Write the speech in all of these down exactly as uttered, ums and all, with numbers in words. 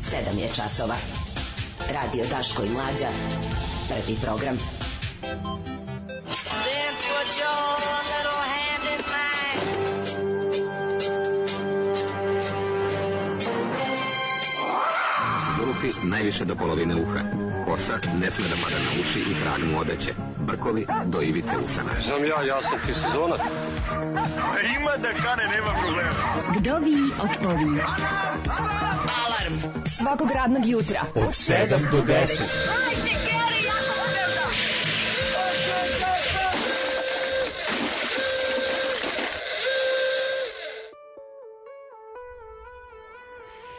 sedam je časova. Radio Daško i Mlađa. Prvi program. Zulufi najviše do polovine uha. Kosa ne sme da pada na uši i trag mu odeće. Brkovi do ivice usana. Znam ja, ja sam ti sezonac. Ima da kane, nema problema. Vdovi otpovi. Alarm svakog radnog jutra od sedam do deset.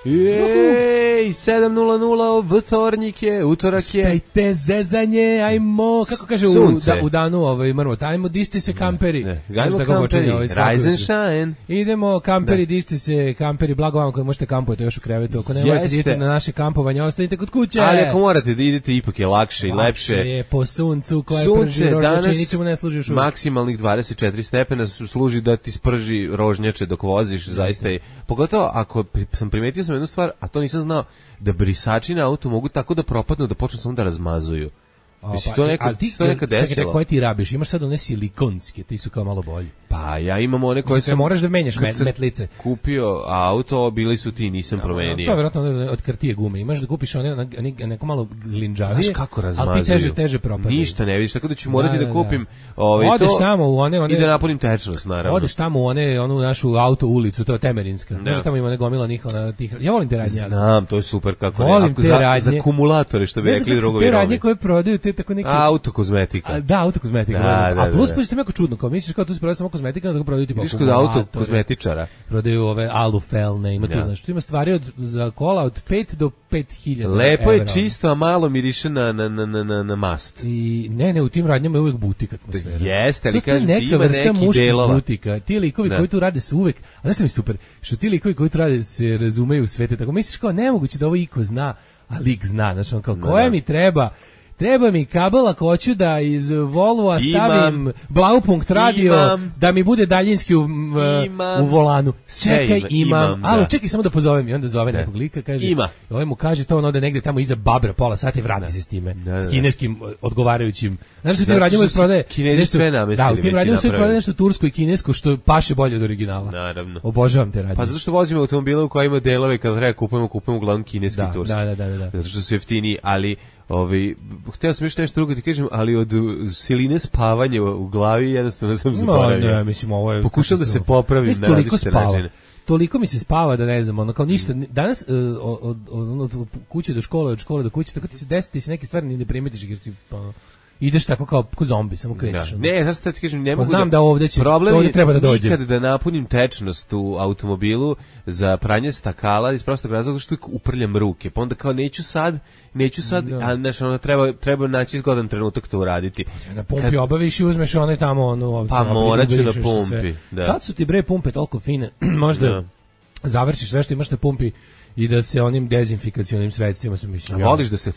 Jej, sedam nula nula, vtornik je, utorak je. Stajte zezanje, ajmo, kako kaže u, da, u danu ovaj mrmot, ajmo, disti se kamperi. Ne, ne. Ajmo kamperi, ovaj rise and shine. Idemo kamperi, ne. Disti se kamperi, blago vam koji možete kampujete još u krevetu, ako ne morate idete na naše kampovanje, ostanite kod kuće. Ali ako morate da idete, ipak je lakše i lepše. Lakše je po suncu koje sunce prži rožnjače i ničemu ne služi još uvijek. Maksimalnih dvadeset četiri stepena služi da ti sprži rožnjače dok voziš, zaista je. Pogotovo ako sam primetio sam jednu stvar, a to nisam znao, da brisači na autu mogu tako da propadnu da počnu samo da razmazuju. Mislim, to nekad, ti, to nekad desilo. Čekaj, koje ti rabiš? Imaš sad one silikonske, ti su kao malo bolji. Pa ja imam one koje sam... moraš da menjaš met, metlice. Kupio auto, bili su ti, nisam promenio. To je vjerojatno od kartije gume. Imaš da kupiš one, neko malo glinđavije, znaš kako razmazuju? Ali ti teže, teže propadaju. Ništa ne vidiš, tako da ću morati da, da, da kupim ovaj, odeš to tamo u one, one, i da napunim tečnost, naravno. Odeš tamo u one, onu našu auto ulicu, to je Temerinska. Da. Znaš, tamo ima one gomila njihova tih... Ja volim te radnje. Znam, to je super kako volim ne. Ako te za, radnje. Za akumulatore, što bi rekli drugovi rovi. Te radnje koje prodaju, te tako neki... Autokozmetika. A, da, autokozmetika. Da, da, a plus da. pa što je jako čudno, kao misliš kao tu se prodaje samo kozmetika, da ga prodaju tipa kod autokozmetičara. Prodaju ove alufelne, ima tu, ja. Znači, tu ima stvari od, za kola od pet do pet hiljada. Lepo evra. Je čisto, a malo miriše na, na, na, na, na mast. I ne, ne, u tim radnjama je uvijek butik atmosfera. Jeste, ali kažem, neka ima vrsta neki delova. Butika. Ti likovi da. Koji tu rade su uvijek, a znaš mi super, što ti likovi koji tu rade se razumeju u svete, tako misliš kao nemoguće da ovo iko zna, a lik zna, znači on kao, no, koja da. Mi treba... Treba mi kabel ako hoću da iz Volvoa stavim Blaupunkt radio, imam, da mi bude daljinski u, imam, u volanu. Čekaj, imam, imam alo, da. Čekaj samo da pozovem i onda zove nekog lika, kaže, ima. Ovaj mu kaže to on ode negde tamo iza Babra pola sata i vrati se s time, da, da. S kineskim odgovarajućim. Znaš što ti u radnjama prodaje? Kinezi sve namestili. Da, u tim radnjama sve prodaje nešto tursko i kinesko što paše bolje od originala. Naravno. Obožavam te radnje. Pa zato što vozimo automobile u kojima delove kad treba kupujemo, kupujemo uglavnom kineski i turski. Da, da, da, da. Zato što su jeftiniji, ali Ovi, htio sam još nešto drugo ti kažem, ali od siline spavanja u glavi jednostavno sam zaboravio. No, ne, mislim, ovo je... Pokušao da se popravim na različite načine. Toliko mi se spava da ne znam, ono kao ništa, danas uh, od, od, od, od kuće do škole, od škole do kuće, tako ti se desi, ti se neke stvari ne primetiš jer si... Pa, ideš tako kao ko zombi, samo krećeš. Da. Ne, sad ti kažem, ne mogu znam da, da ovdje će, problem ovdje treba da dođe. Nikad da napunim tečnost u automobilu za pranje stakala iz prostog razloga što uprljam ruke. Pa onda kao neću sad, neću sad, da. A znači ono treba treba naći zgodan trenutak to uraditi. Pa, na pumpi Kad... obaviš i uzmeš one tamo ono, pa morat ću na pumpi. Da. Sad su ti bre pumpe toliko fine, možda da. Završiš sve što imaš na pumpi i da se onim dezinfikacionim sredstvima su mislim. A voliš da se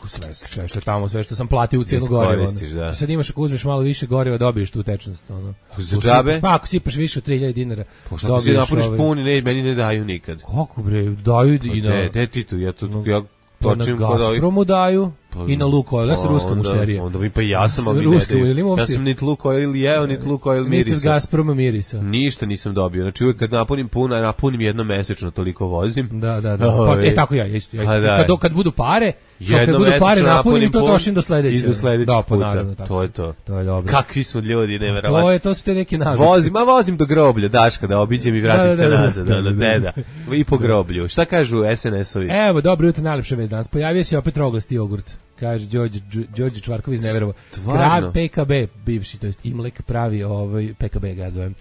sve, sve što tamo, sve što sam platio u cijenu goriva. Da. Sad imaš ako uzmeš malo više goriva, dobiješ tu tečnost. Ono. Za džabe? Pa ako sipaš više od tri hiljade dinara, pa šta ti si napuniš ovaj... puni, ne, meni ne daju nikad. Kako bre, daju pa i na... Ne, ne ti tu, ja to... No, ja pa na Gazpromu daju pa, i na Lukoil, ja sam ruska mušterija. Onda mi pa ja sam, ali ne daju. Ja sam nit Lukoil jeo, nit Lukoil mirisa. Nit Gazproma mirisa. Ništa nisam dobio. Znači uvijek kad napunim puna, napunim jedno mesečno, toliko vozim. Da, da, da. Pa, e, tako ja, isto. Ja, kad, kad budu pare, kad budu pare napunim i to trošim do sledeće. I do sledećeg da, puta. Naravno, to je to. To je dobro. Kakvi su ljudi, neverovatno. To je, to su te neki navike. Vozim, a vozim do groblja, Daška, da obiđem i vratim se nazad. Deda. I po groblju. Šta kažu es en es-ovi? Evo, dobro jutro, najlepša vest danas. Pojavio se opet roglasti jogurt. Kaže Đorđe Đorđe Čvarkov iz Neverovo. Krav P K B bivši, to jest Imlek pravi ovaj P K B ga zovem.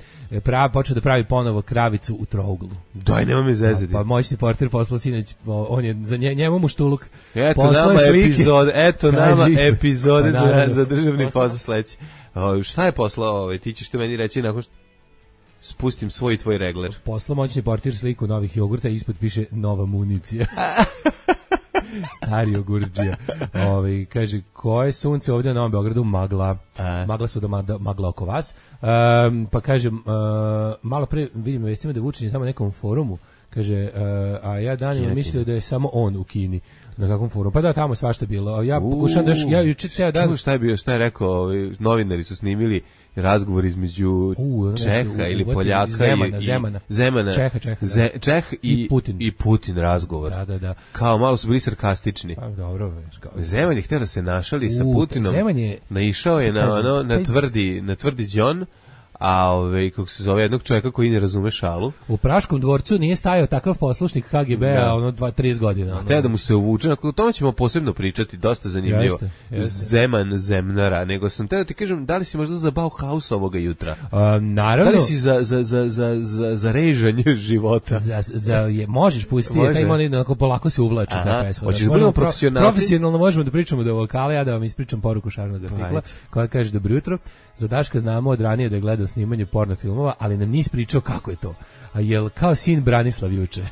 Pravi počeo da pravi ponovo kravicu u trouglu. Daj, nema mi zezati. Pa moćni portir poslao sinoć, on je za nje, njemu muštuluk. Eto nama epizode, eto nama epizode za za državni posao sledeći. Šta je poslao ovaj? Ti ćeš to meni reći nakon što spustim svoj tvoj regler. Poslao moćni portir sliku novih jogurta i ispod piše nova municija. Stari jogurđija. Ovaj kaže koje sunce ovdje na Novom Beogradu magla. A. Magla su da magla oko vas. Um, pa kažem uh, malo pre vidim vestima da Vučić je tamo na nekom forumu Kaže, uh, a ja danima mislio da je samo on u Kini. Na kakvom forumu? Pa da, tamo svašta bilo. Ja pokušam da još, ja juče ceo dan... Čuo šta je bio, šta je rekao, ovi novinari su snimili razgovor između U, Čeha ili Poljaka Zemana, i, Zemana. Zemana, Čeha, Čeha, Ze, Čeh i, i Putin. I Putin razgovor. Da, da, da. Kao malo su bili sarkastični. Pa dobro. Kao... Zeman je htio da se našali U, sa Putinom. Zeman je... Naišao je na, ono, na tvrdi, na tvrdi Đon, a ove, kako se zove, jednog čovjeka koji ne razume šalu. U Praškom dvorcu nije stajao takav poslušnik K G B-a, da. ono, dva, trideset godina. Ono. A te da mu se uvuče, o tome ćemo posebno pričati, dosta zanimljivo. Jeste, jeste. Zeman, Zemnara, nego sam te da ti kažem, da li si možda za Bauhaus ovoga jutra? A, naravno. Da li si za, za, za, za, za, za režanje života? Za, za, je, možeš pustiti, Može. taj ima onako polako se uvlači ta pesma. Hoćeš da budemo profesionalci? Profesionalno možemo da pričamo do vokala, ja da vam ispričam poruku Šarnog artikla, koja kaže dobro jutro. Za Daška znamo od ranije da je gledao snimanje porno filmova, ali nam nis pričao kako je to. A jel kao sin Branislav juče?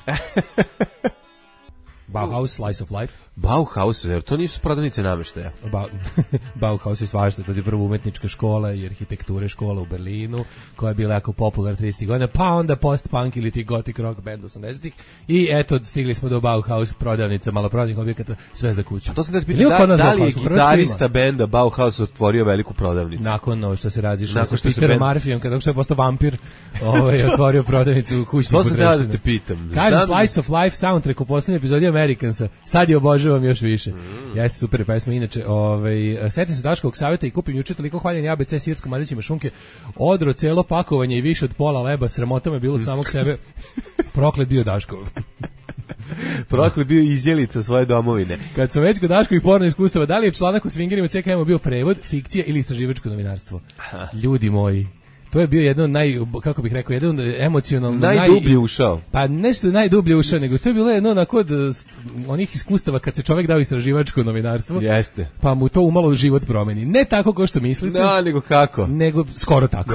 Bauhaus, Slice of Life. Bauhaus, jer to nisu prodavnice namještaja. Ba, Bauhaus je svašta, to je prvo umetnička škola i arhitekture škola u Berlinu, koja je bila jako popularna tridesetih godina, pa onda post-punk ili ti gothic rock band osamdesetih i eto, stigli smo do Bauhaus, prodavnica, maloprodajnih objekata, sve za kuću. A to sam da ti pitam, da, da li je gitarista benda Bauhaus otvorio veliku prodavnicu? Nakon no, što se razišao sa Peterom Marfijom, kada što je postao vampir, ovaj, otvorio prodavnicu u kućnih potrepština. To sam da te pitam. Kaže Slice of Life soundtrack u poslednjoj epizodi Americansa, sad je obožavam još više. Mm. Jeste super pesma. Inače, ovaj setim se Daškovog savjeta i kupim juče toliko hvaljen A B C sirskom mladićima šunke, odro celo pakovanje i više od pola leba, sramota me bilo od samog sebe. Proklet bio Daškov. Proklet bio izjelica svoje domovine. Kad sam već kod Daškovih porno iskustava, da li je članak u Swingerima C K M bio prevod, fikcija ili istraživačko novinarstvo? Aha. Ljudi moji, to je bio jedan naj, kako bih rekao, jedan emocionalno najdublje naj, ušao. Pa nešto najdublje ušao, nego to je bilo jedno onako od onih iskustava kad se čovjek dao istraživačko novinarstvo. Jeste. Pa mu to umalo život promeni. Ne tako kao što mislite. Da, nego kako? Nego skoro tako.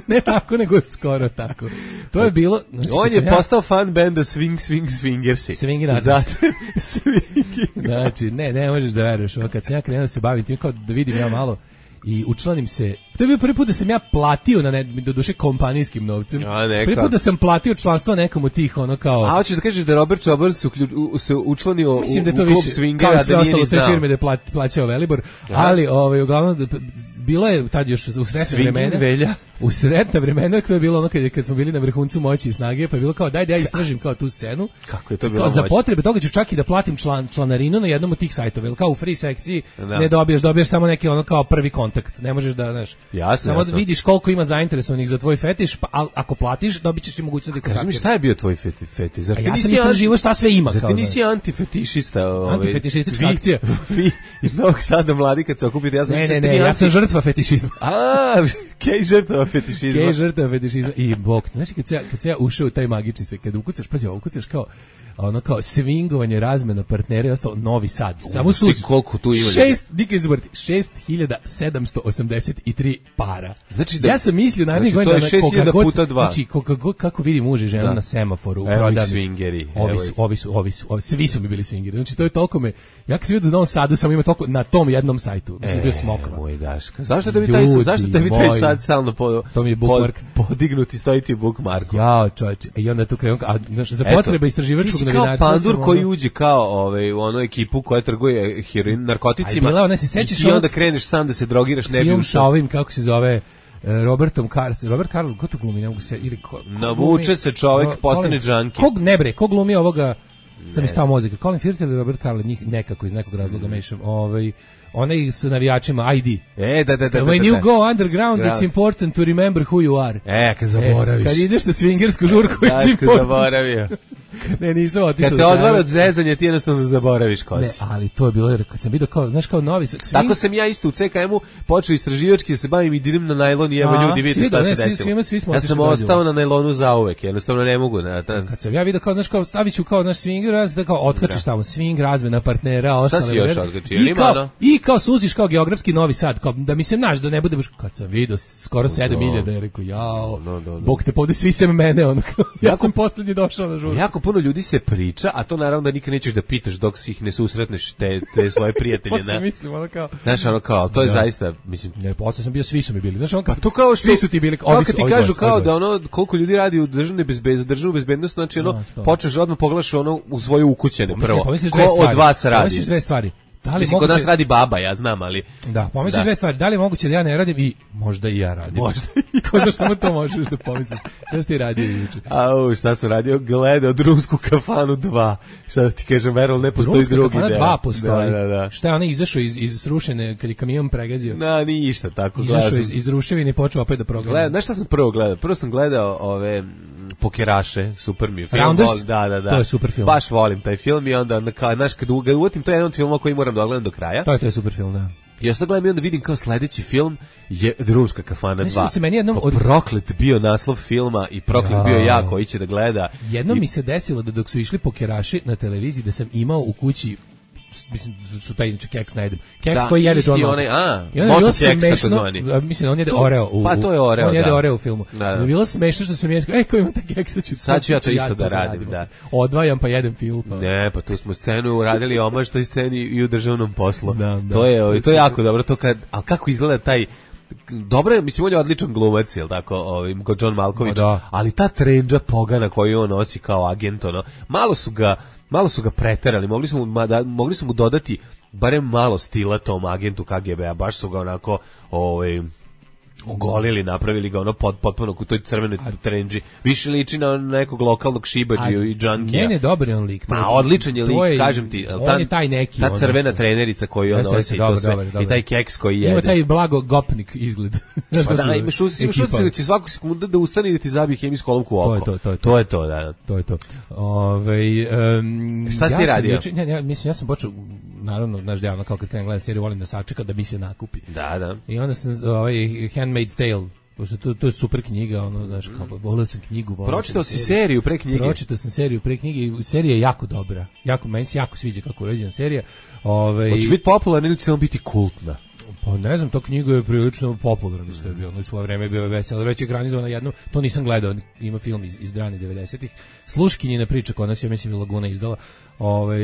Ne tako, nego skoro tako. To je bilo... Znači, on je ja, postao fan benda Swing, Swing, Swingersi. Swingi Zato, Swingi. Znači, ne, ne možeš da veruješ. Kad sam ja krenuo da se bavim tim, kao da vidim ja malo i učlanim se. To je bio prvi put da sam ja platio na ne, do duše kompanijskim novcem. Prvi put da sam platio članstvo nekom od tih ono kao. A hoćeš da kažeš da Robert Čobar se, u, se učlanio u, Mislim da to u klub više, Swingera, kao sve da ostalo te firme da pla, plaćao Velibor, aha, ali ovaj uglavnom da, bilo je tad još u sretna vremena. Velja. U sretna vremena, to je bilo ono kad, kad smo bili na vrhuncu moći i snage, pa je bilo kao daj da ja istražim kao tu scenu. Kako je to bilo? Kao, za potrebe toga ću čak i da platim član, članarinu na jednom od tih sajtova, jer kao u free sekciji da. ne dobiješ, dobiješ samo neki ono kao prvi kontakt. Ne možeš da, znaš, jasno, samo jasno. vidiš koliko ima zainteresovanih za tvoj fetiš, pa a, ako platiš, dobićeš i mogućnost da kontaktiraš. Kaži mi šta je bio tvoj feti, fetiš? Zar ti ja sam istraživao šta sve ima. Zar ti nisi antifetišista? Ovaj, antifetišistička akcija. Vi iz Novog Sada mladi kad se okupite, ja sam ne, ne, ne, ja sam žrtva fetišizma. A, kej žrtva fetišizma. Kej žrtva fetišizma. I bok, znači kad se ja, kad se ja ušao u taj magični svet, kad ukucaš, pazi, ukucaš kao ono kao swingovanje, razmena partnera i ostalo, Novi Sad. Samo su koliko tu ima. šest, nikad izboriti, šest hiljada sedamsto osamdeset tri para. Znači da, ja sam mislio narednih znači, godina šest hiljada puta dva. Znači kako, kako vidi muž i žena da. na semaforu u prodavnici. Swingeri. Ovi su, ovi su, ovi su, ovi, svi su mi bili swingeri. Znači to je toliko me, ja kad sam vidio u Novom Sadu sam imao toliko na tom jednom sajtu. Mislim e, bio smokla. Moj Daška. Zašto da bi taj, zašto da bi taj sad stalno po, to mi je bookmark. Pod, podignuti stojiti u bookmarku. Jao, čoveče. I onda tu krenu, a znaš, za potrebe istraživačkog novinarstva koji uđe kao ovaj u onu ekipu koja trguje heroin, narkoticima. Bila, ona se sećaš i onda kreneš sam da se drogiraš, ne bi film sa ovim, kako se zove, Robertom Carlos, Robert Carlos, ko to glumi, ne mogu se, ili ko, ko navuče glumi, se čovjek, ko, postane džanki. Kog ne bre, ko glumi ovoga, sam istao mozika, Colin Firth ili Robert Carlos, njih nekako iz nekog razloga mm. mešam, ovaj, onaj s navijačima I D. E, da, da, da. When da, you da. go underground, it's important to remember who you are. E, kad zaboraviš. E, kad ideš na swingersku žurku, it's important. Da, kad zaboravio. Ne, nisam otišao. Kad te odvara od zezanja, ti jednostavno zaboraviš ko si. Ne, ali to je bilo, jer kad sam vidio kao, znaš, kao novi... Swing... Tako sam ja isto u C K M-u počeo istraživački da se bavim i dirim na najlon i evo a, ljudi vidi šta se desilo. Svi, svi ja sam ostao na najlonu zauvek, jednostavno ne mogu. Na, ta... Kad sam ja vidio kao, znaš, kao stavit ću kao naš swing, da kao otkačeš tamo swing, razmena partnera, ostale... Šta si još otkačio? I kao, i kao suziš kao geografski Novi Sad, kao da mi se naš, da ne bude... Kad sam vidio skoro sedam hiljada, je rekao, jao, Bog te povde svi sem mene, on, ja sam poslednji došao na žurku. Jako jako puno ljudi se priča, a to naravno da nikad nećeš da pitaš dok si ih ne susretneš te, te svoje prijatelje. Posle mislim, ono kao... Znaš, ono kao, to je da. zaista, mislim... Ne, posle sam bio, svi su mi bili. Znaš, ono kao, pa to kao što... Svi su ti bili, kao kad ti kažu kao da ono, koliko ljudi radi u državnoj bezbednosti, državnu bezbednost, znači ono, no, počneš odmah pogledaš ono u svoje ukućene prvo. Pomisliš ko od vas radi? Pomisliš dve stvari. Da li mislim, moguće... kod nas radi baba, ja znam, ali... Da, pomisliš dve stvari. Da li je moguće da ja ne radim i možda i ja radim. Možda i ja. Ko da samo to možeš da pomisliš. Šta si ti radio juče? Au, šta sam radio? Gledao Drumsku kafanu dva. Šta da ti kažem, Verol, ne postoji Drumska drugi. Drumska kafana dva postoji. Da, da, da. Šta je ona izašao iz, iz srušene, kad je kamion pregazio? Na, ništa tako. Izašao iz, iz ruševine i počeo opet da progleda. Gleda, znaš šta sam prvo gledao? Prvo sam gledao ove... Pokeraše, super mi je film. Rounders? Volim, da, da, da. To je super film. Baš volim taj film i onda, znaš, kad uvatim, to je jedan od filmova koji moram da odgledam do kraja. To je, to je super film, da. I ja sad gledam i onda vidim kao sledeći film je Drumska kafana dva. Se meni jednom od... Proklet bio naslov filma i proklet ja. bio ja koji će da gleda. Jednom I... mi se desilo da dok su išli Pokeraši na televiziji da sam imao u kući, mislim su taj inače keks najedem. Keks da, koji jede John onaj, a, I onda je bilo smešno, mislim, on jede Oreo u, pa to je Oreo, on jede da. Oreo u filmu. Da, da. Bilo smešno što sam jeskao, ej, ko ima taj keks, sad ću, sad ću ja to isto ja da radim, da. Odvajam pa jedem film. Pa. Ne, pa tu smo scenu uradili omaž toj sceni i u državnom poslu. Znam, da. To je, to je jako dobro, to kad, al kako izgleda taj dobro je, mislim, on je odličan glumac, jel tako, ovim, kod John Malkovich, da. ali ta trendža pogana koju on nosi kao agent, ono, malo su ga, malo su ga preterali, mogli su mu, da, mogli su mu dodati barem malo stila tom agentu K G B-a, baš su ga onako, ovaj, ogolili, napravili ga ono pod, potpuno u toj crvenoj trendži. Više liči na nekog lokalnog šibađiju i džankija. Ne, ne, dobar je on lik. Ma, odličan je lik, je, kažem ti. On ta, je taj neki. Ta crvena trenerica koju on nosi dobar, to sve, dobar, dobar. i taj keks koji jede. Ima taj blago gopnik izgled. Znaš pa da, imaš utisak da će svaku sekundu da ustane i da ti zabije hemijsku olovku u oko. To je to, to je to. To je to, da. To je to. Ove, um, šta si ti ja radio? Juče, ja, ja, mislim, ja sam počeo, naravno, znaš, javno, kao kad krenem gledam seriju, volim da sačekam da mi se nakupi. Da, da. I onda sam, ovaj, Handmaid's Tale, pošto to, to je super knjiga, ono, znaš, kao, volio sam knjigu, volio Pročitao sam si seriju pre knjige? Pročitao sam seriju pre knjige i serija je jako dobra. Jako, meni se jako sviđa kako je urađena serija. Ove, Hoće biti popularna ili će samo biti kultna? Pa ne znam, to knjiga je prilično popularna, isto je bilo, u svoje vreme je bio već, ali već je ekranizovana jednom, to nisam gledao, ima film iz, iz ranih devedesetih, Sluškinjina priča, kod nas je, mislim, Laguna izdala, ovaj,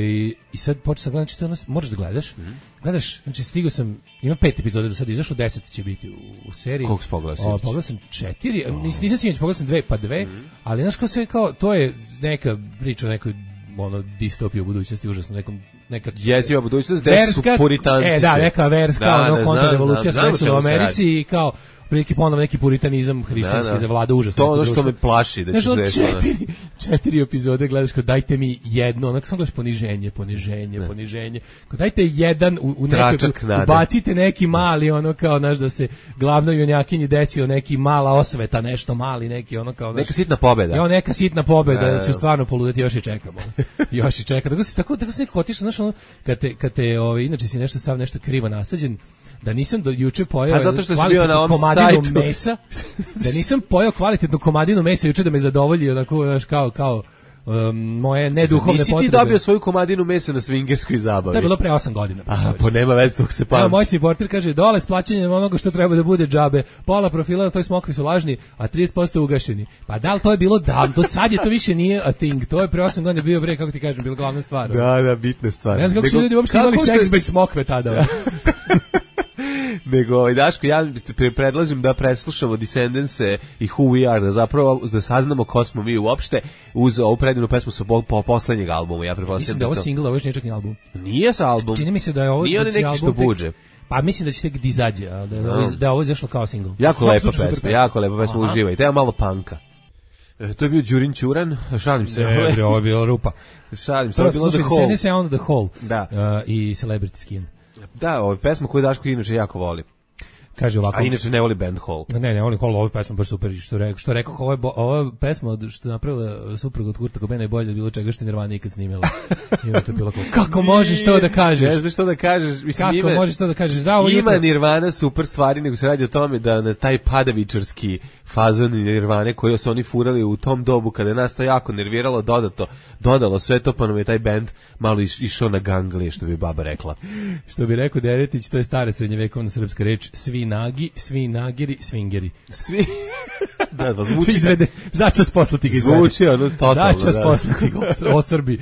i sad počeo sam gledati, znači, moraš da gledaš, mm-hmm. gledaš, znači, stigao sam, ima pet epizoda do sada, izašlo, deset će biti u, u seriji. Koliko si pogledao? Pogledao sam četiri, oh. nis, nisam sinoć, pogledao sam dve, pa dve, mm-hmm. ali, znaš, kao sve, kao, to je neka priča o nekoj, ono, distopija u budućnosti, užasno, nekom, neka jeziva budućnost, gde su puritanci. E, da, neka verska, da, ono, ne, kontrarevolucija se desila u Americi i kao, prilike ponovno neki puritanizam hrišćanski da, da. zavlada užasno. To ono što me plaši, da će sve četiri, četiri epizode gledaš kao dajte mi jedno, onako samo gledaš poniženje, poniženje, ne. poniženje. Kao dajte jedan u, u nekoj, ubacite neki mali, ono kao, znaš, da se glavnoj junakinji desio neki mala osveta, nešto mali, neki ono kao, znaš, neka sitna pobeda. Jo, neka sitna pobeda, da će stvarno poludeti, još i čekamo. Još i čekamo. Tako se tako tako se neko otišao, znaš, ono, kad te kad te ovaj inače si nešto sav nešto krivo nasađen, da nisam do juče pojeo kvalitetnu komadinu mesa, da nisam pojeo kvalitetnu komadinu mesa juče da me zadovolji, onako, znaš, kao, kao um, moje neduhovne potrebe. Nisi ti dobio svoju komadinu mesa na swingerskoj zabavi? To je bilo pre osam godina. Aha, po nema veze, dok se pamti. Evo, moj supporter kaže, dole s plaćanjem onoga što treba da bude džabe, pola profila na toj smokvi su lažni, a trideset posto ugašeni. Pa da li to je bilo davno, do sad je to više nije a thing, to je pre osam godina bio bre, kako ti kažem, bila glavna stvar. Da, da, bitna stvar. Ne znam kako su ljudi uopšte imali seks bez smokve tada. Nego, ovaj, Daško, ja predlažem da preslušamo Descendants-e i Who We Are, da zapravo da saznamo ko smo mi uopšte uz ovu predivnu pesmu sa po poslednjeg albuma. Ja pretpostavljam mislim da je ovo single, ovo je čak ni album. Nije sa album. Čini mi se da je ovo nije neki album što buđe. Pa mislim da će tek da izađe, da, da, no. da je ovo izašlo kao single. Jako lepa pesma, pesma, jako lepa pesma, uživajte. Evo malo panka. E, to je bio Đurin Ćuran, šalim se. Ne, bre, ovo je bila rupa. Šalim se, ovo je bilo The Hole. Slušajte, se on The Hole da. Uh, i Celebrity Skin. Da, ovo je pesma koju Daško inače jako voli. Kaže ovako. A inače ne voli band Hall. Ne, ne voli Hall, ovo pesma baš super, što rekao, što rekao, ovo je ova pesma što je napravila supruga od Kurta Cobaina je bolje bilo čega što Nirvana ikad snimila. I to je bilo kako, kako možeš to da kažeš? Ne znaš što da kažeš, mislim kako ima. Kako možeš to da kažeš? Za ovo ima jutro... Nirvana super stvari, nego se radi o tome da na taj padavičarski fazon Nirvane koji su oni furali u tom dobu kada je nas to jako nerviralo, dodato, dodalo sve to, pa nam je taj bend malo iš, išao na ganglije, što bi baba rekla. Što bi rekao Deretić, to je stara srednjevekovna srpska reč, svi nagi, svi nagiri, svingeri. Svi Da, da, zvuči. Izvede, začas posla ti ga izvede. Zvuči, ono, totalno, začas da. posla ti ga os- osrbi.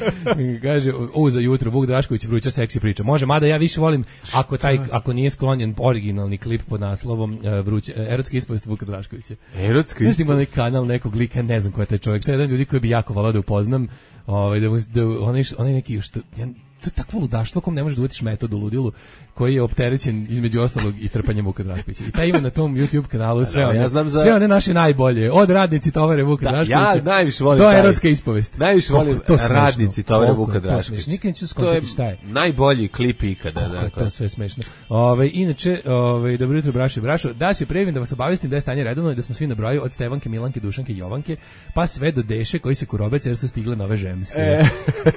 Kaže, u, za jutro, Vuk Drašković vruća seksi priča. Može, mada ja više volim, ako taj, ako nije sklonjen originalni klip pod naslovom uh, vruća, uh, erotska ispovest Vuka Draškovića. Erotska ispovest? Ima onaj kanal nekog lika, ne znam ko je taj čovjek. To je jedan ljudi koji bi jako volao da upoznam. Ovaj, da, mu, da onaj, onaj neki, što, ja, to je takvo ludaštvo kom ne možeš da uvetiš metod u ludilu, koji je opterećen između ostalog i trpanjem Vuka Draškovića. I taj ima na tom YouTube kanalu sve, one, ja znam za... sve one naše najbolje, od radnici tovare Vuka da, Draškovića. Ja najviše volim do taj. erotske ispovest. Najviše volim to radnici tovare Vuka Draškovića. Nikad neću skontati šta je. Najbolji klip ikada. Kako je to sve smešno. Ove, inače, ove, dobro jutro, brašo i brašo. Da se previm da vas obavestim da je stanje redovno i da smo svi na broju od Stevanke, Milanke, Dušanke i Jovanke, pa sve do Deše koji se kurobece jer su stigle nove žemske. E.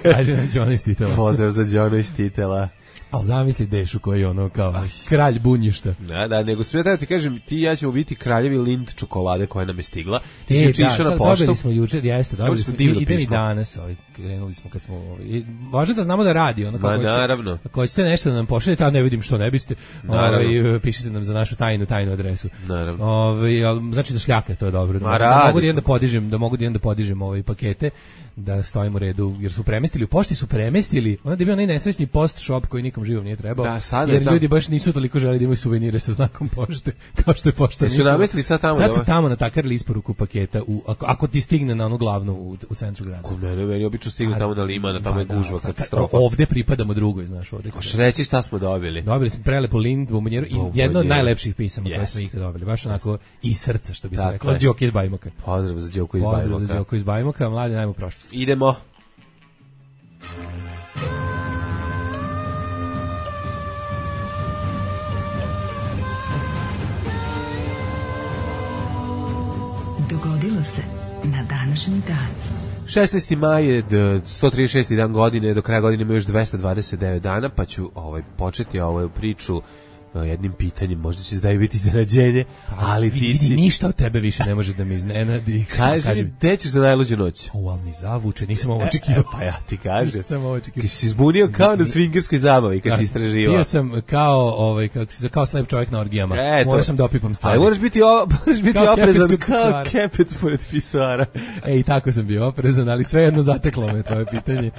Kaže nam Đona iz Titela. Pozdrav za Đona iz Titela. Ali zamisli Dešu koji je ono kao Aj. kralj bunjišta. Da, da, nego sve da ti kažem, ti i ja ćemo biti kraljevi Lind čokolade koja nam je stigla. Ti e, si juče išao na poštu. Dobili smo juče, jeste, dobili smo, idem i danas, ovaj, krenuli smo kad smo, ovaj, važno da znamo da radi, ono kao Ma, naravno. Ako hoćete nešto da nam pošaljete, a ne vidim što ne biste, ovaj, pišite nam za našu tajnu, tajnu adresu. Naravno. Ovaj, ali, znači da šljake, to je dobro. Ma, da, da mogu da jedan da podižem, da mogu da jedan da podižem ovaj pakete, da stojimo u redu, jer su premestili, u pošti su premestili, onda je bio onaj nesrećni post shop koji nikom živom nije trebao, da, sad jer tam... ljudi baš nisu toliko želeli da imaju suvenire sa znakom pošte, kao što je pošta. Jesu namestili sad tamo? Sad su tamo natakarili isporuku paketa, u, ako, ako ti stigne na onu glavnu u, u centru grada. Kod mene, meni obično stigne tamo na Limana, tamo je gužva, da, katastrofa. Ovde pripadamo drugoj, znaš, ovde. Koš reći šta smo dobili? Dobili smo prelepu Lind, bombonjeru i jedno od najlepših pisama koje smo ikad dobili, baš onako i srca, što bi se reklo, od Đoke iz Bajmoka. Pozdrav za Đoku iz Bajmoka. Pozdrav za Đoku iz Bajmoka, mladi najmo prošlost. Idemo. Dogodilo se na današnji dan. šesnaesti maj je sto trideset šesti dan godine, do kraja godine ima još dvesta dvadeset devet dana, pa ću ovaj, početi ovu priču jednim pitanjem, možda će se da biti iznenađenje, ali ti vidi, si... ništa od tebe više ne može da me iznenadi. Kaži mi, gde ćeš za najluđu noć? O, ali mi zavuče, nisam ovo očekivao. E, pa ja ti kažem. Nisam ovo očekivao. Kad si se zbunio kao na swingerskoj zabavi, kad si istraživao. Bio sam kao, ovaj, kako si, kao slep čovjek na orgijama. E, Morao sam da opipam stvari. Ali moraš biti, o, moraš biti kao oprezan kao kepec pored pisara. E, i tako sam bio oprezan, ali svejedno zateklo me tvoje pitanje.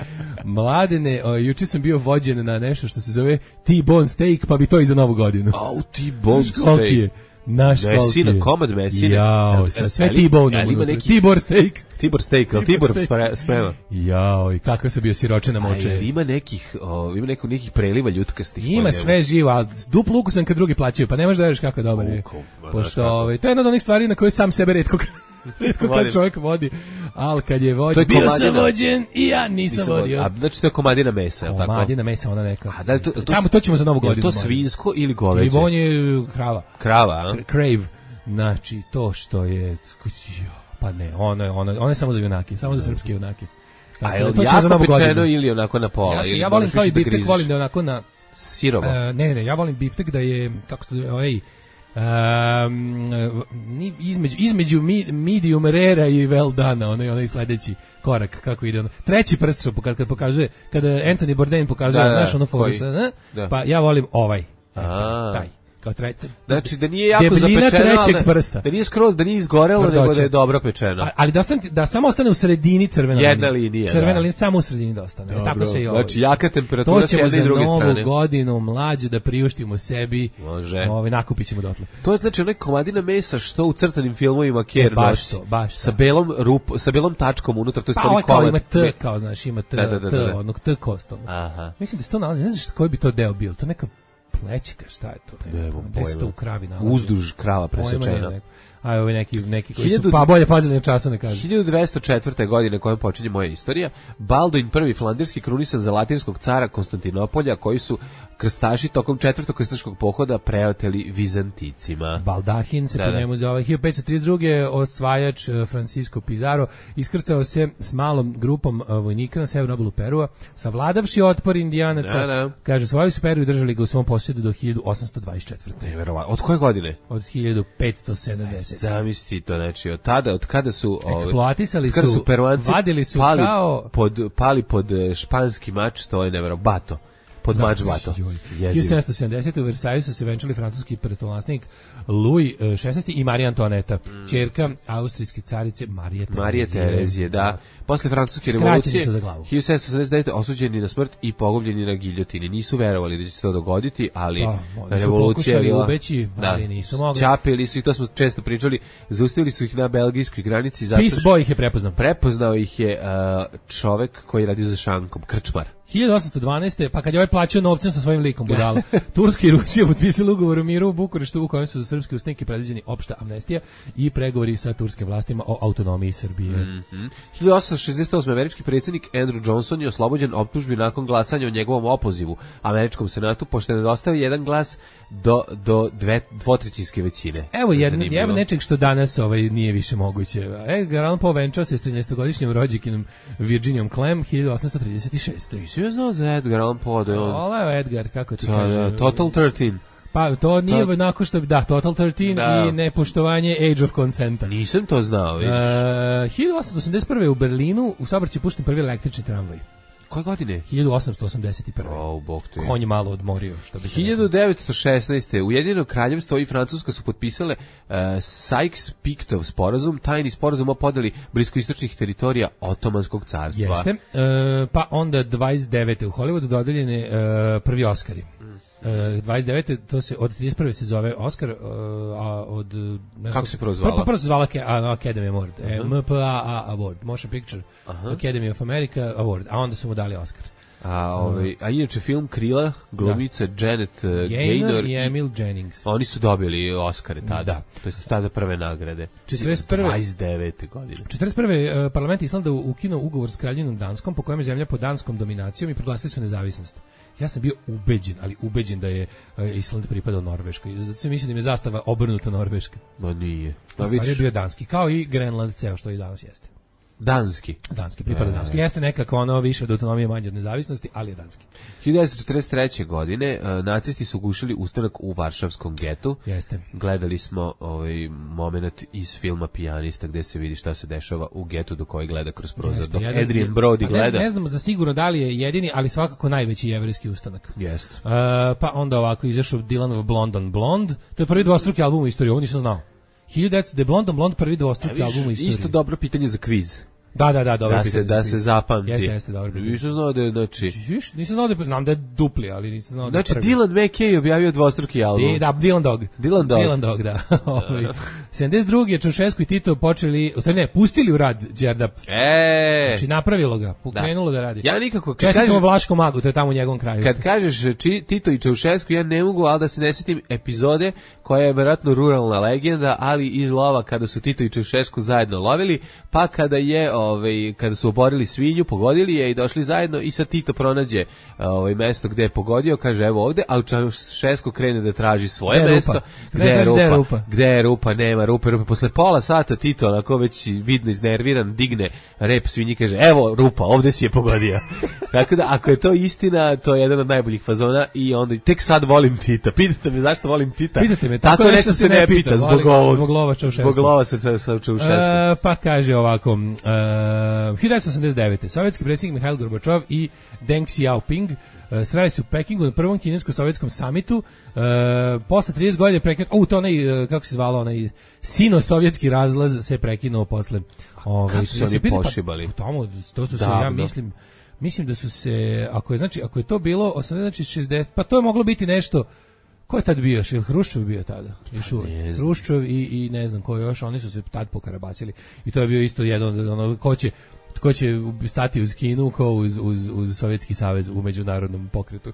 Mladene, o, juče sam bio vođen na nešto što se zove T-bone steak, pa bi to i za novu godinu. Au, T-bone steak. Naš koliki je. Mesina, komad mesine. Jao, sa sve T-bone. Tibor steak. Tibor steak, ali Tibor sprema. Jao, i kako sam bio siročena moče. Aj, ima nekih, o, ima neko, nekih preliva ljutkastih. Ima sve živo, ali duplu ukusan kad drugi plaćaju, pa ne možeš da veriš kako je dobar je. Pošto, ovaj, to je jedna od onih stvari na koje sam sebe retko retko kad čovjek vodi, ali kad je vođen, bio sam vođen i ja nisam vodio. A znači to je komadina mesa, je li tako? Komadina mesa, ona neka. A da li to, to, tamo to ćemo za novu godinu. Je to svinsko ili goveđe? Ili on je krava. Krava, a? Crave. Znači, to što je... Pa ne, ono je, ono, ono je samo za junake, samo za srpske junake. A je li jako pečeno ili onako na pola? Ja, si, ja volim kao i biftek, volim da je onako na... Sirovo? Uh, ne, ne, ja volim biftek da je, kako se zove, ovaj... Um, između, između medium rare i well done, onaj, onaj sledeći korak, kako ide ono. Treći prst što kad, kad pokazuje, kada Anthony Bourdain pokazuje, da, znaš ono force, da. Pa ja volim ovaj, a taj. Kao treći. Znači da nije jako zapečeno, prsta. Da nije skroz, da nije izgorelo, Tvrdoće. Nego da je dobro pečeno. A, ali da, ostane, da samo ostane u sredini crvena linija. Jedna linija, crvena da. linija, samo u sredini da ostane. Dobro. Tako se i ovo. Znači jaka temperatura s jedne i druge strane. To ćemo za novu godinu mlađe da priuštimo sebi. Može. Ovaj, nakupit ćemo dotle. To je znači onaj komadina mesa što u crtanim filmovima Kerr baš nosi. To, baš sa belom rup, sa belom tačkom unutra, to je stvari komad. Pa ovo ima T, kao znaš, ima T, da, da, da, da. T, onog T kostom. Aha. Mislim da se to nalazi, ne znaš koji bi to deo bio, to neka plećika, šta je to? Gde se to u kravi nalazi? Uzduž krava presečena. A ovi neki, neki koji su pa bolje pazili na času ne kažu. hiljadu dvesta četvrte. godine kojom počinje moja istorija, Balduin prvi flanderski krunisan za latinskog cara Konstantinopolja, koji su krstaši tokom četvrtog krstaškog pohoda preoteli Vizanticima. Baldahin se da, po njemu zove. hiljadu petsto trideset druge. osvajač Francisco Pizarro iskrcao se s malom grupom vojnika na severnu obalu Perua, savladavši otpor Indijanaca. Da, da. Kaže, svojili su Peru i držali ga u svom posjedu do hiljadu osamsto dvadeset četvrte. Neverovatno. Od koje godine? Od hiljadu petsto sedamdesete. Zamisli to, znači od tada, od kada su eksploatisali su, su Peruanci vadili su pali kao pod, pali pod španski mač, to je neverovatno. pod Da, mačbato. joj. Jezivo. hiljadu sedamsto sedamdesete. u Versaju su se venčali francuski prestolonaslenik Louis šesnaesti i Marija Antoaneta, ćerka austrijske carice Marije Terezije. Marije Terezije, da. Posle francuske Skraćeni revolucije su za glavu. hiljadu sedamsto sedamdeset devete. osuđeni na smrt i pogubljeni na giljotini. Nisu verovali da će se to dogoditi, ali Pa, oni su revolucija je pokušali bila... ubeći, ali nisu mogli. Čapili su i to smo često pričali, zaustavili su ih na belgijskoj granici zato Peace što Boy ih je prepoznao. prepoznao ih je uh, čovek koji radi za šankom, krčmar. hiljadu osamsto dvanaeste. pa kad je ovaj plaćao novcem sa svojim likom budala. Turska i Rusija potpisali ugovor o miru u Bukureštu u kojem su za srpski ustanik predviđeni opšta amnestija i pregovori sa turskim vlastima o autonomiji Srbije. Mm-hmm. hiljadu osamsto šezdeset osme. američki predsjednik Andrew Johnson je oslobođen optužbi nakon glasanja o njegovom opozivu američkom senatu, pošto je nedostavio jedan glas do, do dve, dvotrećinske većine. Evo jedno, evo nečeg što danas ovaj nije više moguće. Edgar Allan Poe venčao se s trinaestogodišnjim rođakinom Virginijom Clem hiljadu osamsto trideset šeste. Ja znao za Edgar Allan Poe da je on... Oleo Edgar, kako ti Da, kaže? da, Total trinaest. Pa to nije To- onako što bi, da, Total trinaest Da. i nepoštovanje Age of Consenta. Nisam to znao, vidiš. Uh, hiljadu osamsto osamdeset prve. u Berlinu u saobraćaj pušten prvi električni tramvaj. Koje godine? hiljadu osamsto osamdeset prve. O, bog te. Konj je malo odmorio, što bi se hiljadu devetsto šesnaeste. Ujedinjeno kraljevstvo i Francuska su potpisale uh, Sykes-Pictov sporazum, tajni sporazum o podeli bliskoistočnih teritorija Otomanskog carstva. Jeste. E, pa onda dvadeset devete. u Hollywoodu dodeljene e, prvi Oscari. E, dvadeset devete. to se od trideset prve se zove Oscar, e, a od ne znam, Kako se prvo zvala? Prvo, prvo se zvala Ke- a, Academy Award, e, M P A A Award, Motion Picture Academy of America Award, a onda su mu dali Oscar. A, ovaj, a inače film Krila, glumica Janet uh, Gaynor Gaynor i i Emil Jennings. oni su dobili Oscare tada. Da. To jest tada prve nagrade. četrdeset prve. dvadeset devete godine. četrdeset prve. Uh, parlament Islanda ukinuo ugovor s kraljevinom Danskom po kojem je zemlja pod danskom dominacijom i proglasili su nezavisnost. Ja sam bio ubeđen, ali ubeđen da je uh, Island pripadao Norveškoj. Zato se mislim da im je zastava obrnuta Norveška. Ma nije. U Ma stvari je vidiš, bio danski, kao i Grenland ceo što i danas jeste. danski. Danski, pripada danski. Jeste nekako ono više od autonomije, manje od nezavisnosti, ali je danski. hiljadu devetsto četrdeset treće. godine uh, nacisti su gušili ustanak u Varšavskom getu. Jeste. Gledali smo ovaj moment iz filma Pijanista gde se vidi šta se dešava u getu do koje gleda kroz prozor. Jeste, Dok jedan- Adrian Brody pa ne, gleda. ne znam za sigurno da li je jedini, ali svakako najveći jevrejski ustanak. Jeste. Uh, pa onda ovako izašao Dylanov Blonde on Blonde. To je prvi dvostruki album u istoriji, ovo nisam znao. hiljadu devetsto. The Blonde on Blonde, prvi dvostruki album u istoriji. Isto dobro pitanje za kviz. Da, da, da, dobro Da se, pitanje. da se zapamti. Jeste, jeste, dobro pitanje. Nisam znao da je, znači... Viš, nisam znao da je, znam da je dupli, ali nisam znao da Znači, je prvi. Dylan McKay objavio dvostruki album. I, da, Dylan Dog. Dylan Dog. Dylan Dog, da. Ovaj, sedamdeset druge. je Čaušesku i Tito počeli, u stvari ne, pustili u rad Đerdap. E, Znači, napravilo ga, pokrenulo da, radi. ja nikako... Kad Čestitamo kažeš, Vlaškom magu, to je tamo u njegovom kraju. kad kažeš či, Tito i Čaušesku, ja ne mogu, ali da se ne sjetim epizode koja je vjerojatno ruralna legenda, ali iz lova kada su Tito i Čaušesku zajedno lovili, pa kada je, ovaj, kada su oborili svinju, pogodili je i došli zajedno i sad Tito pronađe ovaj, mesto gde je pogodio, kaže evo ovde, a Čaušesku krene da traži svoje Gde je mesto. rupa? Gde Ne je traži gde je rupa? rupa. Gde je rupa? Nema rupe, rupe. Posle pola sata Tito, onako već vidno iznerviran, digne rep svinji, kaže evo rupa, ovde si je pogodio. Tako da, ako je to istina, to je jedan od najboljih fazona i onda tek sad volim Tita. Pitate me zašto volim Tita? Pitate me, tako, tako nešto nešto se se ne ne pita, pita, zbog volim- ovog. zbog lova Čaušesku. Zbog lova sa, sa, sa Čaušesku. E, pa kaže ovako, uh, hiljadu devetsto osamdeset devete. Sovjetski predsjednik Mihail Gorbačov i Deng Xiaoping uh, sreli su u Pekingu na prvom kinesko-sovjetskom samitu. Uh, posle trideset godina prekinuo, u to onaj, uh, kako se zvalo, onaj sino-sovjetski razlaz se prekinuo posle. Ovaj, Kako su ja oni se pitam, pa, pošibali? u tomu, to su se, ja Davno. mislim, mislim da su se, ako je, znači, ako je to bilo osamdeset, znači šezdeset, pa to je moglo biti nešto. Ko je tad bio? Šil Hruščov bio tada? Još uvek. ne znam. Hruščov i, i ne znam ko još, oni su se tad pokarabacili. I to je bio isto jedan od ono, ko će, ko će stati uz Kinu, ko uz, uz, uz Sovjetski savez u međunarodnom pokretu.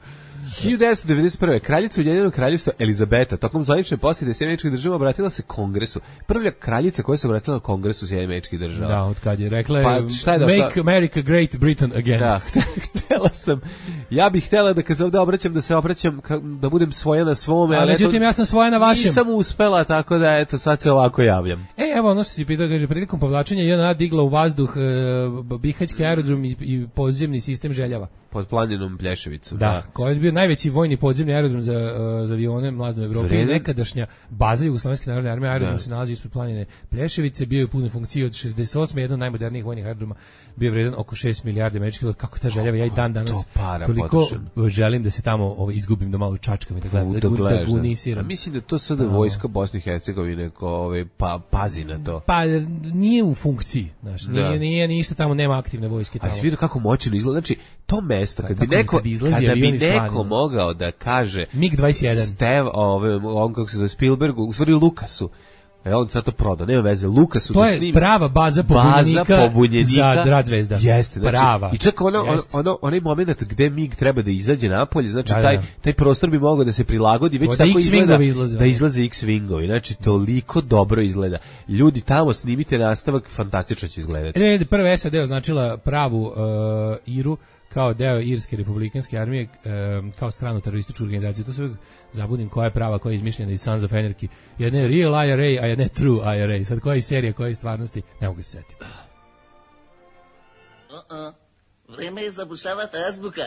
hiljadu devetsto devedeset prve. Kraljica Ujedinjenog kraljevstva Elizabeta tokom zvanične posjete Sjedinjenih Američkih Država obratila se Kongresu. Prva kraljica koja se obratila Kongresu Sjedinjenih Američkih Država. Da, od kad je rekla je, Pa, šta je da, Make šta- America Great Britain Again. Da, htela sam, ja bih htela da kad se ovde obraćam, da se obraćam, ka- da budem svoja na svome, A ali međutim, eto, ja sam svoja na vašem. nisam uspela, tako da, eto, sad se ovako javljam. E, evo ono što si pitao, kaže, prilikom povlačenja J N A digla u vazduh e, uh, Bihaćki aerodrom i, i podzemni sistem Željava. Pod planinom Plješevicu. Da, Da, koji je bio najveći vojni podzemni aerodrom za, uh, za avione mlazne u Evropi. Vredan. Nekadašnja baza Jugoslovenske narodne armije, aerodrom Da. se nalazi ispod planine Plješevice, bio je u punoj funkciji od šezdeset osme jedan od najmodernijih vojnih aerodroma, bio je vredan oko šest milijardi američkih dolara. Kako ta Željava, ja i dan danas to para toliko potrošeno. želim da se tamo ovo, izgubim, da malo čačkam i da gledam, da, Da gu- gledaš, da da. gunisiram. A mislim da to sada vojska Bosne i Hercegovine ko ovaj pa pazi na to. Pa nije u funkciji, znaš, nije, Da. nije ništa tamo, nema aktivne vojske A tamo. si vidio kako moćno izgleda, znači to mesto kad bi Tako neko kad izlazi kada bi avion iz neko planine. mogao da kaže mig dvadeset jedan. Stev, ove, on kako se zove Spielbergu, u stvari Lukasu. E on sad to prodao, nema veze, Lukasu To da je snima. prava baza Baza pobunjenika, pobunjenika za Rad Zvezda. Jeste, znači, prava. I čak ono, ono, Jeste. ono, onaj moment gde mig treba da izađe napolje, znači Da, da, taj, da. taj prostor bi mogao da se prilagodi, već Da tako X-wingovi izgleda, izlaze, da ono. izlaze X-wingovi, znači toliko dobro izgleda. Ljudi tamo snimite nastavak, fantastično će izgledati. E, prva S A D označila pravu uh, Iru kao deo Irske republikanske armije, um, kao stranu terorističku organizaciju. To se uvijek zabudim koja je prava, koja je izmišljena iz Sons of Anarchy. Jedna je real I R A, a jedna je true I R A. Sad koja je serija, koja je stvarnosti, ne mogu se setiti. Uh-uh. Vreme je zabušavati azbuka.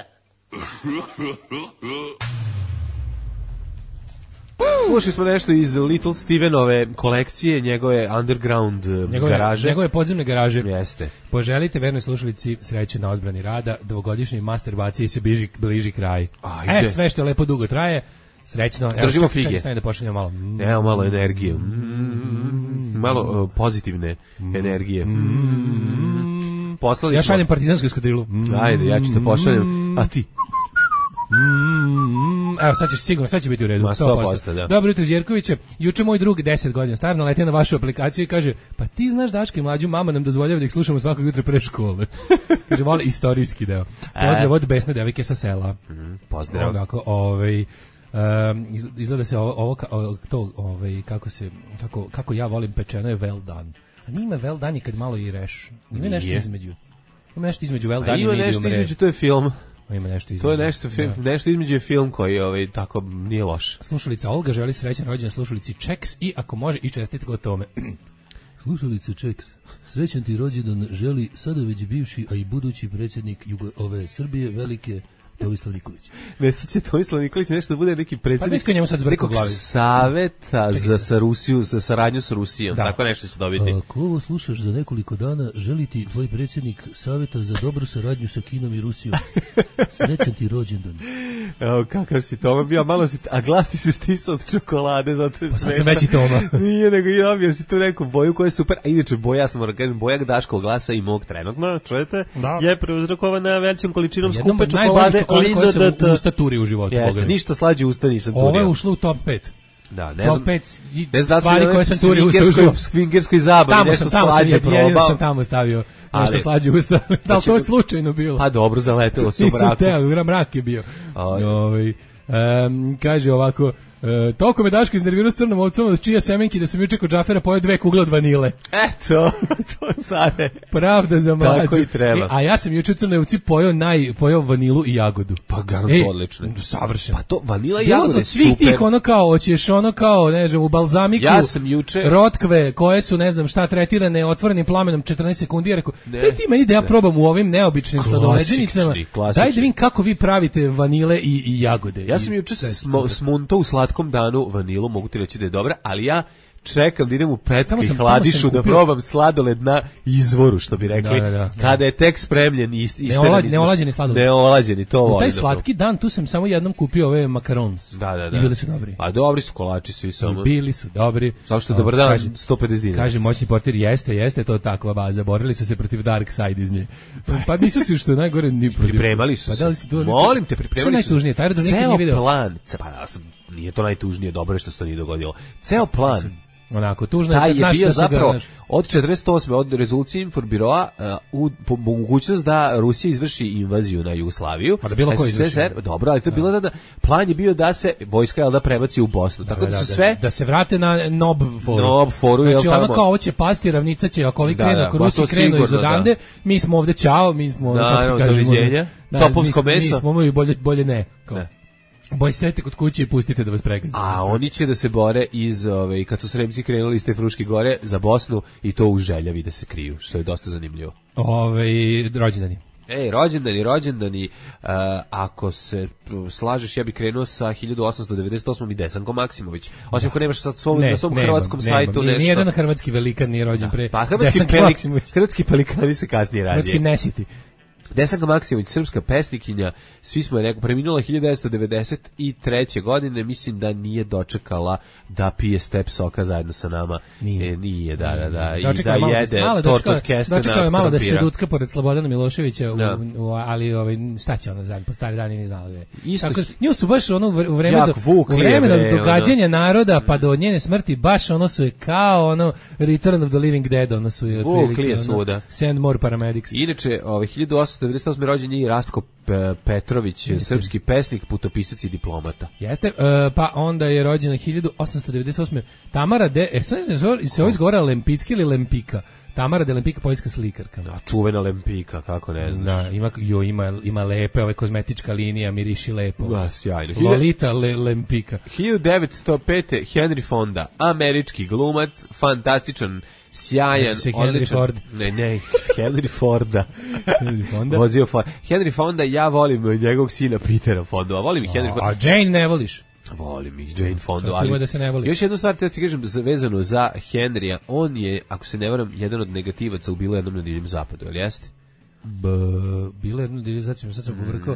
Slušali smo nešto iz Little Stevenove kolekcije, njegove underground eh, Njegove, garaže. njegove podzemne garaže. Jeste. Poželite vernoj slušalici sreću na odbrani rada, dvogodišnjoj masturbacije se bliži, bliži kraj. Ajde. E, sve što lepo dugo traje, srećno. Evo, Držimo čekaj, fige. Čekaj, stani da pošaljemo malo. Mm. Evo malo energije. Mm, malo uh, pozitivne energije. Mm, poslali Ja smo. šaljem partizansku eskadrilu. Mm. Ajde, ja ću te pošaljem. A ti? Mm, evo, sad će sigurno, sad će biti u redu. Ma, sto sto posto. posto, da. Dobro jutro, Đerkoviće. Juče moj drug, deset godina star, naletio na vašu aplikaciju i kaže, pa ti znaš Daška i Mlađu, mama nam dozvoljava da ih slušamo svakog jutra pre škole. Kaže, voli istorijski deo. Pozdrav od besne devojke sa sela. Mm, pozdrav. Ovako, ovaj, um, izgleda se ovo, ovo ka- o- to, ovaj, kako se, kako, kako ja volim pečeno je well done. A nije ima well done i kad malo i reš. Ima nešto Nije. između. Ima nešto između well A done i ima medium nešto rare. između, to je film. Ima nešto između. To je nešto, film, Da. nešto između je film koji ovaj, tako nije loš. Slušalica Olga želi srećan rođendan slušalici Čeks i ako može i čestitke o tome. Slušalice Čeks, srećan ti rođendan želi sada već bivši, a i budući predsjednik Jugo, ove Srbije, velike Tomislav Nikolić. Ne, sad će Tomislav Nikolić nešto da bude neki Pa predsjednik nisko njemu sad zbrka u nekog glavi. saveta za sa Rusiju, za saradnju s Rusijom. Da. Tako nešto će dobiti. Ako ovo slušaš za nekoliko dana, želi ti tvoj predsjednik saveta za dobru saradnju sa Kinom i Rusijom. Srećan ti rođendan. Evo, kakav si Toma bio, malo si, a glas ti se stisao od čokolade, zato je Pa sad smešno. sam veći Toma. Nije, nego i dobio si tu neku boju koja je super, a inače boja, ja sam moram kažem, boja Daškog glasa i mog trenutno, čujete, Da. je preuzrokovana većom količinom Jednom skupe od najboljih čokolade, čokolada koje sam Linda u D T. usta turio u životu. Jeste, pogledaj. ništa slađe usta nisam turio. Ovo je ušlo u top pet. Da, ne Top znam. pet i Ne znam stvari da koje sam turio u usta u swingerskoj, životu. swingerskoj zabavi, Tamo nešto sam, tamo sam, slađe jedino probao. sam tamo stavio nešto Ali- slađe usta. Da li to je slučajno bilo? Pa dobro, zaletelo se u Nisam braku. teo, gra mrak je bio. Aj. Ovaj, em, kaže ovako, e, toliko me Daško iznervirao s crnom ovcom od čija semenki da sam juče kod Džafera pojeo dve kugle od vanile. Eto, to care. Pravda za mlađu. Tako i treba. E, a ja sam juče u crnoj ovci pojeo, naj, pojeo vanilu i jagodu. Pa garant su odlične. Savršeno. Pa to, vanila i Bilo jagode, od svih super. tih ono kao, hoćeš ono kao, ne znam, u balzamiku, Ja sam juče- rotkve koje su, ne znam šta, tretirane otvorenim plamenom četrnaest sekundi, ja rekao, Ne. daj ti meni da ja probam u ovim neobičnim Klasični, sladoleđenicama, klasični. daj da vidim kako vi pravite vanile i, i jagode. Ja I sam juče sve je smo, super. smunto u slatkom danu vanilu, mogu ti reći da je dobra, ali ja čekam da idem u pecku Tamo i sam- hladišu tamo sam da kupio- probam sladoled na izvoru, što bi rekli. Da, da, da. Kada je tek spremljen i ist, isteran Neolad- iz- neolađeni sladoled. Neolađeni, to U volim. taj da slatki dan tu sam samo jednom kupio ove makarons. Da, da, da. I bili su dobri. A dobri su kolači svi samo. Bili su dobri. Samo što je O, dobar dan, kaže- sto pedeset dinara. Kaže moćni portir, jeste, jeste to takva baza. Borili su se protiv Dark Side iz nje. Pa nisu se što je najgore ni protiv. Pripremali su Pa se. da li si to? Molim te, Što je pripremali su. najtužnije? Taj aerodrom nikad Ceo nije video. plan, ce- pa ja sam- nije to najtužnije, dobro je što se to nije dogodilo. Ceo plan, Onako, tužno je taj kad je znaš bio da se ga, zapravo znaš, od četrdeset osme od rezolucije Informbiroa uh, u po, mogućnost da Rusija izvrši invaziju na Jugoslaviju. Pa da bilo ko S S R, izvrši. dobro, ali to je bilo da, da plan je bio da se vojska jel da prebaci u Bosnu. Tako da, da, su da, sve da se vrate na Nob foru. Nob foru, jel znači, ono tamo? kao ovo će pasti, ravnica će, ako ovi Da, krenu, da, ako pa Rusi to krenu iz sigurno, odande, mi smo ovde čao, mi smo, Da, kako ti evo, kažemo, doviđenja. da, Topovsko mi, meso. Mi smo i bolje, bolje ne. Kao. Ne. Boj sete kod kuće i pustite da vas pregazi. A oni će da se bore iz, ove, kad su Sremci krenuli iz te Fruške gore za Bosnu i to u Željavi da se kriju, što je dosta zanimljivo. Ove, rođendani. Ej, rođendani, rođendani, uh, ako se slažeš, ja bih krenuo sa hiljadu osamsto devedeset osmom i Desankom Maksimović. Osim ako nemaš sad svom, ne, na svom nemam, hrvatskom nemam. sajtu nešto. Nijedan hrvatski velikan nije rođen pre pa, hrvatski, Desanka pelik, Maksimović. Hrvatski pelikani se kasnije radije. Hrvatski nesiti. Desanka Maksimović, srpska pesnikinja, svi smo je rekao, preminula hiljadu devetsto devedeset treće godine, mislim da nije dočekala da pije step soka zajedno sa nama. Nije. E, nije, da, da, da. I dočekala da malo, jede malo, tort od kestena. dočekala je malo da se krompira. rucka pored Slobodana Miloševića, u, Da. u, ali ovaj, šta će ona zajedno, po stari dan i ne znala da je. Isto Tako, hi- nju su baš ono u vreme, Jak do, vuk u vreme lijeve, do događanja ono. naroda pa do njene smrti, baš ono su je kao ono Return of the Living Dead, ono su je Vuk otprilike, lije ono, svuda. Send more paramedics. Inače, ovaj hiljadu osamsto devedeset osme rođen je i Rastko Pe- Petrović, srpski pesnik, putopisac i diplomata. Jeste, e, pa onda je rođena hiljadu osamsto devedeset osme Tamara de, e, sad ne znam, se ovo izgovara Lempicki ili Lempika? Tamara de Lempika, poljska slikarka. A čuvena Lempika, kako ne znaš. Da, ima, jo, ima, ima lepe, ove kozmetička linija, miriši lepo. Da, sjajno. Lolita Le, Lempika. hiljadu devetsto pete. Henry Fonda, američki glumac, fantastičan, sjajan, Znači se Henry odličan. Ford. Ne, ne, Henry Forda. Henry Fonda. Vozio Ford. Henry Fonda, ja volim njegovog sina Petera Fonda, a volim i Henry Fonda. A Jane ne voliš? Volim i Jane Fonda, Sad ti ima ali da se ne voli. još jednu stvar te ti kažem za- vezano za Henrya, on je, ako se ne varam, jedan od negativaca u bilo jednom na divljem zapadu, jel jeste? B, bilo jedno divlje, sad ću, sad ću pobrkao.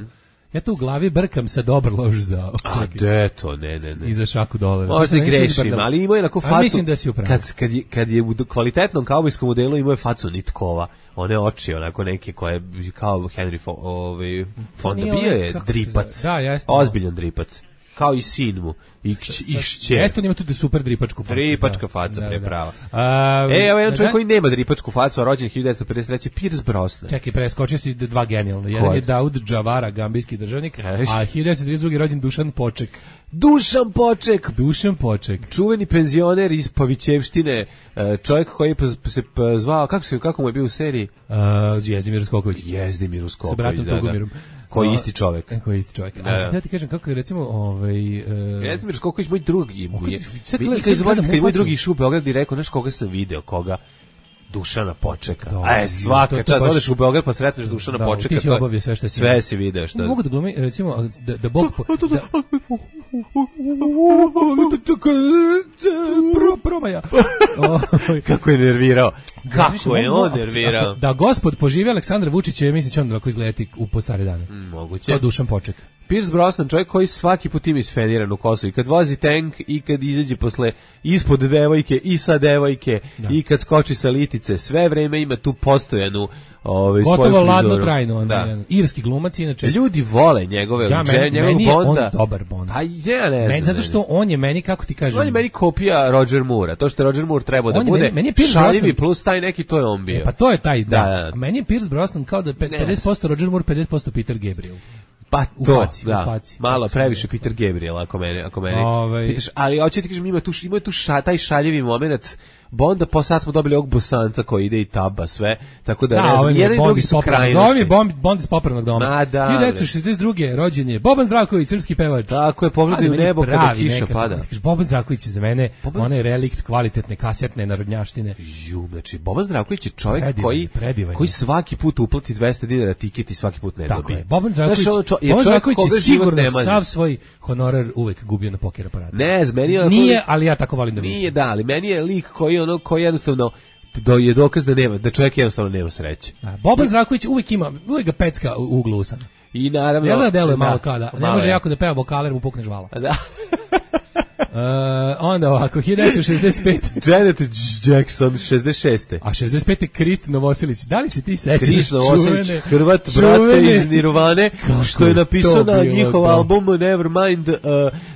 Ja tu u glavi brkam sa dobar lož za... A de to, ne, ne, ne. I za šaku dolara. Možda i To sam već grešim, izbrdala. ali imao je onako facu. A mislim da si upravo. Kad, kad, je, kad je u kvalitetnom kaubojskom modelu imao je facu nitkova. One oči, onako neke koje, kao Henry Fo, ovaj, Fonda, nije bio ovaj, je kako se dripac. zove? Da, jeste. Ozbiljan dripac. Kao i sin mu. I, kć- i šće. Jeste, on ima tu super dripačku facu. Dripačka da. faca, Da, pre da. prava. A, E, evo jedan da, čovjek da. koji nema dripačku facu, a rođen hiljadu devetsto pedeset treće. Pierce Brosnan. Čekaj, preskočio si dva genijalno. Jedan Koji? je Daud Džavara, gambijski državnik, Eš. a hiljadu devetsto trideset drugi rođen Dušan Poček. Dušan Poček, Dušan Poček. čuveni penzioner iz Pavićevštine, e, čovjek koji je pa- se pa zvao, kako se kako mu je bio u seriji? Uh, Jezdimir Skoković. Jezdimir Uskoković, Sa bratom da, da. Tugomirom. Koji A, isti čovjek. e, Koji isti čovjek. Da, A da. sad ja ti kažem kako je recimo ovaj... Uh, Jezdimir Skoković, moj drugi. Mogu- Je, sad vi- gledam- kad sad izvolim, gledam kad je u moj facu. drugi išao u Beograd i rekao, znaš koga sam video, koga? Dušana Počeka. Da, A je, svaka to- to čast, baš- odeš u Beograd pa sretneš Dušana Da, Počeka. ti si to je- obavio sve što si- Sve si video, što. mogu da glumi, recimo, da, da Bog... Po, da, Pro, promaja. Ovaj, Kako je nervirao. Kako Mislim, je mogu- on nervirao. ako- Da gospod poživi Aleksandar Vučić, je mislić on ovako izleti u po stare dane. Moguće. Kao Dušan Poček. Pierce Brosnan, čovjek koji svaki put ima isfeniran u kosu i kad vozi tank i kad izađe posle ispod devojke i sa devojke i kad skoči sa litice, sve vreme ima tu postojanu ovaj, svoju Gotovo frizuru. ladno trajno. On, Da. jedan irski glumac, inače. Ljudi vole njegove, Ja, dže- meni, njegovog meni je on Bonda. dobar Bond. A ja ne znam. Meni, zato što on je meni, kako ti kažem... On je meni kopija Roger Moore, to što je Roger Moore trebao da On je bude meni- meni je Pierce šaljivi Brosnan- plus taj neki, to je on bio. E, pa to je taj, da. Da, da. Meni je Pierce Brosnan kao da je pe- Ne. pedeset posto Roger Moore, pedeset posto Peter Gabriel. Pa U to, faci, da, u faci. malo Kako se previše zove? Peter Gabriel, ako mene, ako mene Ovaj- pitaš, ali hoću ti kažem, ima tu, ima tu ša, taj šaljivi moment, Bonda, po sad smo dobili ovog Bosanca koji ide i taba sve, tako da, Da, ne znam, ovaj mi je jedan i Bond drugi iz su popravnog krajnosti. doma. Ovaj mi je Bond, Bond iz popravnog doma. Ma da, hiljadu devetsto šezdeset druge rođen je Boban Zdravković, srpski pevač. Tako je, pogledaj Ali u meni je nebo kada pravi kiša nekako, pada. kad kažeš, Boban Zdravković je za mene Boban- onaj relikt kvalitetne kasetne narodnjaštine. Ju, znači, Boban Zdravković je čovjek Predivan koji, je, predivan je. koji svaki put uplati dvesta dinara tiket i svaki put ne Tako dobije. je. Boban Zdravković, Znaš, ono čo- je Boban čovjek Zdravković koga je život sigurno ne mazi. sav svoj honorar uvek gubio na poker aparatu. Ne, z- meni je onako- Nije, ali ja tako volim da mislim. Nije, da, ali meni je lik koji ono, koji jednostavno, do je dokaz da nema, da čovjek jednostavno nema sreće. Da, Boban Zdravković uvek ima, uvek ga pecka u uglu usana. I naravno... Jel da deluje malo kao da, ne malo može je. jako da peva vokale jer mu pukne žvala. Da. Uh, onda ovako, hiljadu devetsto šezdeset pete. Janet Jackson, šezdeset šeste. A šezdeset pete. Kristi Novosilić. Da li se ti sećaš Kriš Novoselić, čuvene- Hrvat, brate čuvene- iz Nirvane, Kako što je je napisao to na bilo njihov dobro. album Nevermind, uh,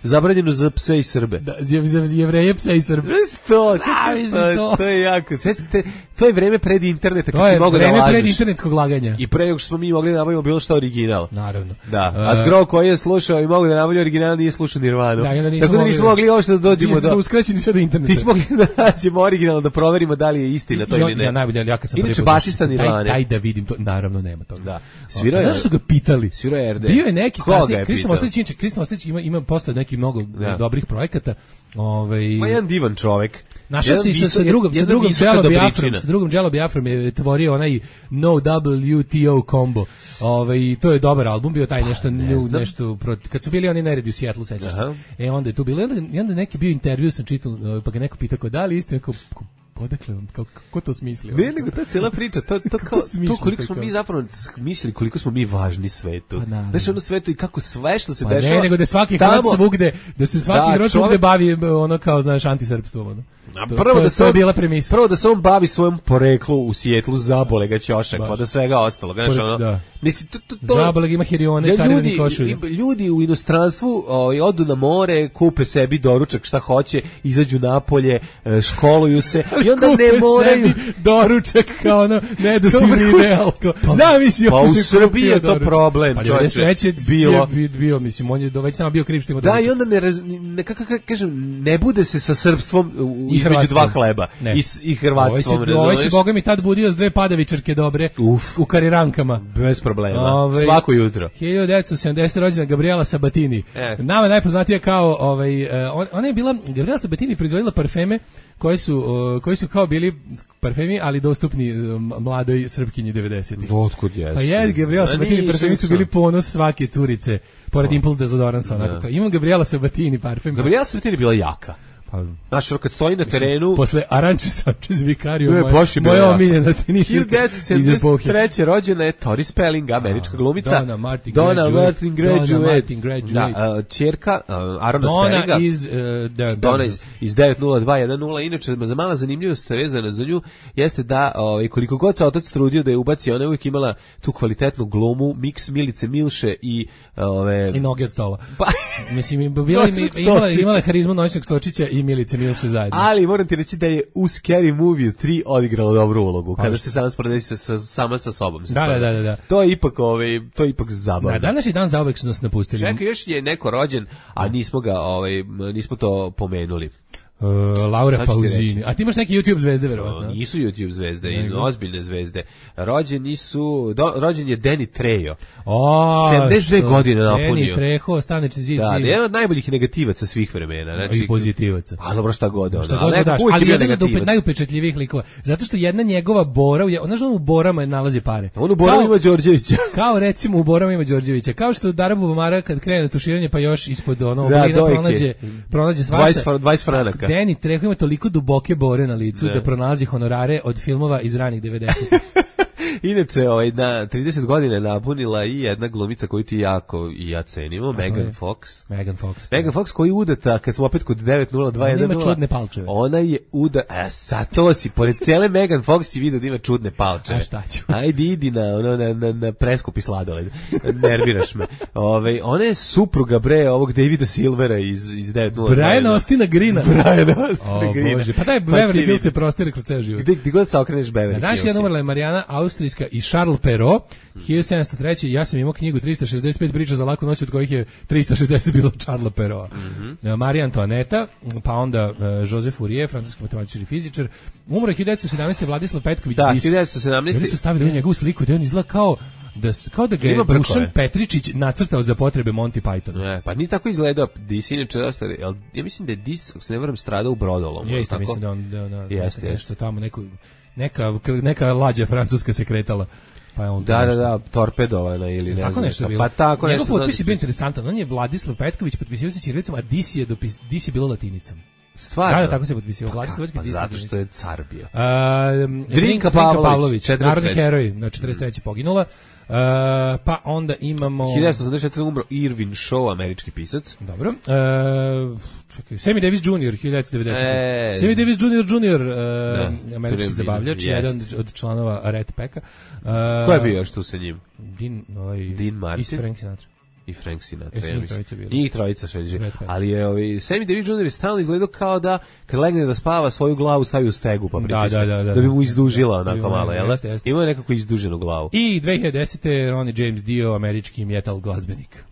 zabranjeno za pse i Srbe. Da, za, za jevreje, psa i Srbe. To, Da, mislim, to, to. to je jako. Sećate, to je vreme pred interneta kad To si je mogao da vreme lažeš. pred internetskog laganja. I pre nego što smo mi mogli da nabavimo bilo što original. Naravno. Da, E, a Zgro koji je slušao i mogu da nabavlja original nije slušao Nirvanu. Da, i onda nismo Tako da mogli nismo da- mogli mogli ovo što da dođemo do... Smo uskraćeni sve do interneta. Ti smo mogli da nađemo originalno, da proverimo da li je istina to I, ili ne. Ja najbolje, ja kad sam inače, basista Nirvane. Daj, daj da vidim to, naravno nema toga. Da. Svirao je... Znaš su ga pitali? Svirao je R D. Bio je neki kasnije, Kristom pitao? Oslić, inače, Kristom Oslić ima, ima posle nekih mnogo Da. dobrih projekata. Ovaj... Ma jedan divan čovek. Našao si sa, sa drugom, sa drugom Jello Biafrom, sa drugom Jello Biafrom je tvorio onaj No W T O combo. Ovaj, i to je dobar album, bio taj nešto, ne new, nešto proti, kad su bili oni neredi u Seattle, sećaš se. E onda je tu bilo, onda, onda neki bio intervju, sam čitao, pa ga neko pitao, da li istina, kao, odakle on, kako, kako to smislio? Ne, nego ta cijela priča, to, to, kao, to koliko smo mi zapravo mislili, koliko smo mi važni svetu. Pa, znaš, ono svetu i kako sve što se pa dešava... Ne, nego da svaki tamo, hrvat svugde, da se svaki da, hrvat svugde bavi ono kao, znaš, antisrpstvom, ono. To, prvo, to, da to je on, bila premisa. Prvo da se on bavi svojom poreklu u Sijetlu, zabole ga ćošak, pa da svega ostalo. Znaš, ono, da. Misli, to, to, to, zabole ga ima hirione, ja, karivani košulje. Ljudi u inostranstvu o, odu na more, kupe sebi doručak šta hoće, izađu napolje, školuju se i onda ne moraju... doručak kao ono, nedostižni ideal. Pa, Zamisli, pa u Srbiji je to problem, pa, čovječe. Već je bilo. bio, mislim, on je već nama bio kriv što ima da, doručak. i onda ne, raz, ne kako kažem, ne bude se sa srpstvom između dva hleba. Ne. I, i hrvatstvom, razumiješ? Ovaj se, boga mi, tad budio s dve padavičarke dobre Uf. u karirankama. Bez problema, Ove, svako jutro. hiljadu devetsto sedamdesete rođena Gabriela Sabatini. E. Nama najpoznatija kao, ovaj, on, ona je bila, Gabriela Sabatini proizvodila parfeme koji su, uh, koji su kao bili parfemi, ali dostupni uh, mladoj Srpkinji devedesetih. Otkud jesu? Pa je, Gabriela Sabatini parfemi su bili ponos svake curice, pored oh. Impulse dezodoransa. Onako, imam Gabriela Sabatini parfem. Gabriela Sabatini bila jaka. Znaš, kad stoji na terenu... Posle Aranče Sanchez Vicario, ne, moja, moja omiljena teniška hiljadu devetsto sedamdeset treće rođena je Tori Spelling, američka glumica. Donna Martin Donna Graduate. Martin Graduate. Donna Martin Graduate. Da, uh, čerka uh, Arona Donna Spellinga. Iz, uh, da, Donna iz, iz devet nula dva jedan nula. Inače, za mala zanimljivost vezana za nju jeste da ovaj, koliko god se otac trudio da je ubaci, ona je uvijek imala tu kvalitetnu glumu, miks Milice Milše i... Ove, I noge od stola. Pa, mislim, bila, imala, imala harizmu Noćnog Stočića i Milice Milše zajedno. Ali moram ti reći da je u Scary Movie tri odigrala dobru ulogu, kada se sama sporedeći sa, sa, sama sa sobom. Da, da, da, da. To je ipak, ovaj, to je ipak zabavno. Na današnji dan zauvek su nas napustili. Čekaj, još je neko rođen, a nismo ga, ovaj, nismo to pomenuli. Uh, Laura Pausini. A ti imaš neke YouTube zvezde, verovatno? Nisu YouTube zvezde, i ozbiljne zvezde. Rođeni su, do, rođen je Danny Trejo. O, sedamdeset dve godine napunio. Danny Trejo, Stanečni zid. Da, jedan od najboljih negativaca svih vremena. Znači, i pozitivaca. A dobro, šta god. Šta god daš, ali jedan od upet, najupečatljivijih likova. Zato što jedna njegova Bora, ona što on u Borama nalazi pare. On u Borama ima Đorđevića. Kao recimo u Borama ima Đorđevića. Kao što Darabu Bamara kad krene na tuširanje pa još ispod ono oblina pronađe, pronađe svašta. dvadeset franaka. Danny Trejo ima toliko duboke bore na licu ne. da pronalazi honorare od filmova iz ranih devedesetih. Inače, ovaj, na trideset godina napunila i jedna glumica koju ti jako i ja cenimo, Megan Fox. Megan Fox. Megan Fox koji udata, kad smo opet kod devet nula dva jedan nula. Ona ima čudne palčeve. Ona je uda, a sad to si, pored cele Megan Fox si vidio da ima čudne palčeve. A šta ću? Ajde, idi na, ono, na, na, na preskupi sladoled. Nerviraš me. Ove, ona je supruga, bre, ovog Davida Silvera iz, iz devet nula dva jedan. Brian Austina Greena. Brian Austina oh, Greena. Bože. Pa daj, Beverly Hills se prostire kroz ceo život. Gde, gde god se okreneš Beverly Hills. Danas je umrla je Marijana Austrijska i Charles Perrault, hiljadu sedamsto treće. Ja sam imao knjigu trista šezdeset pet priča za laku noć, od kojih je trista šezdeset bilo Charlesa Perraulta. Mm -hmm. Marija Antoaneta, pa onda uh, Joseph Fourier, francuski matematičar i fizičar. Umro je hiljadu devetsto sedamnaeste. Vladislav Petković. Da, hiljadu devetsto sedamnaeste. Oni su stavili u njegovu sliku da on izgleda kao da, kao da ga je Dušan Petričić nacrtao za potrebe Monty Pythona. Ne, pa ni tako izgledao. Dis inače dosta, ja mislim da je Dis, ako se ne varam, stradao u Brodolom. Ja isto mislim da on da, da, jeste, nešto jeste. Tamo neko, neka, neka lađa francuska se kretala. Pa je on da, da, da, torpedovana ili ne tako znam nešto. Pa tako njegov nešto. Njegov potpis je bio interesantan. On je Vladislav Petković, potpisivao se ćirilicom, a Dis je, dopis, Dis je bilo latinicom. Stvarno? Da, da, tako se potpisivao. Vladislav Petković. Pa zato što je car bio. Uh, Drinka Pavlović, narodni heroj, na četrdeset treće poginula. Uh, pa onda imamo hiljadu devetsto osamdeset četvrte umro Irvin Shaw, američki pisac. Dobro. Uh, čekaj, Sammy Davis junior hiljadu devetsto devedesete. E, Sammy Davis junior junior uh, da, američki zabavljač, jedan od članova Red Packa. Uh, Ko je bio još tu sa njim? Dean, ovaj, Dean Martin. I Frank Sinatra. I Frank Sinatra. Ja njih trojica bili. Njih trojica šeđe. Ali je ovaj, Sammy Davis junior je stalno izgledao kao da kad legne da spava svoju glavu stavi u stegu pa pritisne. Da, da, da, da, da bi mu izdužila onako da, malo, jel? Imao je nekako izduženu glavu. I dve hiljade desete. Ronnie James Dio, američki metal glazbenik.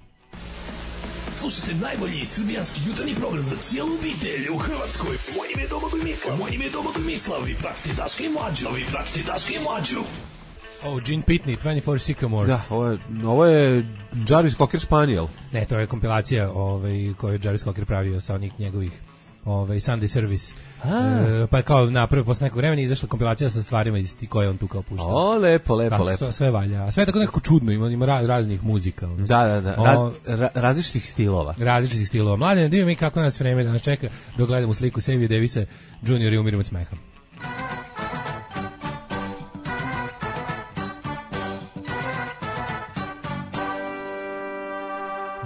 Slušajte najbolji srbijanski jutarnji program za cijelu obitelj u Hrvatskoj. Moje ime je Domagoj Mislav. Moje ime je Domagoj Mislav. Vi pratite Daška i Mlađu. Vi pratite Daška i Mlađu. Oh, Gene Pitney, dvadesет četiri Sycamore. Da, ovo je, ovo je Jarvis Cocker Spaniel. Ne, to je kompilacija ovaj, koju je Jarvis Cocker pravio sa onih njegovih ovaj, Sunday Service. E, pa je kao napravio posle nekog vremena izašla kompilacija sa stvarima isti koje on tu kao puštao. O, lepo, lepo, pa, lepo. Sve, sve valja. A sve je tako nekako čudno, ima, ima raznih muzika. Ono. Da, da, da. Ra, ra, različitih stilova. Različitih stilova. Mladen, divim mi kako nas vreme danas čeka dok gledamo sliku Sammy Davisa junior i umirim od smeha.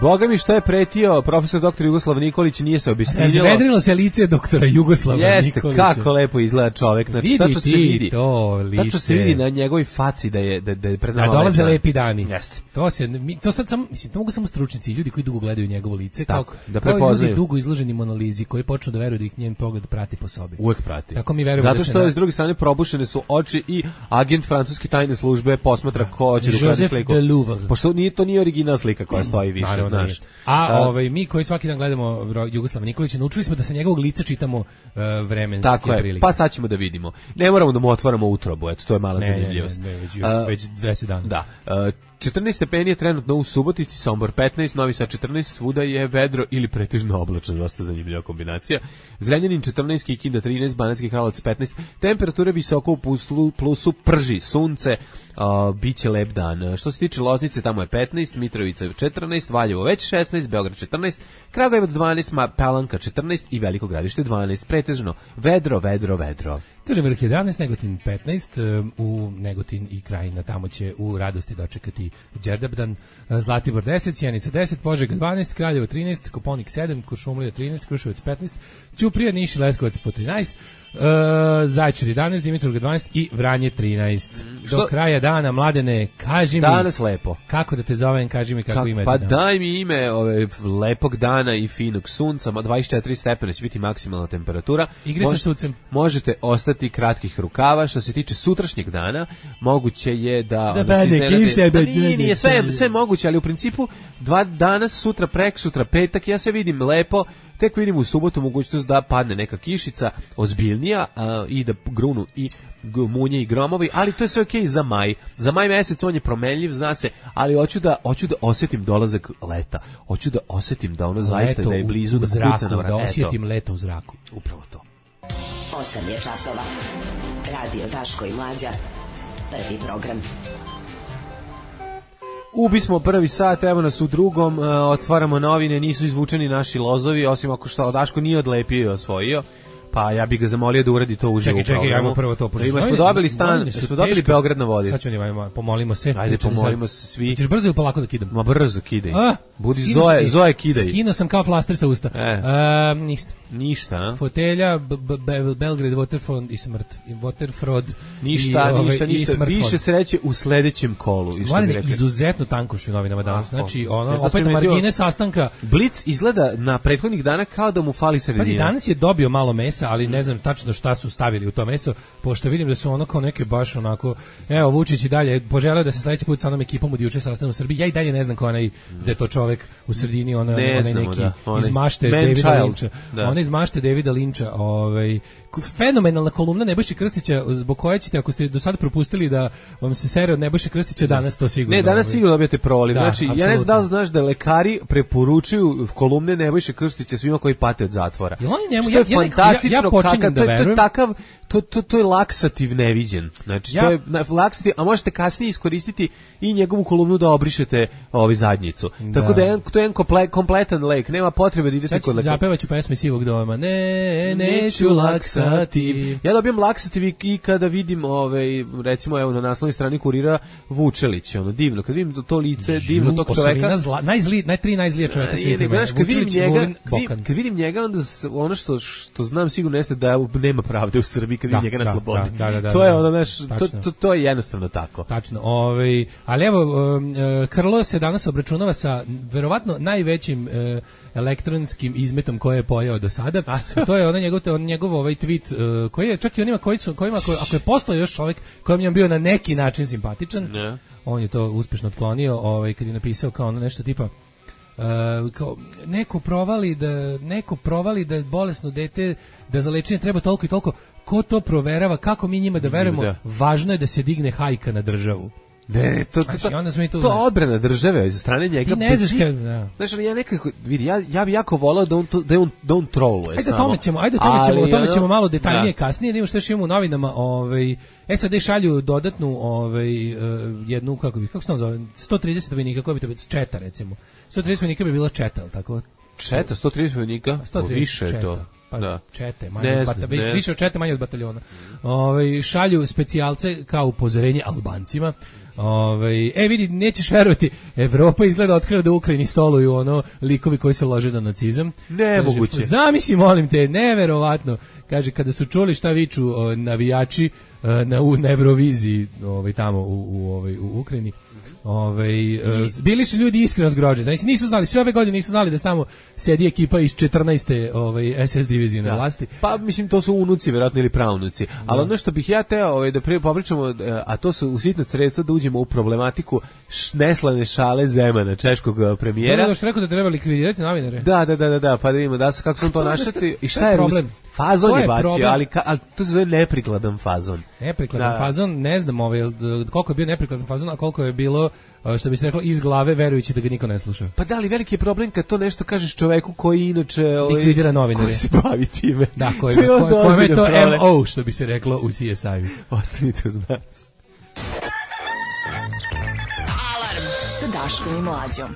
Boga mi što je pretio profesor doktor Jugoslav Nikolić, nije se obistinilo. Zvedrilo se lice doktora Jugoslava Jeste, Nikolića. Jeste, kako lepo izgleda čovek. Znači, vidi tačno se vidi. To lice. Tačno se vidi na njegovoj faci da je, da, da je pred nama. Da dolaze lepi dani. Jeste. To, se, mi, to sad sam, mislim, to mogu samo stručnici, ljudi koji dugo gledaju njegovo lice. Tako, kao, da prepoznaju. Ljudi dugo izloženi monolizi koji počnu da veruju da ih njen pogled prati po sobi. Uvek prati. Tako mi verujemo. Zato da što se s druge strane probušene su oči i agent francuske tajne službe posmatra ko će da ukrade sliku. Pošto nije, to nije originalna slika koja stoji više, Naravno, znaš. A uh, ovaj, mi koji svaki dan gledamo Jugoslava Nikolića, naučili smo da sa njegovog lica čitamo uh, vremenske tako je, prilike. Pa sad ćemo da vidimo. Ne moramo da mu otvaramo utrobu, eto, to je mala ne, zanimljivost. Ne, ne, ne, već, još, uh, već dvadeset dana. Da. Uh, četrnaest stepeni je trenutno u Subotici, Sombor petnaest, Novi Sad četrnaest, svuda je vedro ili pretežno oblačno, dosta zanimljiva kombinacija. Zrenjanin četrnaest, Kikinda trinaest, Banatski Karlovac petnaest, temperature visoko u plusu, plusu prži sunce, uh, biće lep dan. Što se tiče Loznice, tamo je petnaest, Mitrovica četrnaest, Valjevo već šesnaest, Beograd četrnaest, Kragujevac dvanaest, Palanka četrnaest i Veliko Gradište dvanaest, pretežno vedro, vedro, vedro. Crni Vrh jedanaest, Negotin petnaest, u Negotin i Krajina, tamo će u radosti dočekati Đerdapdan, Zlatibor deset, Sjenica deset, Požega dvanaest, Kraljevo trinaest, Koponik sedam, Kuršumlija trinaest, Kruševac petnaest, Ćuprija, Niš i Leskovac po trinaest, uh, Zaječar jedanaest, Dimitrovgrad dvanaest i Vranje trinaest. Do Što? Kraja dana, Mladene, kaži mi... Danas lepo. Kako da te zovem, kaži mi kako, kako ime. Pa dan. Daj mi ime ove lepog dana i finog sunca, dvadeset četiri stepena će biti maksimalna temperatura. Igri sa sucem. Možete ostati kratkih rukava. Što se tiče sutrašnjeg dana, moguće je da... Da bade kiše, da nije, nije, sve, sve moguće, ali u principu dva danas, sutra, prek, sutra, petak, ja sve vidim lepo. Tek vidim u subotu mogućnost da padne neka kišica ozbiljnija a, i da grunu i munje i gromovi, ali to je sve okej za maj. Za maj mesec on je promenljiv, zna se, ali hoću da hoću da osjetim dolazak leta. Hoću da osjetim da ono zaista da je blizu, da kuca na vrat. Da osjetim leto u zraku. Upravo to. osam je časova. Radio Daško i Mlađa. Prvi program. Ubi smo prvi sat, evo nas u drugom, uh, otvaramo novine, nisu izvučeni naši lozovi, osim ako što Daško nije odlepio i osvojio, pa ja bih ga zamolio da uradi to uživo u programu. Čekaj, čekaj, ajmo prvo to poživimo. Smo dobili stan, smo dobili Beograd na vodi. Sad ću njima, pomolimo se. Ajde, pomolimo se svi. Ćeš brzo ili polako da kidam? Ma brzo kidaj. A, Budi Zoe, sam, Zoe kidaj. Skino sam kao flaster sa usta. E. Uh, ništa. Ništa, a? Fotelja, b, b, b, Belgrade, Waterfront i smrt. I Waterfrod. Ništa, i, ništa, ove, ništa. Više se reće u sledećem kolu. Mladine, izuzetno tankoš u novinama danas. Znači, ono, opet primetio, margine sastanka. Blic izgleda na prethodnih dana kao da mu fali sredina. Pazi, danas je dobio malo mesa, ali ne znam tačno šta su stavili u to meso, pošto vidim da su ono kao neke baš onako, evo Vučić i dalje poželeo da se sledeći put sa onom ekipom od juče sastane u Srbiji. Ja i dalje ne znam ko onaj, da je to čovek u sredini, ona, onaj neki da, onaj, iz mašte Davida Linča. Da. Ona iz mašte Davida Linča, ovaj, fenomenalna kolumna Nebojše Krstića, zbog koje ćete, ako ste do sada propustili da vam se sere od Nebojše Krstića, danas to sigurno. Ne, danas ovaj, sigurno dobijete proliv. Da, znači, apsolutno. Ja ne znam da li znaš da lekari preporučuju kolumne Nebojše Krstića svima koji pate od zatvora. Jel on njemu, što je ja, fantastično, ja, ja počinjem kakav, da verujem. To je takav, to, to, to je laksativ neviđen. Znači, ja, to je laksativ, a možete kasnije iskoristiti i njegovu kolumnu da obrišete ovaj zadnjicu. Da. Tako da je, to je jedan komple, kompletan lek, nema potrebe da idete kod lekara. Zapevaću pesme Sivog doma. Ne, neću laksativ. Ja dobijam laksativ i kada vidim, ovaj, recimo, evo na naslovnoj strani Kurira Vučelić, ono divno, kad vidim to lice, divno tog čoveka. Zla, najzli, najtri najzlije čoveka svih vremena. Kad vidim njega, kad, kad vidim njega, onda ono što što znam sigurno jeste da nema pravde u Srbiji kad vidim njega na slobodi. Da, da, da, to je ono, znaš, to, to, to je jednostavno tako. Tačno. Ovaj, ali evo, Krlo se danas obračunava sa verovatno najvećim elektronskim izmetom koje je pojao do sada. To je onaj njegov, on njegov ovaj tweet uh, koji je čak i onima koji su kojima ako, ako je postao još čovjek kojem je bio na neki način simpatičan, ne. On je to uspješno otklonio, ovaj kad je napisao kao ono nešto tipa Uh, kao, neko provali da neko provali da je bolesno dete, da za lečenje treba toliko i toliko, ko to proverava, kako mi njima da verujemo, da. Važno je da se digne hajka na državu. Ne, to to znači, onda smo i tu, to odbrana države za strane njega. Ti ne znaš kad, da. Znaš, ja nekako vidi, ja ja bih jako voleo da on to, da on da on troluje ajde samo. Tome ćemo, ajde tome ćemo, ali, o tome ćemo ono, malo detaljnije da. kasnije, da imamo što još imamo u novinama, ovaj S A D šalju dodatnu ovaj uh, jednu kako bi kako se to zove sto trideset vojnika, kako bi to bilo četa recimo. sto trideset vojnika bi bilo četa, al tako. Četa sto trideset vojnika, sto trideset više je to. Pa da. Čete, manje od bataljona, više od čete, manje od bataljona. Ovaj šalju specijalce kao upozorenje Albancima. Ovaj e vidi, nećeš verovati, Evropa izgleda otkrila da u Ukrajini stoluju ono likovi koji se lože na nacizam. Nemoguće. Zamisli, molim te, neverovatno. Kaže, kada su čuli šta viču o, navijači na, u, na Euroviziji, ovaj tamo u, u ovaj u Ukrajini. Ovaj uh, bili su ljudi iskreno zgroženi. Znači nisu znali, sve ove godine nisu znali da samo sedi ekipa iz četrnaeste ovaj S S divizije na vlasti. Pa mislim to su unuci verovatno ili praunuci. Da. Ali ono što bih ja teo ovaj da pre popričamo, a to su u sitna sredstva da uđemo u problematiku neslane šale Zemana, češkog premijera. To je što rekao da treba likvidirati novinare. Da, da, da, da, da, pa da vidimo da se kako sam to našli i šta je problem. Fazon je bacio, ali, ka, ali to se zove neprikladan fazon. Neprikladan da. fazon, ne znam ovaj, koliko je bio neprikladan fazon, a koliko je bilo, što bi se reklo, iz glave, verujući da ga niko ne sluša. Pa da, ali veliki je problem kad to nešto kažeš čoveku koji inače ovaj, likvidira novinare. Koji se bavi time. Da, koji je ko, to M O, što bi se reklo u C S I-u. Ostanite uz nas. Alarm sa Daškom i Mlađom.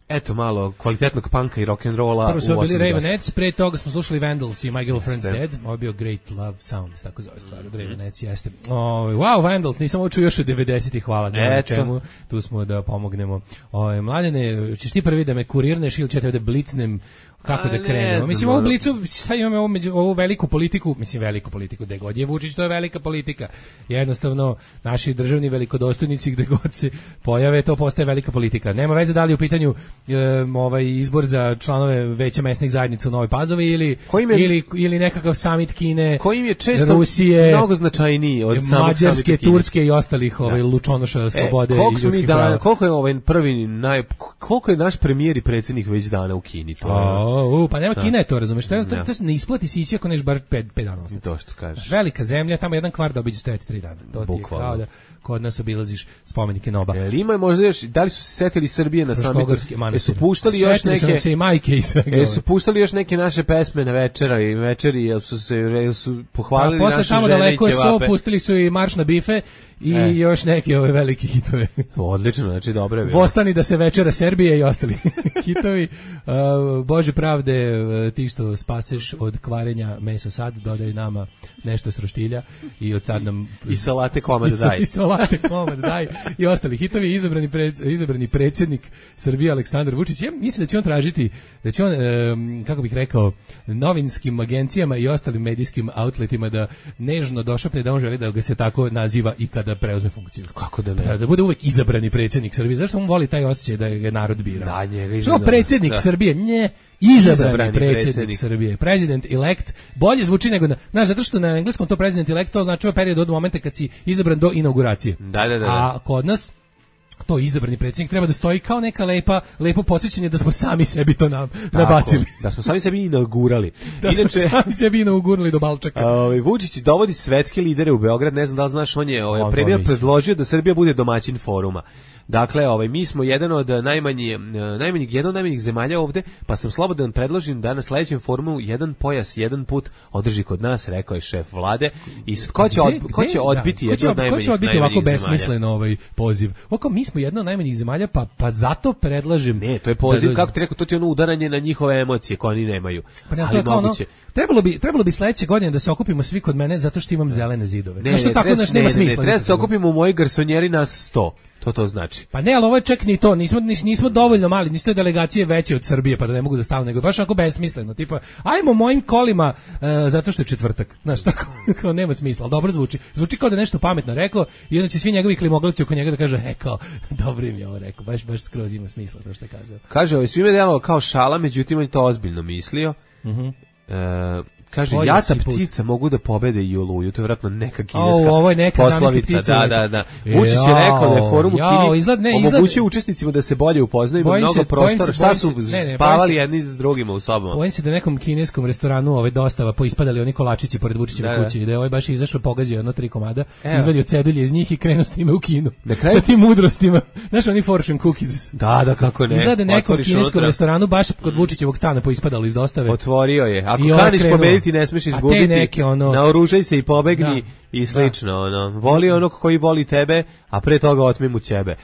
Eto malo kvalitetnog panka i rock'n'rolla. Prvo su bili Ravenettes, pre toga smo slušali Vandals i My Girlfriend's Dead. Ovo je bio Great Love Sound, tako zove stvar od Ravenettes, jeste. O, wow, Vandals, nisam ovo čuo još od devedesetih, hvala. Na čemu, tu smo da pomognemo. O, mladene, ćeš ti prvi da me kurirneš ili ćete da blicnem kako da krenemo. Mislim, ovu blicu, šta imamo ovu, među, ovu veliku politiku, mislim veliku politiku, gde god je Vučić, to je velika politika. Jednostavno, naši državni velikodostojnici gde god se pojave, to postaje velika politika. Nema veze da li u pitanju e, ovaj izbor za članove veća mesnih zajednica u Novoj Pazovi ili, je, ili, ili nekakav summit Kine, kojim je često Rusije, mnogo značajniji od samog Mađarske, Turske i ostalih ovaj, lučonoša slobode e, i ljudskih prava. Koliko je ovaj prvi, naj, koliko je naš premijer i predsjednik već dana u Kini? To je, O, pa nema, Kina je to, razumeš, to, to, to se ne isplati si ići ako neš bar pet dana ostati. To što kažeš. Velika zemlja, tamo jedan kvart da obiđe stojati tri dana. To ti je kao da kod nas obilaziš spomenike Noba. Jel ima možda još, da li su se setili Srbije na samitu? Jesu puštali još neke... Setili su i majke i svega. Jesu puštali još neke naše pesme na večera i večeri, jel su se jel su pohvalili pa, naše žene i ćevape? Posle tamo daleko so, pustili su i Marš na bife i e. još neke ove velike hitove. Odlično, znači dobro je bilo. Vostani da se večera Serbije i ostali hitovi. Uh, Bože pravde, ti što spaseš od kvarenja meso sad, dodaj nama nešto s roštilja i od sad nam... I salate komad daj. I salate komad daj. I ostali hitovi. Izabrani, pred, izabrani predsjednik Srbije Aleksandar Vučić. Ja mislim da će on tražiti, da će on, um, kako bih rekao, novinskim agencijama i ostalim medijskim outletima da nežno došapne da on želi da ga se tako naziva i kada preuzme funkciju. Kako da ne? Da, da bude uvek izabrani predsjednik Srbije. Zašto on voli taj osjećaj da je narod bira? Da, njega Što predsjednik da. Srbije? Nje, izabrani, izabrani predsjednik, predsjednik Srbije. President elect bolje zvuči nego na, znaš, zato što na engleskom to president elect to znači period od momenta kad si izabran do inauguracije. Da, da, da. A kod nas to izabrani predsjednik treba da stoji kao neka lepa, lepo podsjećanje da smo sami sebi to nam Tako, nabacili. Da smo sami sebi inaugurali. Da Inače, smo sami sebi inaugurali do balčaka. Ovaj Vučić dovodi svetske lidere u Beograd, ne znam da li znaš, on je ovaj premijer predložio da Srbija bude domaćin foruma. Dakle, ovaj mi smo jedan od najmanjih najmanjih jedan od najmanjih zemalja ovde, pa sam slobodan predložim da na sledećem forumu jedan pojas, jedan put održi kod nas, rekao je šef vlade. I sad ko će od, ko će odbiti da, jedno od najmanjih? Ko će odbiti ovako besmislen ovaj poziv? Oko mi smo jedno od najmanjih zemalja, pa pa zato predlažem. Ne, to je poziv, da, kako ti rekao, to ti je ono udaranje na njihove emocije koje oni nemaju. Pa ne, to je kao ono, trebalo bi trebalo bi sledeće godine da se okupimo svi kod mene zato što imam zelene zidove. Ne, što tako naš nema smisla. Ne, treba se okupimo u mojoj garsonjeri nas sto. To to znači. Pa ne, ali ovo je čak ni to, nismo, nismo dovoljno mali, nisu to delegacije veće od Srbije pa da ne mogu da stavim, nego baš onako besmisleno, tipa, ajmo mojim kolima, uh, zato što je četvrtak, znaš, tako, kao nema smisla, ali dobro zvuči, zvuči kao da nešto pametno rekao i onda će svi njegovi klimoglavci oko njega da kaže, e, kao, dobro im je ovo rekao, baš, baš skroz ima smisla to što je kazao. Kaže, ovo svime delo kao šala, međutim on to ozbiljno mislio. Mhm. Uh, Kaže, Bolje jata si put. ptica mogu da pobede i Oluju, to je vjerojatno neka kineska O, ovo je neka poslovica. zamisli ptica. Da, da, da. Vučić je rekao da je forum u Jao, Kini izgled, ne, omogućio izgled- učesnicima da se bolje upoznaju, ima Bojim mnogo se- bojim prostora. se- Šta bojim su se- ne, ne, bojim spavali se- jedni s drugima u sobama? Bojim se da nekom kineskom restoranu ove dostava poispadali oni kolačići pored Vučićeve Da, da. kuće i da je ovaj baš izašao, pogazio jedno tri komada, Evo. izvadio cedulje iz njih i krenuo s time u kinu. Na kraju- Sa tim mudrostima. Znaš, oni fortune cookies. Da, da, kako ne. Izgleda nekom Otvoriš kineskom unutra. restoranu baš kod Vučićevog stana poispadalo iz dostave. Otvorio je. Ako I ovaj kaniš krenuo. pobediti, ne smiješ A te izgubiti. neke, ono- Naoružaj se i pobegni Da. i slično. Ono. Voli onog koji voli tebe, a pre toga otmi mu ćebe.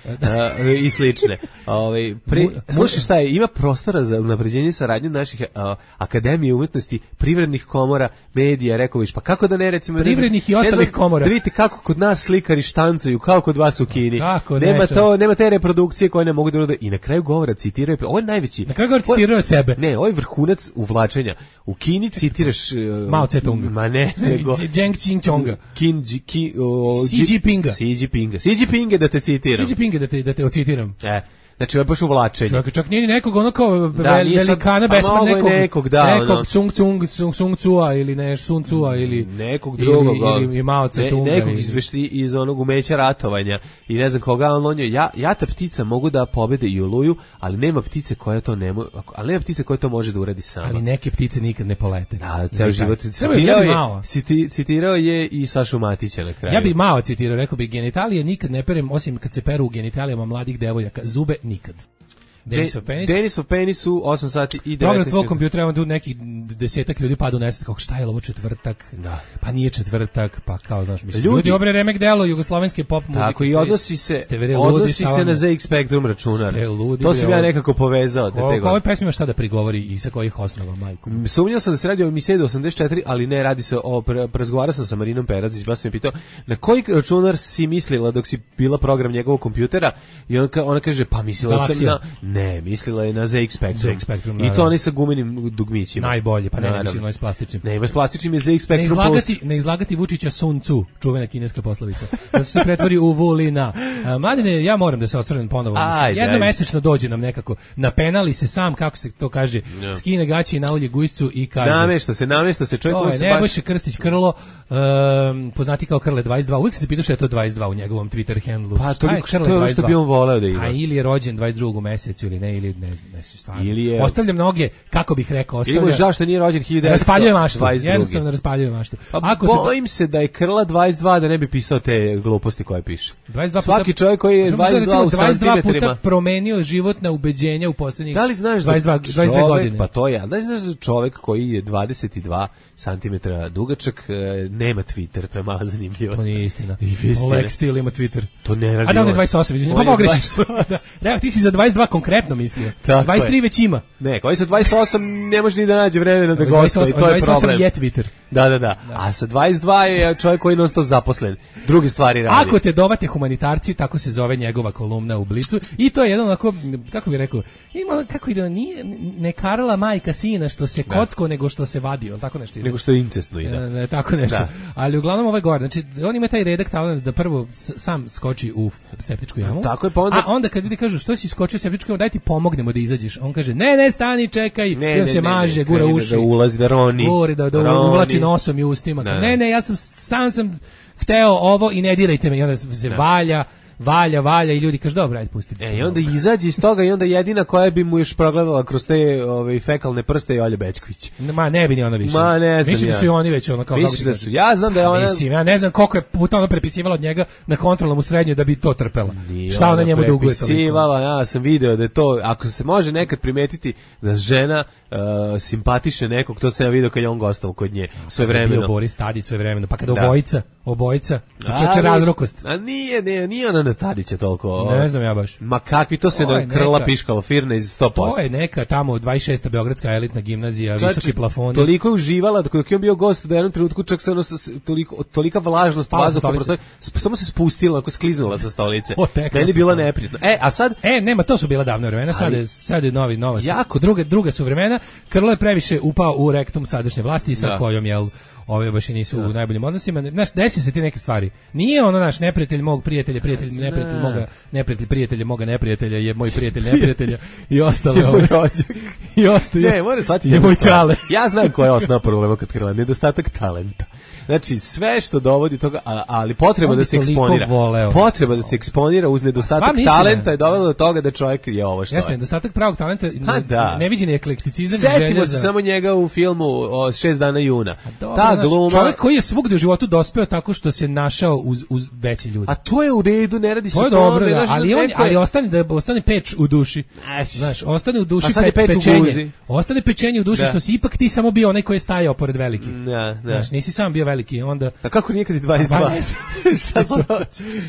E, I slične. Ovaj pre, Mu- slušaj šta je, ima prostora za unapređenje saradnje naših a, akademije umetnosti, privrednih komora, medija, rekao viš, pa kako da ne recimo... ne znam- Privrednih i ne ostalih znam, komora. Da vidite kako kod nas slikari štancaju, kao kod vas u Kini. Kako ne, nema, čovječe. to, nema te reprodukcije koje ne mogu da urade. I na kraju govora citiraju, ovo je najveći... Na kraju govora ovo- citirao sebe. Ne, ovo je vrhunac uvlačenja. U Kini citiraš... Uh, Mao Tse-tunga. Ma ne, nego... Deng Xiaopinga. Kin, Ji- ki, o, Xi Ji- Jinpinga. Xi Jinpinga. Xi Jinpinga da te citiram. Xi Jinpinga da te, da te ocitiram. E, znači ovo je baš uvlačenje. Čak, čak nije ni nekog ono kao Da, vel, nije sad- velikana pa besmrtnog mogo je nekog, nekog, da, nekog ono. Sung Tsung, Sung, Sung Tsua ili ne, Sun Tsua ili Nekog drugog, ili, ili, i Mao ne, Tse-tunga. nekog ili- iz, vešti, iz onog umeća ratovanja i ne znam koga, ali on je, ja, jata ptica mogu da pobede i Oluju, ali nema ptice koja to ne mo, ali nema ptice koja to može da uradi sama. Ali neke ptice nikad ne polete. Da, ceo Ne, život. taj. Citirao Ja bi je, Mao. citi, citirao je i Sašu Matića na kraju. Ja bi Mao citirao, rekao bi genitalije nikad ne perem, osim kad se peru u genitalijama mladih devojaka. Zube nikad. Denisov penis. Denisov penis u osam sati i Program devetnaest tvog minuta. kompjutera, onda tu nekih desetak ljudi pada u nesvest, kako šta je ovo četvrtak? Da. Pa nije četvrtak, pa kao, znaš, mislim, Ljudi- ljudi, obre remek delo jugoslovenske pop muzike. Tako i odnosi se, Ste veri ludi, odnosi šta se vam- na Z X Spectrum računar. Ste ludi, To bre, sam ja ovo- nekako povezao. Da Ko, te ko ovoj pesmi ima šta da prigovori i sa kojih osnova, majku? Sumnjao sam da se radi o emisiji osamdeset četiri, ali ne, radi se o, pre- razgovarao sam sa Marinom Perazić, baš sam je pitao, na koji računar si mislila dok si bila program njegovog kompjutera? I on, ka- ona kaže, pa mislila sam Galaksija. na, ne, mislila je na Z X Spectrum. Z X Spectrum, I to naravno. oni sa gumenim dugmićima. Najbolje, pa ne, ne Naravno. mislim, ono je s plastičnim. Ne, ima s plastičnim je Z X Ne Spectrum izlagati, plus. ne izlagati Vučića Sun Tzu, čuvena kineska poslovica. Da se pretvori u Vulina. A, Mladine, ja moram da se osvrnem ponovo. Ajde, Jedno ajde. mesečno dođe nam nekako. Napenali se sam, kako se to kaže, Ja. skine gaći i naulje gujscu i kaže... Namešta se, namešta se, čovjek To koji je se baš... Nebojša Krstić Krlo, um, poznati kao Krle dvadeset dva. Uvijek sam se pitao što je to dvadeset dva u njegovom Twitter handlu. Pa, Šta toliko- Krle to je ono što dvadeset dva? bi on voleo da ima. A ili je rođen dvadeset drugog u mesecu ili ne, ili ne, ne, ne stvarno. Ili je- Ostavljam noge, kako bih rekao, Ili mu je ostavljam... žao što nije rođen hiljadu devetsto dvadeset druge. Raspaljuje maštu, jednostavno raspaljuje maštu. Pa Ako te- bojim se da je Krla dvadeset dva da ne bi pisao te gluposti koje piše. dvadeset dva Svaki puta, čovjek koji je Možemo dvadeset dva u recimo dvadeset dva puta santimetrima. promenio životna ubeđenja u poslednjih Da li znaš dvadeset dva, da čovjek, dvadeset dve godine. pa to je, ali da li znaš da čovjek koji je dvadeset dva santimetra dugačak e, nema Twitter, to je mala zanimljivost. To nije istina. I vi ste- Lex Steel ima Twitter. To ne radi A da, on je on. dvadeset osam, izvinite. On Pa je pogrešiš. dvadeset Da, da, ti si za dvadeset dva konkretno mislio. Tako dvadeset tri je. već ima. Ne, koji sa dvadeset osam ne može ni da nađe vremena da gostuje, i to je dvadeset osam problem. je Twitter. Da, da, da, A sa dvadeset dva je čovjek koji je non stop zaposlen. Druge stvari radi. Ako te dovate humanitarci, tako se zove njegova kolumna u Blicu. I to je jedan onako, kako bih rekao, ima, kako ide, nije, ne karala majka sina što se kocko, nego što se vadio, tako nešto ide. Nego što je incestno ide. E, ne, tako nešto. Da. Ali uglavnom ovaj gore, znači on ima taj redak talent da prvo s- sam skoči u septičku jamu. Tako je, pa onda- A onda kad ljudi kažu što si skočio u septičku jamu, daj ti pomognemo da izađeš. On kaže ne, ne, stani, čekaj. Ne, I on ne, se ne, maže, ne, gura krene uši. da ulazi, da roni. Gori, da, da Roni. uvlači nosom i ustima. Da, da. Ne, ne, ja sam sam sam hteo ovo i ne dirajte me. I onda se valja, valja, valja i ljudi kažu dobro, ajde pusti. E, i onda izađe iz toga i onda jedina koja bi mu još progledala kroz te ove, fekalne prste je Olja Bećković. Ma ne bi ni ona više. Ma, ne znam Mislim ja. da su i oni već ono kao Misliš kako ti da kažem. su? Ja znam da je Pa ona- Mislim, ja ne znam koliko je puta ona prepisivala od njega na kontrolnom u srednjoj da bi to trpela. Nije Šta ona njemu duguje toliko? prepisivala, ja sam video da je to, ako se može nekad primetiti da žena uh, simpatiše nekog, to sam ja video kad je on gostao kod nje sve Bio vremeno. Boris Tadić sve vremeno, pa kada Da. obojica, obojica, čeče Ali- razrokost. A nije, nije, nije ona na Tadića toliko. Ne znam ja baš. Ma kakvi, to se To je na krla neka- piškalo firne iz sto posto. To je neka tamo dvadeset šesta beogradska elitna gimnazija, visoki plafoni. Toliko je uživala da dok je on bio gost da je u jednom trenutku čak se ono s- toliko tolika vlažnost Pala sa vazduha stolice. prosto sp- samo se spustila, ako skliznula sa stolice. Otekla Meni je sa bilo stolice. neprijatno. E, a sad E, nema, to su bila davna vremena, sad je, sad je novi, nova, jako druga, druga su vremena. Krlo je previše upao u rektum sadašnje vlasti sa Da. kojom, jel, ove baš i nisu u najboljim odnosima. Znaš, desi desi se ti neke stvari. Nije ono naš neprijatelj mog prijatelja, prijatelj neprijatelj moga, neprijatelj prijatelja moga neprijatelja je moj prijatelj neprijatelja i ostalo. I ostalo. Ne, mora shvatiti. Je moj čale. Ja znam koja je osnovna problema kod Krila, nedostatak talenta. Znači, sve što dovodi toga, ali potreba da se eksponira. Potreba da se eksponira uz nedostatak talenta je dovelo do toga da čovjek je ovo što je. Jeste, nedostatak pravog talenta, da. neviđeni eklekticizam i želja za... Setimo se samo njega u filmu o šest dana juna. Dobro, ta gluma... Čovjek koji je svugdje u životu dospeo tako što se našao uz, uz veće ljude. A to je u redu, ne radi se to je dobro, da, ali, on, ali ostane, da ostane peč u duši. Znaš, ostane u duši pe, peč pečenje. Ostane pečenje u duši, da. Što si ipak ti samo bio onaj koji je stajao pored velikih. Da, da. Znaš, nisi sam bio veliki, onda... A kako nikad i dvadeset dva? Šta se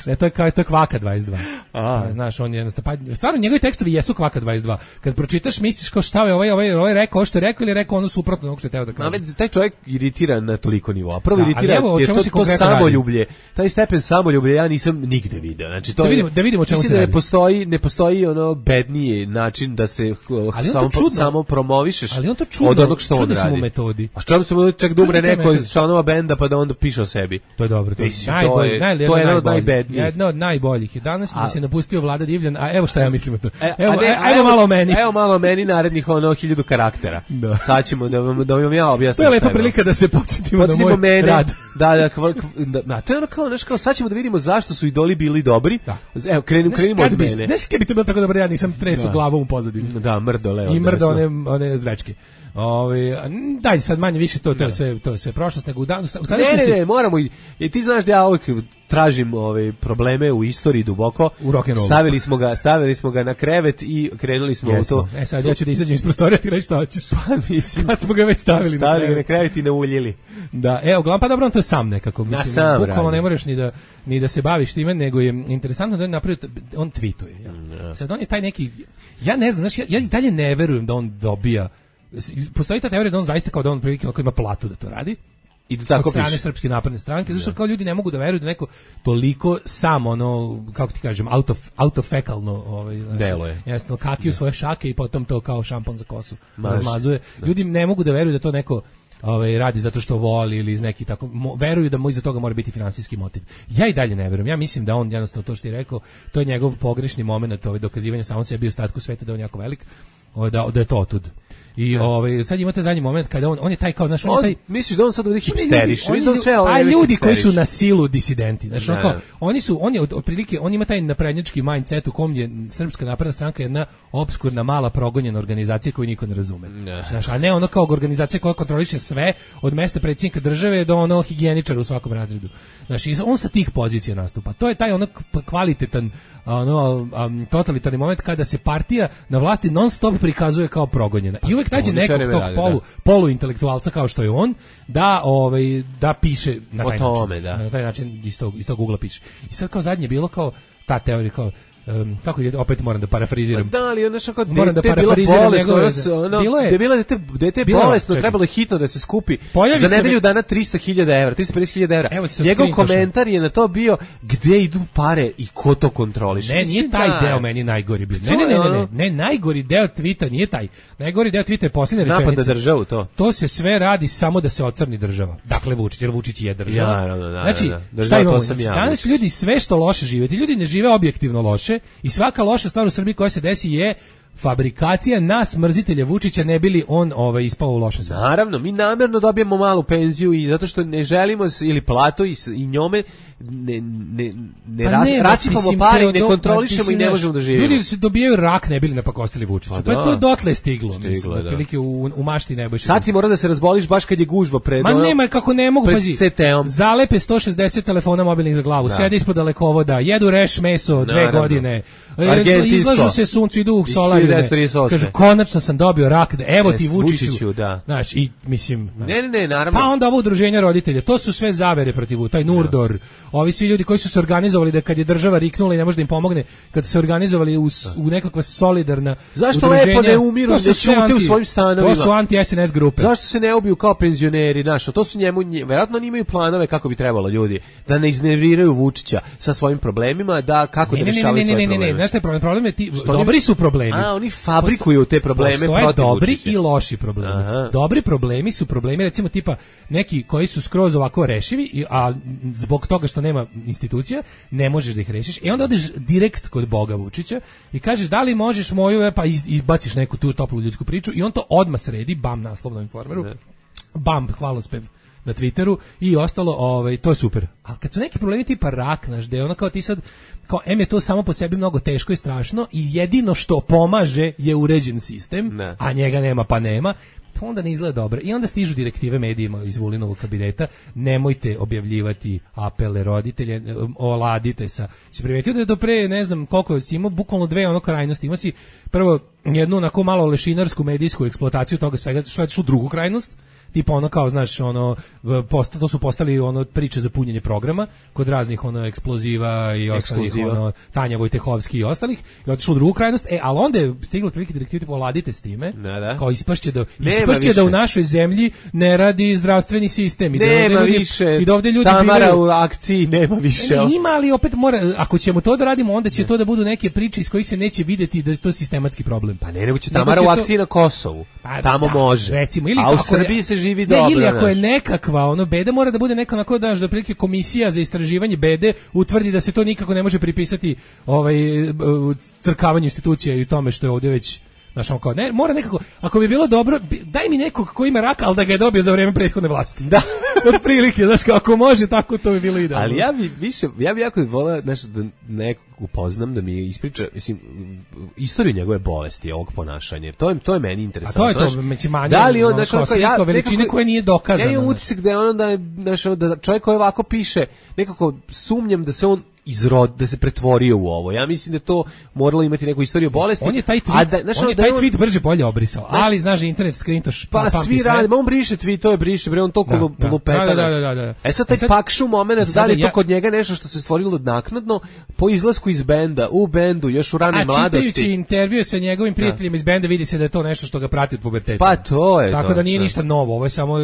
ne, to je kao to je Kvaka dvadeset dva. A. Znaš, on je jednostavno, stvarno njegovi tekstovi jesu Kvaka dvadeset dva. Kad pročitaš, misliš kao šta je ovaj ovaj ovaj rekao, što je rekao ili je rekao ono suprotno onog što je teo da kaže. A taj čovjek iritira na toliko nivoa. Prvo da, iritira je to, to samoljublje. Taj stepen samoljublja ja nisam nigde video. Znači to da vidimo, da vidimo čemu se radi. Ne postoji, ne postoji ono bedniji način da se samo samo promovišeš. Ali on to čudno, od onog što on radi. Metodi. A čemu se mu čak da umre neko iz članova benda pa da onda piše o sebi. To je dobro, to je najbolje, najbolje, to je jedno od najbednijih. Jedno od najboljih. Danas mi se napustio Vlada Divljan, a evo šta ja mislim o to. Evo, evo malo o meni. Evo malo o meni narednih ono hiljadu karaktera. Da. Sad ćemo da vam da vam ja objasnim. To je lepa prilika da se podsjetimo na moj mene, rad. Da, da, da, to je ono kao, znaš, kao sad ćemo da vidimo zašto su idoli bili dobri. Evo, krenimo, krenimo od mene. Ne skaj bi to bilo tako dobro, ja nisam tresu glavom u pozadini. Da, mrdo leo. I mrdo one, one zvečke. Ovi, daj sad manje više to to je sve to je sve prošlost nego u danu. Ne, ne, ne, moramo i ti znaš da ja uvijek tražim ove probleme u istoriji duboko. U rock'n'rollu. Stavili smo ga, stavili smo ga na krevet i krenuli smo Jesmo. u to. E sad ja ću da izađem iz prostorija ti reći šta hoćeš. Pa mislim, kad smo ga već stavili, stavili na krevet, na krevet i nauljili. Da, evo, glavno pa dobro on to je sam nekako, mislim, sam bukvalno ne moraš ni da ni da se baviš time, nego je interesantno da on napravi, on tweetuje, ja. Sad on je taj neki, ja ne znam, znaš, ja, ja i dalje ne verujem da on dobija. Postoji ta teorija da on zaista kao da on prilike ako ima platu da to radi i da tako od strane piše. Srpske napredne stranke, zašto kao ljudi ne mogu da veruju da neko toliko samo ono, kako ti kažem, auto, autofekalno ovaj, deluje. Jasno, kaki u svoje šake i potom to kao šampon za kosu razmazuje. Ljudi ne mogu da veruju da to neko ovaj, radi zato što voli ili iz neki tako, mo, veruju da mu iza toga mora biti finansijski motiv. Ja i dalje ne verujem. Ja mislim da on jednostavno to što ti rekao, to je njegov pogrešni momenat, ovaj, dokazivanja samom sebi u ostatku sveta da on jako velik, ovaj, da, da je to otud. I ovaj sad imate zadnji moment kada on on je taj kao znaš on, on je taj misliš da on sad ovdje hipsteriš, misliš da on sve ove ljudi koji su na silu disidenti, znači kao oni su on je od, otprilike on ima taj naprednjački mindset u kom je Srpska napredna stranka jedna opskurna mala progonjena organizacija koju niko ne razume. Znači, a ne ono kao organizacija koja kontroliše sve od mesta predsjednika države do ono higijeničara u svakom razredu. Znači on sa tih pozicija nastupa. To je taj ono kvalitetan ono um, totalitarni moment kada se partija na vlasti non stop prikazuje kao progonjena. I uvek nađe nekog tog radi, polu, polu intelektualca kao što je on da ovaj da piše na taj tome, način. Da. Na taj način iz tog, iz tog ugla piše. I sad kao zadnje bilo kao ta teorija kao Um, kako je, opet moram da parafriziram. Da, ali ono što kao moram da parafriziram njegove. Ono, bilo je, bilo dete, dete bolesno, trebalo je hitno da se skupi. Pojavi za nedelju dana trista hiljada evra, trista pedeset hiljada evra. Njegov komentar je na to bio gde idu pare i ko to kontroliše. Ne, nije taj da. Deo meni najgori bio. Ne, ne, ne, ne, ne, ne, najgori deo tvita nije taj. Najgori deo tvita je posljednja rečenica. Napad na državu to. To se sve radi samo da se ocrni država. Dakle Vučić, jer Vučić je država. Ja, da, da, da, znači, da, šta imamo? Znači, danas ljudi sve što loše žive, ti ljudi ne žive objektivno loše i svaka loša stvar u Srbiji koja se desi je fabrikacija nas mrzitelja Vučića ne bili on ovaj ispao u loše stvari. Naravno, mi namjerno dobijemo malu penziju i zato što ne želimo ili platu i, i njome ne, ne, ne, pa ras, ne rasipamo mislim, pare i ne kontrolišemo pa, i ne možemo da živimo. Ljudi se dobijaju rak ne bili napakostili Vučića. Pa, pa je to dotle stiglo, stiglo mislim, otprilike u, u mašti Nebojše. Sad si mora da se razboliš baš kad je gužva pred Ma ono, nema kako ne mogu, pazi. C T-om. Zalepe sto šezdeset telefona mobilnih za glavu, da. Sede ispod dalekovoda, jedu reš meso dve Naravno. godine. Izlažu se suncu, idu u solarine. Kažu, konačno sam dobio rak, da, evo ti Vučiću. Vučiću da. Znaš, i mislim... Ne, ne, ne, naravno. Pa onda ovo udruženja roditelja, to su sve zavere protiv, taj Nurdor, ovi svi ljudi koji su se organizovali da kad je država riknula i ne može da im pomogne, kad su se organizovali u, u nekakva solidarna Zašto udruženja. Zašto lepo ne umiru, ne ćute u svojim stanovima? To su anti-S N S grupe. Zašto se ne ubiju kao penzioneri, znaš, to su njemu, verovatno oni imaju planove kako bi trebalo ljudi, da ne iznerviraju Vučića sa svojim problemima, da kako ne, da ne, rešavaju ne, ne, svoje ne, probleme. Ne, ne, ne, znaš taj problem, problem je ti, dobri su problemi, A, oni fabrikuju te probleme postoje protiv dobri Vučića. i loši problemi. Aha. Dobri problemi su problemi recimo tipa neki koji su skroz ovako rešivi, i- a zbog toga što nema institucija ne možeš da ih rešiš. I onda odeš direkt kod Boga Vučića i kažeš da li možeš moju, pa iz- izbaciš neku tu toplu ljudsku priču i on to odmah sredi, bam, naslov na Informeru, bam, hvalospev na Twitteru i ostalo, ovaj, to je super. A kad su neki problemi tipa rak, znaš, da je ono kao ti sad, kao em je to samo po sebi mnogo teško i strašno i jedino što pomaže je uređen sistem, Ne. a njega nema pa nema, to onda ne izgleda dobro. I onda stižu direktive medijima iz Vulinovog kabineta, nemojte objavljivati apele roditelje, oladite sa. Si primetio da je do pre, ne znam koliko, si imao bukvalno dve ono krajnosti. Imao si prvo jednu onako malo lešinarsku medijsku eksploataciju toga svega, što je u drugu krajnost, tipa ono kao, znaš, ono, posta, to su postali ono priče za punjenje programa kod raznih ono eksploziva i ostalih, Ekskluziva. ono, Tanja Vojtehovski i ostalih, i otišlo u drugu krajnost, e, ali onda je stiglo otprilike direktive, tipa, oladite s time, Da, da. kao ispašće da, Nema ispašće da u više. našoj zemlji ne radi zdravstveni sistem, i da ovde Nema ljudi, više. i da ovde ljudi Tamara bivaju- u akciji nema više. Ne, ima, ali opet mora, ako ćemo to da radimo, onda će to da budu neke priče iz kojih se neće videti da je to sistematski problem. Pa ne, nego će Nego Tamara će u to- akciji na Kosovu. Pa, Tamo da, može. Recimo, ili a u ako je- Srbiji se živi ne, dobro. ili ako je znaš. nekakva ono beda, mora da bude neka onako, daš, da prilike komisija za istraživanje bede utvrdi da se to nikako ne može pripisati ovaj e, crkavanju institucija i tome što je ovdje već. Znaš, on kao, ne, mora nekako, ako bi bilo dobro, bi- daj mi nekog ko ima raka, ali da ga je dobio za vrijeme prethodne vlasti. Da. Od prilike, znaš, kao, ako može, tako to bi bilo idealno. Ali ja bi više, ja bi jako voleo, znaš, da nekog upoznam, da mi ispriča, mislim, istoriju njegove bolesti, ovog ponašanja. Jer To je, to je meni A interesantno. to je to, znaš. među manje, Da li on, ono, znaš, kao ono kao sredstvo ja, veličine nekako- koje nije dokazano, Ja imam znaš. utisak da je ono da je, znaš, ono da čovjek koji ovako piše, nekako sumnjam da se on izrod, da se pretvorio u ovo. Ja mislim da je to moralo imati neku istoriju bolesti. On je taj tweet, a da, znaš, on ono je da taj on- tweet brže bolje obrisao, ali znaš, internet skrintoš Pa pamti svi sve. rade, ma on briše tweetove, briše, bre, on toliko Da, lu- da. lupeta. Da, da, da, da, da. E sad taj E sad- pakšu moment, sad da li je to ja- kod njega nešto što se stvorilo naknadno, po izlasku iz benda, u bendu, još u ranoj A mladosti. čitajući intervjue sa njegovim prijateljima iz benda vidi se da je to nešto što ga prati od puberteta. Pa to je Tako to, da nije da. ništa novo, ovo je samo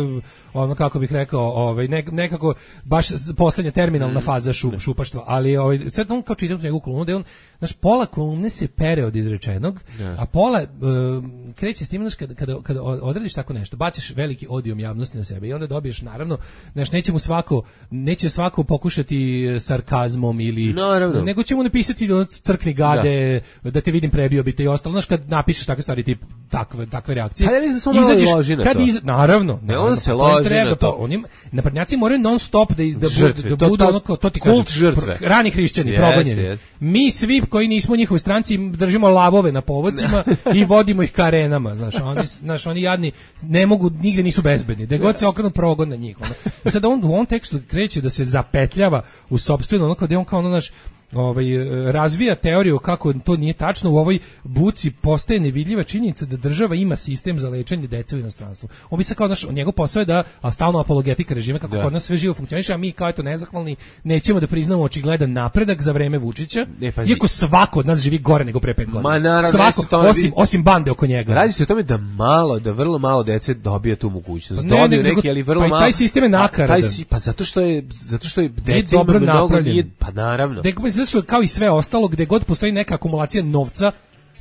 ono kako bih rekao, ovaj nek- nekako baš s- poslednja terminalna Mm. faza šu, šupaštva, ali ovaj sad on kao čitam njegovu kolumnu, da je on, znaš, pola kolumne se pere od izrečenog, a pola um, kreće s tim, znaš, kada, kada, kada odradiš tako nešto, baciš veliki odijum javnosti na sebe i onda dobiješ, naravno, znaš, neće mu svako, neće svako pokušati sarkazmom ili, Naravno. nego će mu napisati ono, crkni gade, da. te vidim prebio bi te i ostalo, znaš, kad napišeš takve stvari, tip takve, takve reakcije. Pa ja mislim da samo malo izađeš- loži na kad to. iz- naravno, on naravno, se pa to im loži treba, na to. pa on im- naprednjaci moraju non stop da, iz- da, Žrtve, budu, da to- budu to- ono kao, to ti kult kažem, žrtve. pr- rani hrišćani, Jeste, progonjeni. jeste. Mi svi koji nismo u njihovoj stranci držimo lavove na povodcima i vodimo ih ka arenama, znaš, oni, znaš, oni jadni ne mogu, nigde nisu bezbedni, da god se okrenu progon na njih. Ono. I sad on u ovom tekstu kreće da se zapetljava u sopstveno, ono kao da je on kao ono, naš, ovaj, e, razvija teoriju kako to nije tačno, u ovoj buci postaje nevidljiva činjenica da država ima sistem za lečenje dece u inostranstvu. On bi se kao, znaš, njegov posao je da, a stalno apologetika režima kako Da. kod nas sve živo funkcioniše, a mi kao eto nezahvalni nećemo da priznamo očigledan napredak za vreme Vučića, Ne, pazi. iako svako od nas živi gore nego pre pet godina. Ma, naravno, svako, ne, tome- osim, osim bande oko njega. Radi se o tome da malo, da vrlo malo dece dobije tu mogućnost. Pa ne, Dobiju nego- neki, ali vrlo pa i malo. taj sistem je A, nakaradan. taj si- Pa zato što je, zato što je deca dobro ima mnogo, napravljen. nije, pa naravno. Gde mislim da su kao i sve ostalo, gde god postoji neka akumulacija novca,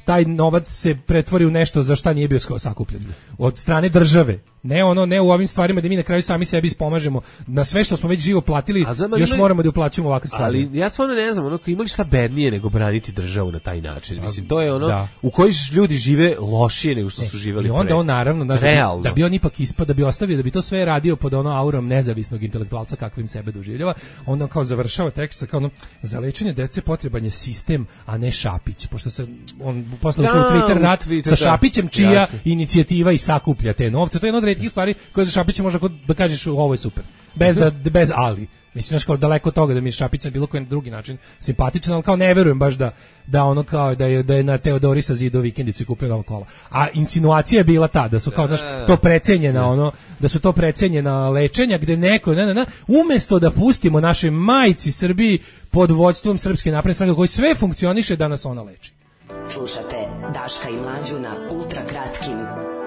taj novac se pretvori u nešto za šta nije bio sko- sakupljen. Od strane države. Ne ono, ne u ovim stvarima da mi na kraju sami sebi ispomažemo. Na sve što smo već živo platili, A znam, ali još ima- moramo da uplaćujemo ovakve stvari. Ali ja stvarno ne znam, ono, imali šta bednije nego braniti državu na taj način. Mislim, to je ono, Da. u kojoj ljudi žive lošije nego što su živeli I onda pre. on naravno, znaš, da, bi, Realno. da bi on ipak ispao, da bi ostavio, da bi to sve radio pod ono aurom nezavisnog intelektualca kakvim sebe doživljava, onda on kao završava tekst sa kao ono, za lečenje dece potreban je sistem, a ne Šapić, pošto se on posle ušao Da, u Twitter u rat Twitter, sa da. Šapićem, čija Jasno. inicijativa i sakuplja te novce. To je jedna od retkih stvari koje za Šapića može kod- da kažeš ovo je super. Bez da bez ali. Mislim, znaš, kao daleko od toga da mi je Šapić na bilo koji drugi način simpatičan, ali kao ne verujem baš da, da ono kao da je, da je na Teodorisa zidao vikendicu i kupio novo kola. A insinuacija je bila ta, da su kao, znaš, to precenjena, ono, da su to precenjena lečenja gde neko, ne, ne, ne, umesto da pustimo našoj majci Srbiji pod vođstvom Srpske napredne stranke koji sve funkcioniše da nas ona leči. Slušate Daška i Mlađu na ultra kratkim,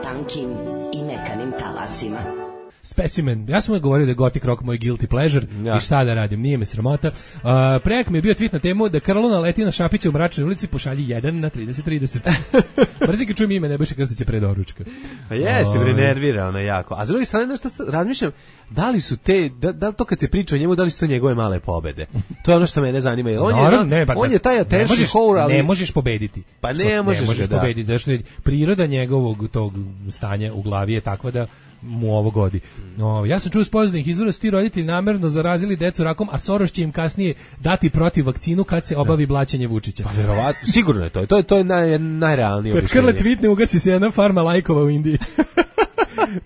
tankim i mekanim talasima. specimen. Ja sam uvijek govorio da je gothic rock moj guilty pleasure ja. I šta da radim, nije me sramota. Uh, prejak mi je bio tweet na temu da Krlona leti na Šapića u mračnoj ulici, pošalji jedan na trideset trideset. Mrzim kad čujem ime Nebojše Krstića pre doručka. Pa jeste, bre, nervira ono jako. A s druge strane, nešto razmišljam, da li su te, da, da li to kad se priča o njemu, da li su to njegove male pobede? To je ono što mene zanima. On, Naravno, je, ne, pa, on je taj attention whore, ali... Ne možeš pobediti. Pa ne možeš, ne možeš da. pobediti, zašto je priroda njegovog tog stanja u glavi je takva da mu ovo godi. No, ja sam čuo s poznanih izvora su ti roditelji namerno zarazili decu rakom, a Soros će im kasnije dati protiv vakcinu kad se obavi blaćenje Vučića. Pa verovatno, sigurno je to. To je, to je naj, najrealnije objašnjenje. Kad Krle tweetne, ugasi se jedna farma lajkova u Indiji.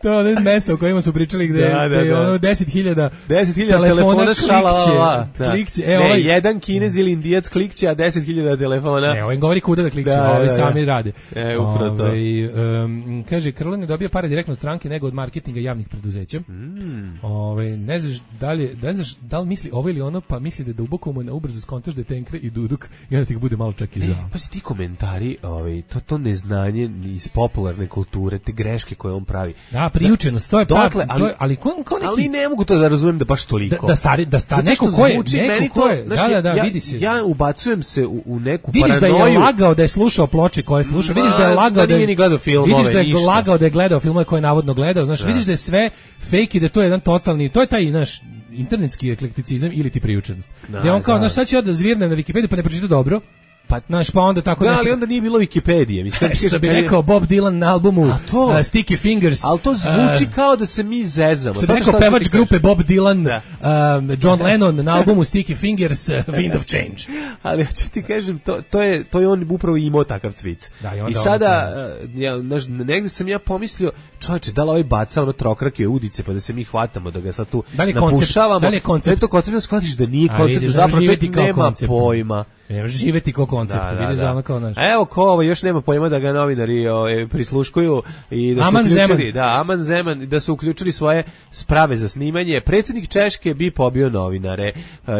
To je ono mesto o kojima su pričali gde, da, da, gde je ono deset hiljada telefona, telefona klikće. Da. klikće. E, ne, ovaj, jedan Kinez ili Indijac klikće, a deset hiljada telefona. Ne, ovaj govori kuda da klikće, da, ovi da, sami da. rade. E, upravo to. Ove, um, kaže, Krlo ne dobija pare direktno od stranke nego od marketinga javnih preduzeća. Mm. Ove, ne znaš da li, ne znaš da li misli ovo ili ono, pa misli da duboko mu na ubrzo skontaš da je Tenkre i Duduk i onda ti bude malo čak i žao. Pa si ti komentari, ovaj, to, to neznanje iz popularne kulture, te greške koje on pravi. Da, priučenost, to je dotle, pa, to je, ali ko, ko neki, ali ne mogu to da razumem da baš toliko. Da, da stari, da stari, neko ko je, neko ko je, da, da, da, ja, vidi se. Ja ubacujem se u, u neku vidiš paranoju. Vidiš da je lagao da je slušao ploče koje je slušao, vidiš da je lagao da, da nije ni gledao filmove, vidiš da je ništa. lagao da je gledao filmove koje je navodno gledao, znaš, da. Vidiš da je sve fake i da to je jedan totalni, to je taj naš internetski eklekticizam ili ti priučenost. Da, gde on kao, znaš, sad ću ja da zvirnem na Wikipediju pa ne pročitam dobro. Pa, znaš, pa onda tako da, nešto... ali onda nije bilo Wikipedije. Mislim, što bi rekao Bob Dylan na albumu uh, Sticky Fingers. Ali to zvuči uh, kao da se mi zezamo. Što bi rekao pevač grupe Bob Dylan, uh, John Lennon na albumu Sticky Fingers, uh, Wind of Change. Ali ja ću ti kažem, to, to, je, to je on upravo imao takav tweet. Da, i, I sada, uh, ja, naš, negde sam ja pomislio, čovječe, da li ovaj baca ono trokrake udice, pa da se mi hvatamo, da ga sad tu da napušavamo. Da li je koncept? Da li je koncept? Da shvatiš da nije koncept, da zapravo čovjek nema koncept. Pojma. Ne može živeti kao koncept, da, da, vidiš da. Ono kao naš. Evo ko ovo još nema pojma da ga novinari o, e, prisluškuju i da Aman su uključili, Zeman. da, Aman Zeman, da su uključili svoje sprave za snimanje. Predsjednik Češke bi pobio novinare.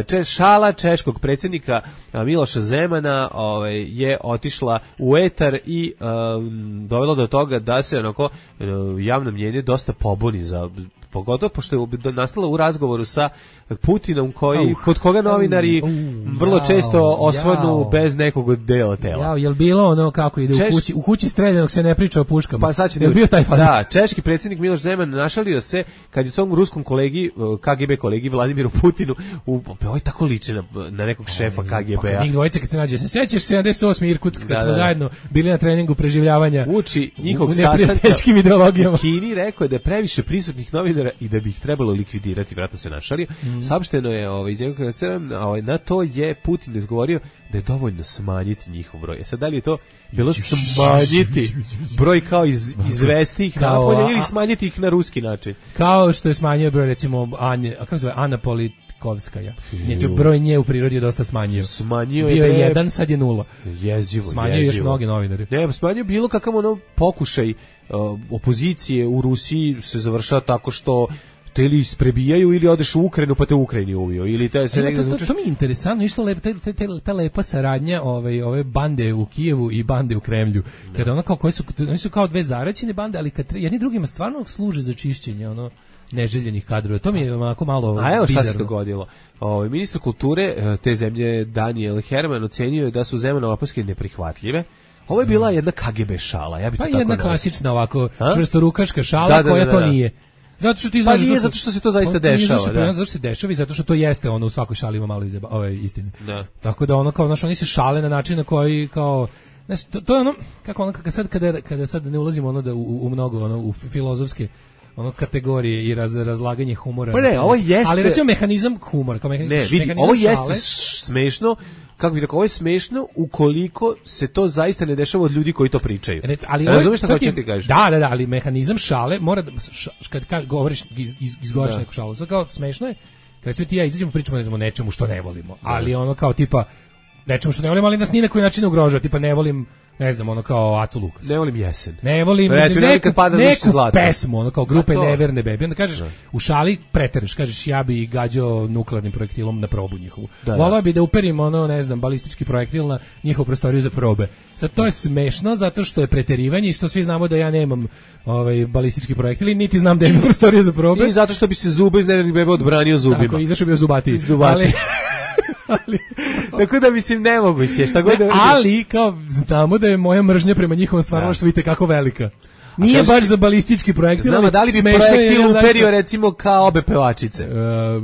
Če, šala češkog predsjednika Miloša Zemana ovaj, je otišla u etar i um, dovela do toga da se onako javno mnjenje dosta pobuni za pogotovo pošto je nastala u razgovoru sa Putinom koji, uh, kod koga novinari uh, uh, vrlo jao, često osvanu jao. bez nekog dela tela. Jao, jel bilo ono kako ide Češ... u kući, u kući streljanog se ne priča o puškama? Pa sad ću da bio taj fazon? Da, češki predsjednik Miloš Zeman našalio se kad je svom ruskom kolegi, K G B kolegi Vladimiru Putinu, u, ovaj tako liče na, na nekog šefa K G B-a. Pa njih dvojice kad se nađe, se sećaš sedamdeset osme Irkutsk kad da, smo da. zajedno bili na treningu preživljavanja uči njihovog neprijateljskim ideologijama. Kini rekao da je previše prisutnih novinara i da bi ih trebalo likvidirati, vratno se našalio. Mm. Saopšteno je ovaj, iz njegovog ovaj, na to je Putin izgovorio da je dovoljno smanjiti njihov broj. E sad, da li je to bilo smanjiti broj kao iz, izvesti ih napolje ili smanjiti ih na ruski način? Kao što je smanjio broj, recimo, Anje, a kako se zove, Ana Politkovskaja. Znači, broj nje u prirodi je dosta smanjio. Smanjio Bio je, je jedan, sad je nula. Jezivo, smanjio jezivo. još mnogi novinari. Ne, smanjio bilo kakav ono pokušaj uh, opozicije u Rusiji se završava tako što te ili isprebijaju ili odeš u Ukrajinu pa te u Ukrajini ubio ili te se negdje to, to, to mi je interesantno isto lepo te, te, te, ta lepa saradnja ove ove bande u Kijevu i bande u Kremlju da. Kada ona kao koje su oni su kao dve zaraćene bande ali kad jedni drugima stvarno služe za čišćenje ono neželjenih kadrova. To mi je onako malo bizarno. A evo šta se dogodilo. Ovaj ministar kulture te zemlje Daniel Herman ocenio je da su Zemanove opaske neprihvatljive. Ovo je bila jedna K G B šala, ja bih to pa tako jedna nazvao. Klasična ovako čvrstorukaška šala da, da, koja da, da, da. to nije. Zato što ti znaš pa nije zato što se to zaista dešava, zato da. Zato što se dešava i zato što to jeste ono u svakoj šali ima malo izjeba, ove istine. Da. Tako da ono kao znaš oni se šale na način na koji kao znaš to, to je ono kako ono kad sad kada kada sad ne ulazimo ono da u, u mnogo ono u filozofske ono kategorije i raz, razlaganje humora. Pa ne, ovo jeste. Ali recimo mehanizam humora, kao mehanizam. Ne, vidi, ovo jeste smešno. Kako bih rekao, ovo je smešno ukoliko se to zaista ne dešava od ljudi koji to pričaju. Rec, ali razumiješ šta hoću ti kažeš? Da, da, da, ali mehanizam šale mora da, š, kad, kad govoriš, iz, iz, izgovoriš neku šalu, sad kao smešno je, kad recimo ti ja izađemo pričamo ne znamo nečemu što ne volimo, ali ono kao tipa, nečemu što ne volim, ali nas ni na koji način ne ugrožava, tipa ne volim, ne znam, ono kao Acu Lukas. Ne volim jesen. Ne volim Reći, neku, pada neku zlato. pesmu, ono kao grupe to. Neverne Bebi. Onda kažeš, Da. u šali pretereš, kažeš ja bi gađao nuklearnim projektilom na probu njihovu. Da, Volao da. bi da uperim ono, ne znam, balistički projektil na njihovu prostoriju za probe. Sad to je smešno zato što je preterivanje i što svi znamo da ja nemam ovaj balistički projektil i niti znam da imam prostoriju za probe. I zato što bi se zuba iz Nevernih Beba odbranio zubima. Tako, izašao bio zubati. Zubati. Ali, ali, Tako da mislim nemoguće, šta god ne, da ali kao znamo da je moja mržnja prema njihovom stvaralaštvu i tekako velika. Nije kaži- baš za balistički projektil, Znamo, ali da li bi smešno je, projektil jer je uperio zaista- recimo kao obe pevačice? Uh,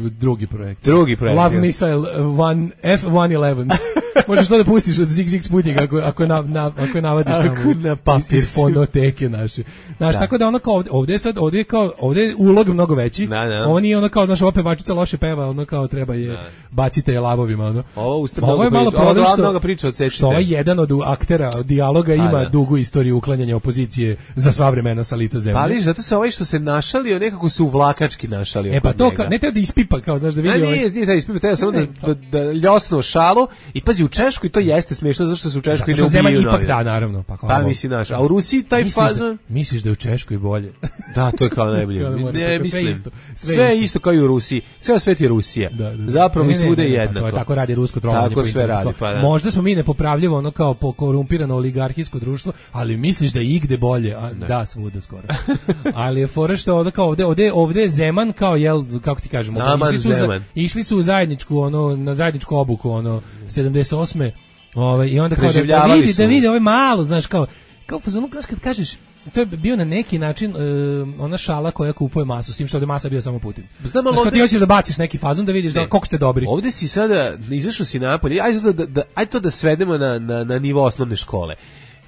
drugi projekt. Drugi projektil. Love Missile one, F one eleven. Možeš to da pustiš od Zig Zig Sputnika ako, ako, je na, na, ako je navadiš Ako tamo na papir. iz, iz fonoteke naše. Znaš, Da. tako da ono kao ovde, ovde je sad, ovde je kao, ovde je ulog mnogo veći. Da, da. Ovo nije ono kao, znaš, ova pevačica loše peva, ono kao treba je bacite je lavovima, ono. Ovo uste Ovo je mnogo malo pri- ovo problem dva što, mnogo priča od Cecite. što ovaj jedan od aktera od dijaloga ima da. dugu istoriju uklanjanja opozicije za sva vremena sa lica zemlje. Pa vidiš, zato se ovaj što se našalio, nekako se uvlakački našalio. E pa kod to, njega. kao, ne treba da ispipa, kao, znaš, da A vidi ovaj... nije, nije taj ispit, treba samo da, da, da ljosnu šalu i pazi, u Češkoj to jeste smiješno, zašto se u Češkoj Zato ne što Zeman ubijaju ipak novinari. da, naravno. Pa, kao, Pa misli naš, a u Rusiji taj misliš da, fazon... misliš da je u Češkoj bolje? Da, to je kao najbolje. Kao da mora, Ne, sve mislim. isto, sve Sve je isto. isto kao i u Rusiji. Ceo svet je Rusija. Da, da, da. Zapravo Ne, i ne, svude ne, je ne, pa jednako. To je tako radi rusko trovanje. Tako po sve internetu. radi, pa da. Možda smo mi nepopravljivo ono kao po korumpirano oligarhijsko društvo, ali misliš da je igde bolje? A, da, svuda skoro. Ali je fora što ovde kao ovde, ovde, ovde je Zeman kao jel kako ti kažemo, Naman išli su za, Zeman. išli su u zajedničku ono na zajedničku obuku ono sedamdeset osme Ovaj i onda kao da, da Preživljavali vidi su. da vidi ovaj malo, znaš kao kao fazonu znaš kad kažeš to je bio na neki način e, ona šala koja kupuje masu, s tim što ovde masa bio samo Putin. Znam, ali Znaš, kad ti ovde- hoćeš da baciš neki fazon da vidiš da koliko ste dobri. Ovde si sada, izašao si napolje, ajde to da, da, ajde to da svedemo na, na, na nivo osnovne škole.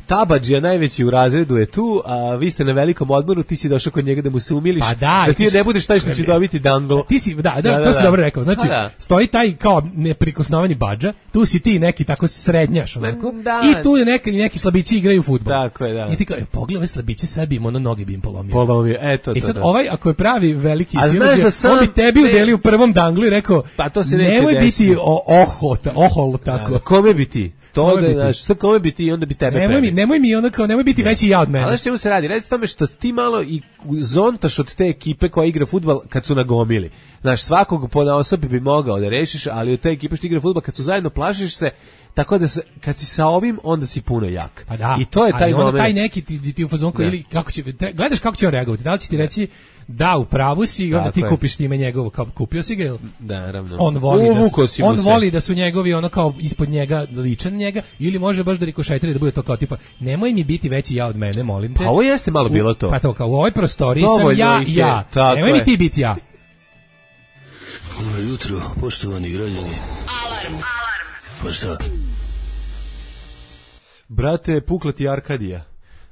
Tabadžija najveći u razredu je tu, a vi ste na velikom odmoru, ti si došao kod njega da mu se umiliš, Pa da, da i ti ti ne si- budeš taj što će dobiti dangle. Ti si, da, da, Da, to da, si da. dobro rekao. Znači, Pa da. stoji taj kao neprikosnoveni badža, tu si ti neki tako srednjaš, onako, da. i tu je neki, neki slabići igraju fudbal. Tako je, da. I ti kao, e, pogledaj ove slabiće, sad bi im ono noge bi im polomio. Polomio, eto I to, sad da. ovaj, ako je pravi veliki A znaš siledžija, da sam- on bi tebi ne. udelio u prvom danglu i rekao, Pa to se neće nemoj desiti. biti o, ohol, ohol tako. Da, kome bi ti? To Kome da, bi ti? znaš, sad kome bi ti, onda bi tebe Nemoj mi, prebi. nemoj mi ono kao, nemoj biti veći ja od mene. Ali znaš čemu se radi? Radi se tome što ti malo i zontaš od te ekipe koja igra fudbal kad su nagomili. Znaš, svakog po osobi bi mogao da rešiš, ali od te ekipe što igra fudbal kad su zajedno plašiš se, tako da se, kad si sa ovim, onda si puno jak. Pa da. I to je taj ali onda moment. taj neki ti, ti, ti u fazonu koji Da. ili kako će tre- gledaš kako će on reagovati. Da li će ti reći da u pravu si i onda Tako ti je. kupiš time njegovo kao kupio si ga jel? Da, naravno. On voli da Uvukao su, si mu on se. voli da su njegovi ono kao ispod njega ličan njega ili može baš da rikošetira da bude to kao tipa nemoj mi biti veći ja od mene, molim te. Pa ovo jeste malo U- bilo to. Pa to kao u ovoj prostoriji sam Dovoljno ja ih i je, ja. tako Nemoj je. mi ti biti ja. Dobro jutro, poštovani građani. Alarm. Alarm. Pa šta? Brate, pukla ti Arkadija.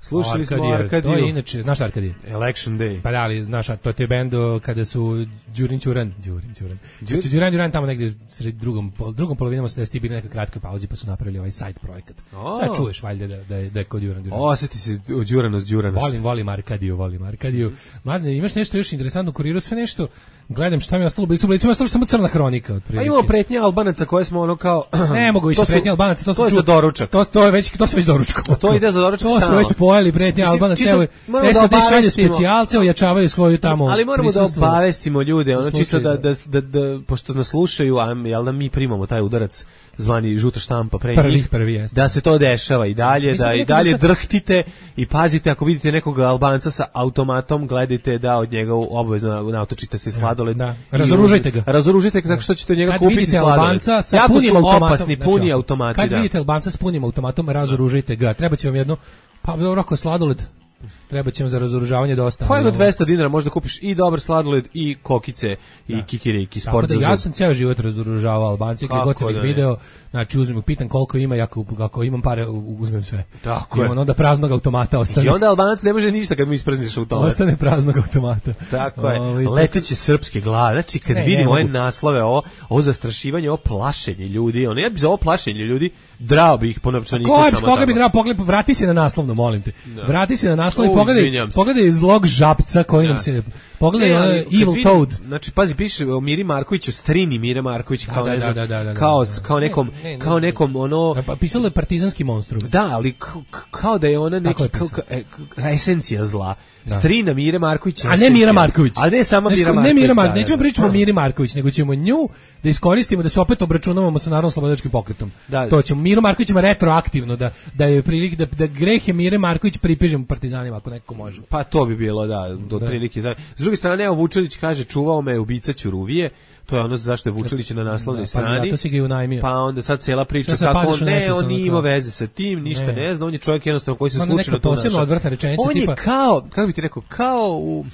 Slušali smo Arkadija, Arkadiju. To je inače, znaš Arkadije? Election Day. Pa da, ali znaš, a to ti je bend o, kada su Đurin Ćuran, Đurin Ćuran. Kad su Đuran Đuran tamo negdje sred drugom, pol- drugom polovinom osamdesetih bili neka kratka pauzi pa su napravili ovaj side projekat. O. Da čuješ valjda da, da, je, da je kod Đuran Đuran. Osjeti se Đuranost, Đuranost. Volim, volim Arkadiju, volim Arkadiju. Mladine, imaš nešto još interesantno u kuriru, sve nešto, gledam šta mi je ostalo u Blicu, u Blicu ima ostalo samo crna hronika. A otprilike. imamo pretnje Albanaca koje smo ono kao... Ne mogu više To su- pretnje Albanaca, to, to sam je čuo- za doručak. To, to je već, to se već doručko. To ide za doručak To smo stalno. već pojeli pretnje Mislim, Albanaca, čisto evo, moramo da S A D šalje obavestimo- specijalce, ojačavaju svoju tamo Ali moramo da prisustvo. obavestimo ljude, ono Za čisto slučaj da, da- da, da, da, pošto nas slušaju, a jel da mi primamo taj udarac zvani žuta štampa pre Prvi, njih, prvi jeste. da se to dešava i dalje, Mislim, da i neka dalje vrsta- drhtite i pazite ako vidite nekog Albanca sa automatom, gledajte da od njega obavezno nautočite se sladoled. Da. I- Razoružajte ga. Razoružajte ga tako što ćete od njega Kad kupiti vidite sladoled. Albanca sa Jako punim su automatom, opasni, znači, puni ovako, automati, Kad da. vidite Albanca s punim automatom, razoružajte ga. Treba će vam jedno, pa dobro, ako je sladoled, treba će vam za razoružavanje dosta. Pa ali jedno ovo- dvesta dinara možda kupiš i dobar sladoled i kokice i kikiriki, Tako sport da za ja zub. sam ceo život razoružavao Albance, gdje Kako god sam ih da ne? video, znači uzmem, pitam koliko ima, ako, ako imam pare, u- uzmem sve. Tako I je. onda praznog automata ostane. I onda Albanac ne može ništa kad mu isprezniš u tome. Ostane praznog automata. Tako je. Ovaj, Leteće srpske glave. Znači kad Ne, vidimo ne ove mogu. naslove, ovo, ovo zastrašivanje, ovo plašenje ljudi, ono ja bi za ovo plašenje ljudi drao bi ih po novčaniku Ko, samo koga bi tamo. treba pogled, vrati se na naslovno, molim te. Vrati se na naslov i O, pogledaj, izvinjam se. pogledaj zlog žapca koji nam se, pogledaj Ne, ali ono kad Evil vidim- Toad. Znači, pazi, piše o Miri Markoviću, strini Mire Marković, kao Da, ne da, znam, da, da, da, da. kao, Da. kao nekom, Ne, ne, kao ne. nekom, ono, Pa pisalo je partizanski monstrum. da, ali k- k- kao da je ona Tako neki, je kao, pisano. ka- e, k- esencija zla. Da. Strina Mire Marković. A ne Mira Marković. A ne samo Znaš, Mira ko- Marković. Ne Mira da, Marković, da, nećemo da. pričati o Miri Marković, nego ćemo nju da iskoristimo da se opet obračunavamo sa Narodno slobodilačkim pokretom. Da. To ćemo Miru Markovićima retroaktivno da da je prilik da da grehe Mire Marković pripišemo partizanima ako neko može. Pa to bi bilo, da, do otprilike. Da. S druge strane, evo Vučelić kaže, čuvao me ubica Ćuruvije, to je ono zašto je Vučelić na naslovnoj Da, pa strani. zato si ga i unajmio. Pa onda sad cela priča Šta se kako padaš on, u ne, nesvest, on ono nije kao- imao veze sa tim, ništa ne, Ne. zna, on je čovjek jednostavno koji se Onda slučajno neka tu posebno našao. odvratna rečenica On je tipa- kao, kako bi ti rekao, kao u...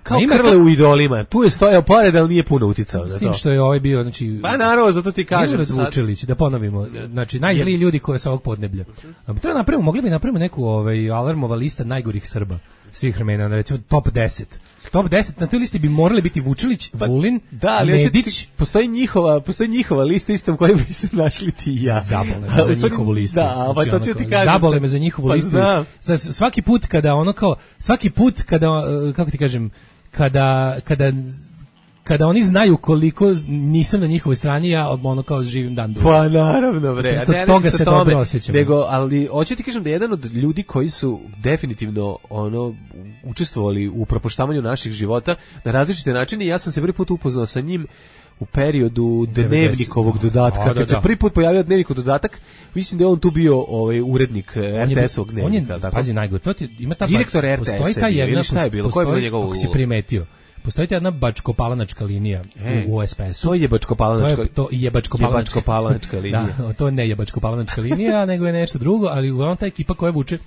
Kao A ima Krle ka- u idolima. Tu je stojao pored, ali nije puno uticao S na tim to. što je ovaj bio, znači... Pa naravno, zato ti kažem Milorad sad. Vučelić, da ponovimo, znači najzliji ljudi koji sa ovog podneblja. A treba napravimo, mogli bi napravimo neku ovaj alarmova lista najgorih Srba svih vremena, recimo top deset. Top deset, na toj listi bi morali biti Vučelić, Vulin, Da, ali hoćete Nedić, ti- postoji njihova, postoji njihova lista istom kojoj bi se našli ti i ja. Zabole A, me u za stvari- njihovu listu. Da, a pa Znači, to ono ću ti kao, kažem. Zabole me za njihovu Pa listu. znam. Sa- Svaki put kada ono kao, svaki put kada, uh, kako ti kažem, kada, kada kada oni znaju koliko nisam na njihovoj strani, ja ono kao živim dan dugo. Pa naravno, bre. A Kod ne, ne toga sa se tome, dobro osjećam. Nego, ali hoću ti kažem da je jedan od ljudi koji su definitivno ono učestvovali u propuštavanju naših života na različite načine. Ja sam se prvi put upoznao sa njim u periodu dnevnikovog dodatka. A, da, Kad se da. prvi put pojavio dnevnikov dodatak, mislim da je on tu bio ovaj urednik R T S-ovog On je, dnevnika. tako? pazi, najgore, to ti, ima ta Direktor bač- R T S-a postoji ta je bio, jedna, ili šta je bilo? Koja je bila postoji, njegova ako si uloga? primetio, postoji ta jedna bačko-palanačka linija E, u, u S P S-u. To je jebačko-palanačka. To je to jebačko-palanačka. Jebačko-palanačka linija. Da, to ne jebačko-palanačka linija, nego je nešto drugo, ali uglavnom ta ekipa koja vuče.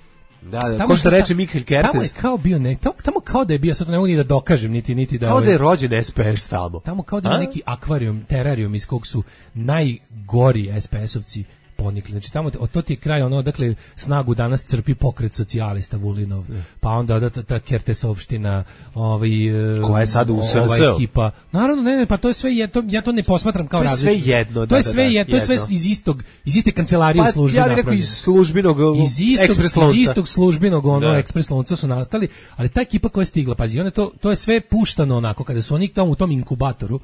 Da, da, Tamo ko što ta- reče Mihael Tamo je Kertes, kao bio ne, tamo, tamo kao da je bio, sad to ne mogu ni da dokažem, niti niti da kao ovaj- da je rođen S P S tamo. tamo kao da ima A? neki akvarijum, terarijum iz kog su najgori S P S-ovci ponikli. Znači tamo od to ti je kraj ono, dakle snagu danas crpi pokret socijalista Vulinov, pa onda da ta, ta Kertesovština, ovaj e, Koja je sad u S R S-u? ova ekipa. Naravno, ne, ne, pa to je sve je to, ja to ne posmatram kao To je različito. sve jedno, To da, je da, sve da, je, to je sve jedno. iz istog iz iste kancelarije u Pa službi ja bih rekao napravljeno. iz službenog iz istog, ekspres iz lonca. istog službenog ono Da. ekspres lonca su nastali, ali ta ekipa koja je stigla, pazi, one to to je sve puštano onako kada su oni tamo u tom inkubatoru.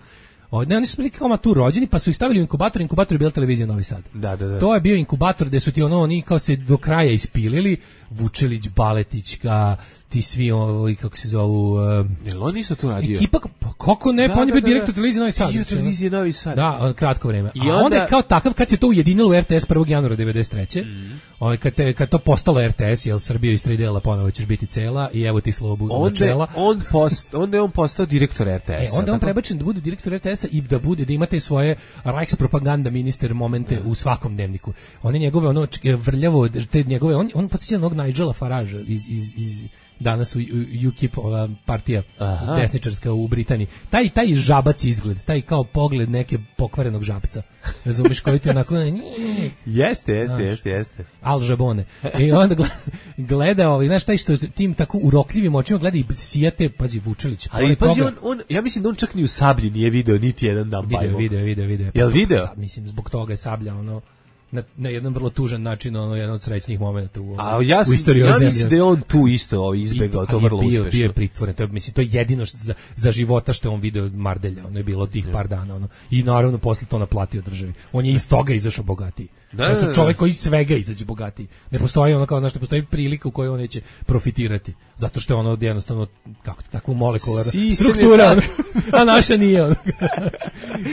O, ne, oni su bili kao matur rođeni, pa su ih stavili u inkubator, inkubator je bila televizija Novi Sad. Da, da, da. To je bio inkubator gde su ti ono, oni kao se do kraja ispilili, Vučelić, Baletićka, ti svi ovi, kako se zovu, uh, Jel on isto tu radio? ekipa, pa kako ne, Da, pa on je da, bio da, direktor da. televizije Novi Sad. Bio znači, ono. televizije Novi Sad. Da, on kratko vreme. I A onda, onda- je kao takav, kad se to ujedinilo u R T S prvog januara devedeset treće ovaj, kad, te, kad to postalo R T S, jel Srbija iz tri dela ponovo ćeš biti cela i evo ti slobu Onda je načela. on, post, onda je on postao direktor R T E, S-a. onda je on tako? prebačen da bude direktor R T S-a i da bude da imate svoje Reichspropaganda minister momente u svakom dnevniku. One njegove ono č- vrljavo te njegove on on podsjeća na onog Nigela Faragea iz iz iz danas u, u U K I P ova partija Aha. desničarska u Britaniji. Taj taj žabac izgled, taj kao pogled neke pokvarenog žabca. Razumeš koji ti onako Jeste, jeste, Znaš. jeste, jeste. Al Jabone. I onda gle- gleda ovaj, znaš, taj što tim tako urokljivim očima gleda i sijate, pazi, Vučelić. Ali pored pazi, toga- on, on, ja mislim da on čak ni u Sablji nije video niti jedan dan Video, bajmo. video, video, video. Jel video? Sad, mislim, zbog toga je Sablja, ono, na, na jedan vrlo tužan način, ono, jedan od srećnih momenta u, A ja, u sam, istoriji ja ove zemlje. mislim da je on tu isto ovaj, izbegao, I- to ali je vrlo bio, uspešno. bio je pritvoren, to je, mislim, to je jedino što za, za života što je on video Mardelja, ono je bilo tih par dana, ono, i naravno posle to naplatio državi. On je iz toga izašao bogatiji. Da, To je da, da. čovjek koji iz svega izađe bogatiji. Ne postoji ono kao, znaš, ne postoji prilika u kojoj on neće profitirati. Zato što je ono jednostavno, kako takvu molekularnu Sistem je struktura, tak. ono, a naša nije ono.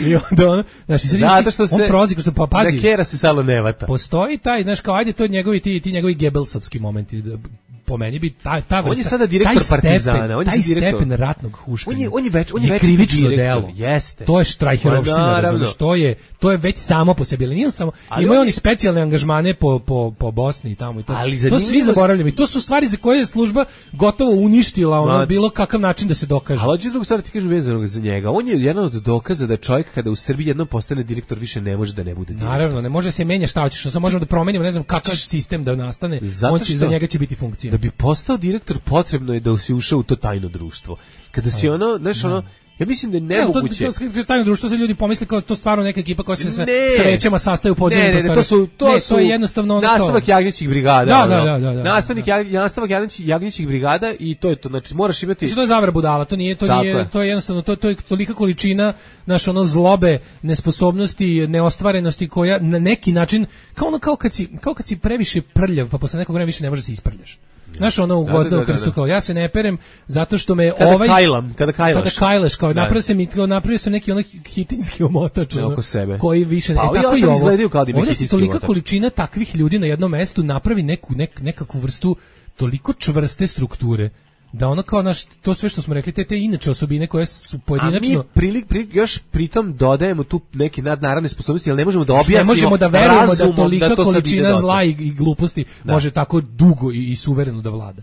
I onda ono, znaš, i sad vidiš Zato ti, što se... on prolazi kroz to, pa pazi, Da kera se salo ne vata. postoji taj, znaš, kao, ajde, to je njegovi, ti, ti njegovi Gebelsovski momenti, da, po meni bi ta, ta vrsta, On je sada direktor taj stepen, Partizana, on je taj sad direktor. stepen ratnog huškanja. On je- on je već- on je već krivično direktor, delo. jeste. To je štrajherovština, Pa naravno. razumeš, to je, to je već samo po sebi, ali nije samo, Ali imaju on oni je- specijalne angažmane po, po, po Bosni i tamo i to. Ali to zanimljivo svi s- zaboravljamo i to su stvari za koje je služba gotovo uništila ono Ma- bilo kakav način da se dokaže. Ali hoću drugu stvar ti kažem vezano za njega. On je jedan od dokaza da čovjek kada u Srbiji jednom postane direktor više ne može da ne bude direktor. Naravno, ne može se menja šta hoćeš, samo možemo da promenimo, ne znam kakav sistem da nastane, Zato on će, što- za njega će biti funkcija. Da bi postao direktor potrebno je da si ušao u to tajno društvo. Kada si ono, znaš ono, Ja mislim da je Ne, to, nemoguće. to, to, tajno društvo, se ljudi pomisle kao to stvarno neka ekipa koja se sa, Ne. sa većama sastaje u podzemnim Ne, ne, ne, prostorima. to su to Ne, su to je jednostavno ono nastavak to. jagnjećih brigada. Da, ono. da, da, da, da. Nastavnik jag- nastavak jagnjećih jagnjećih brigada i to je to. Znači moraš imati Znači, to je zavera budala, to nije, to Tako nije, je. to je jednostavno, to, to je tolika količina naš ono zlobe, nesposobnosti, neostvarenosti koja na neki način, kao ono kao kad si, kao kad si previše prljav, pa posle nekog vremena više ne možeš da se isprljaš. Znaš, ono u Da, da, gvozda da, u krstu, da. kao ja se ne perem zato što me Kada ovaj... kajlam, kada kajlaš. Kada kajlaš, kao Da. napravio sam, i- kao napravio sam neki onaj hitinski omotač. Ne, ono, oko sebe. Koji više... Pa e, ovi tako i ostali ovo. izgledaju kao da imaju Ovdje se hitinski tolika omotač. količina takvih ljudi na jednom mestu napravi neku, nek, nekakvu vrstu toliko čvrste strukture da ono kao naš, to sve što smo rekli, te, te inače osobine koje su A pojedinačno... mi prilik, prilik, još pritom dodajemo tu neke nadnaravne sposobnosti, ali ne možemo da objasnimo ne možemo da verujemo da razumom tolika to sad ide količina dotle. zla i, i gluposti Da. može tako dugo i, i suvereno da vlada.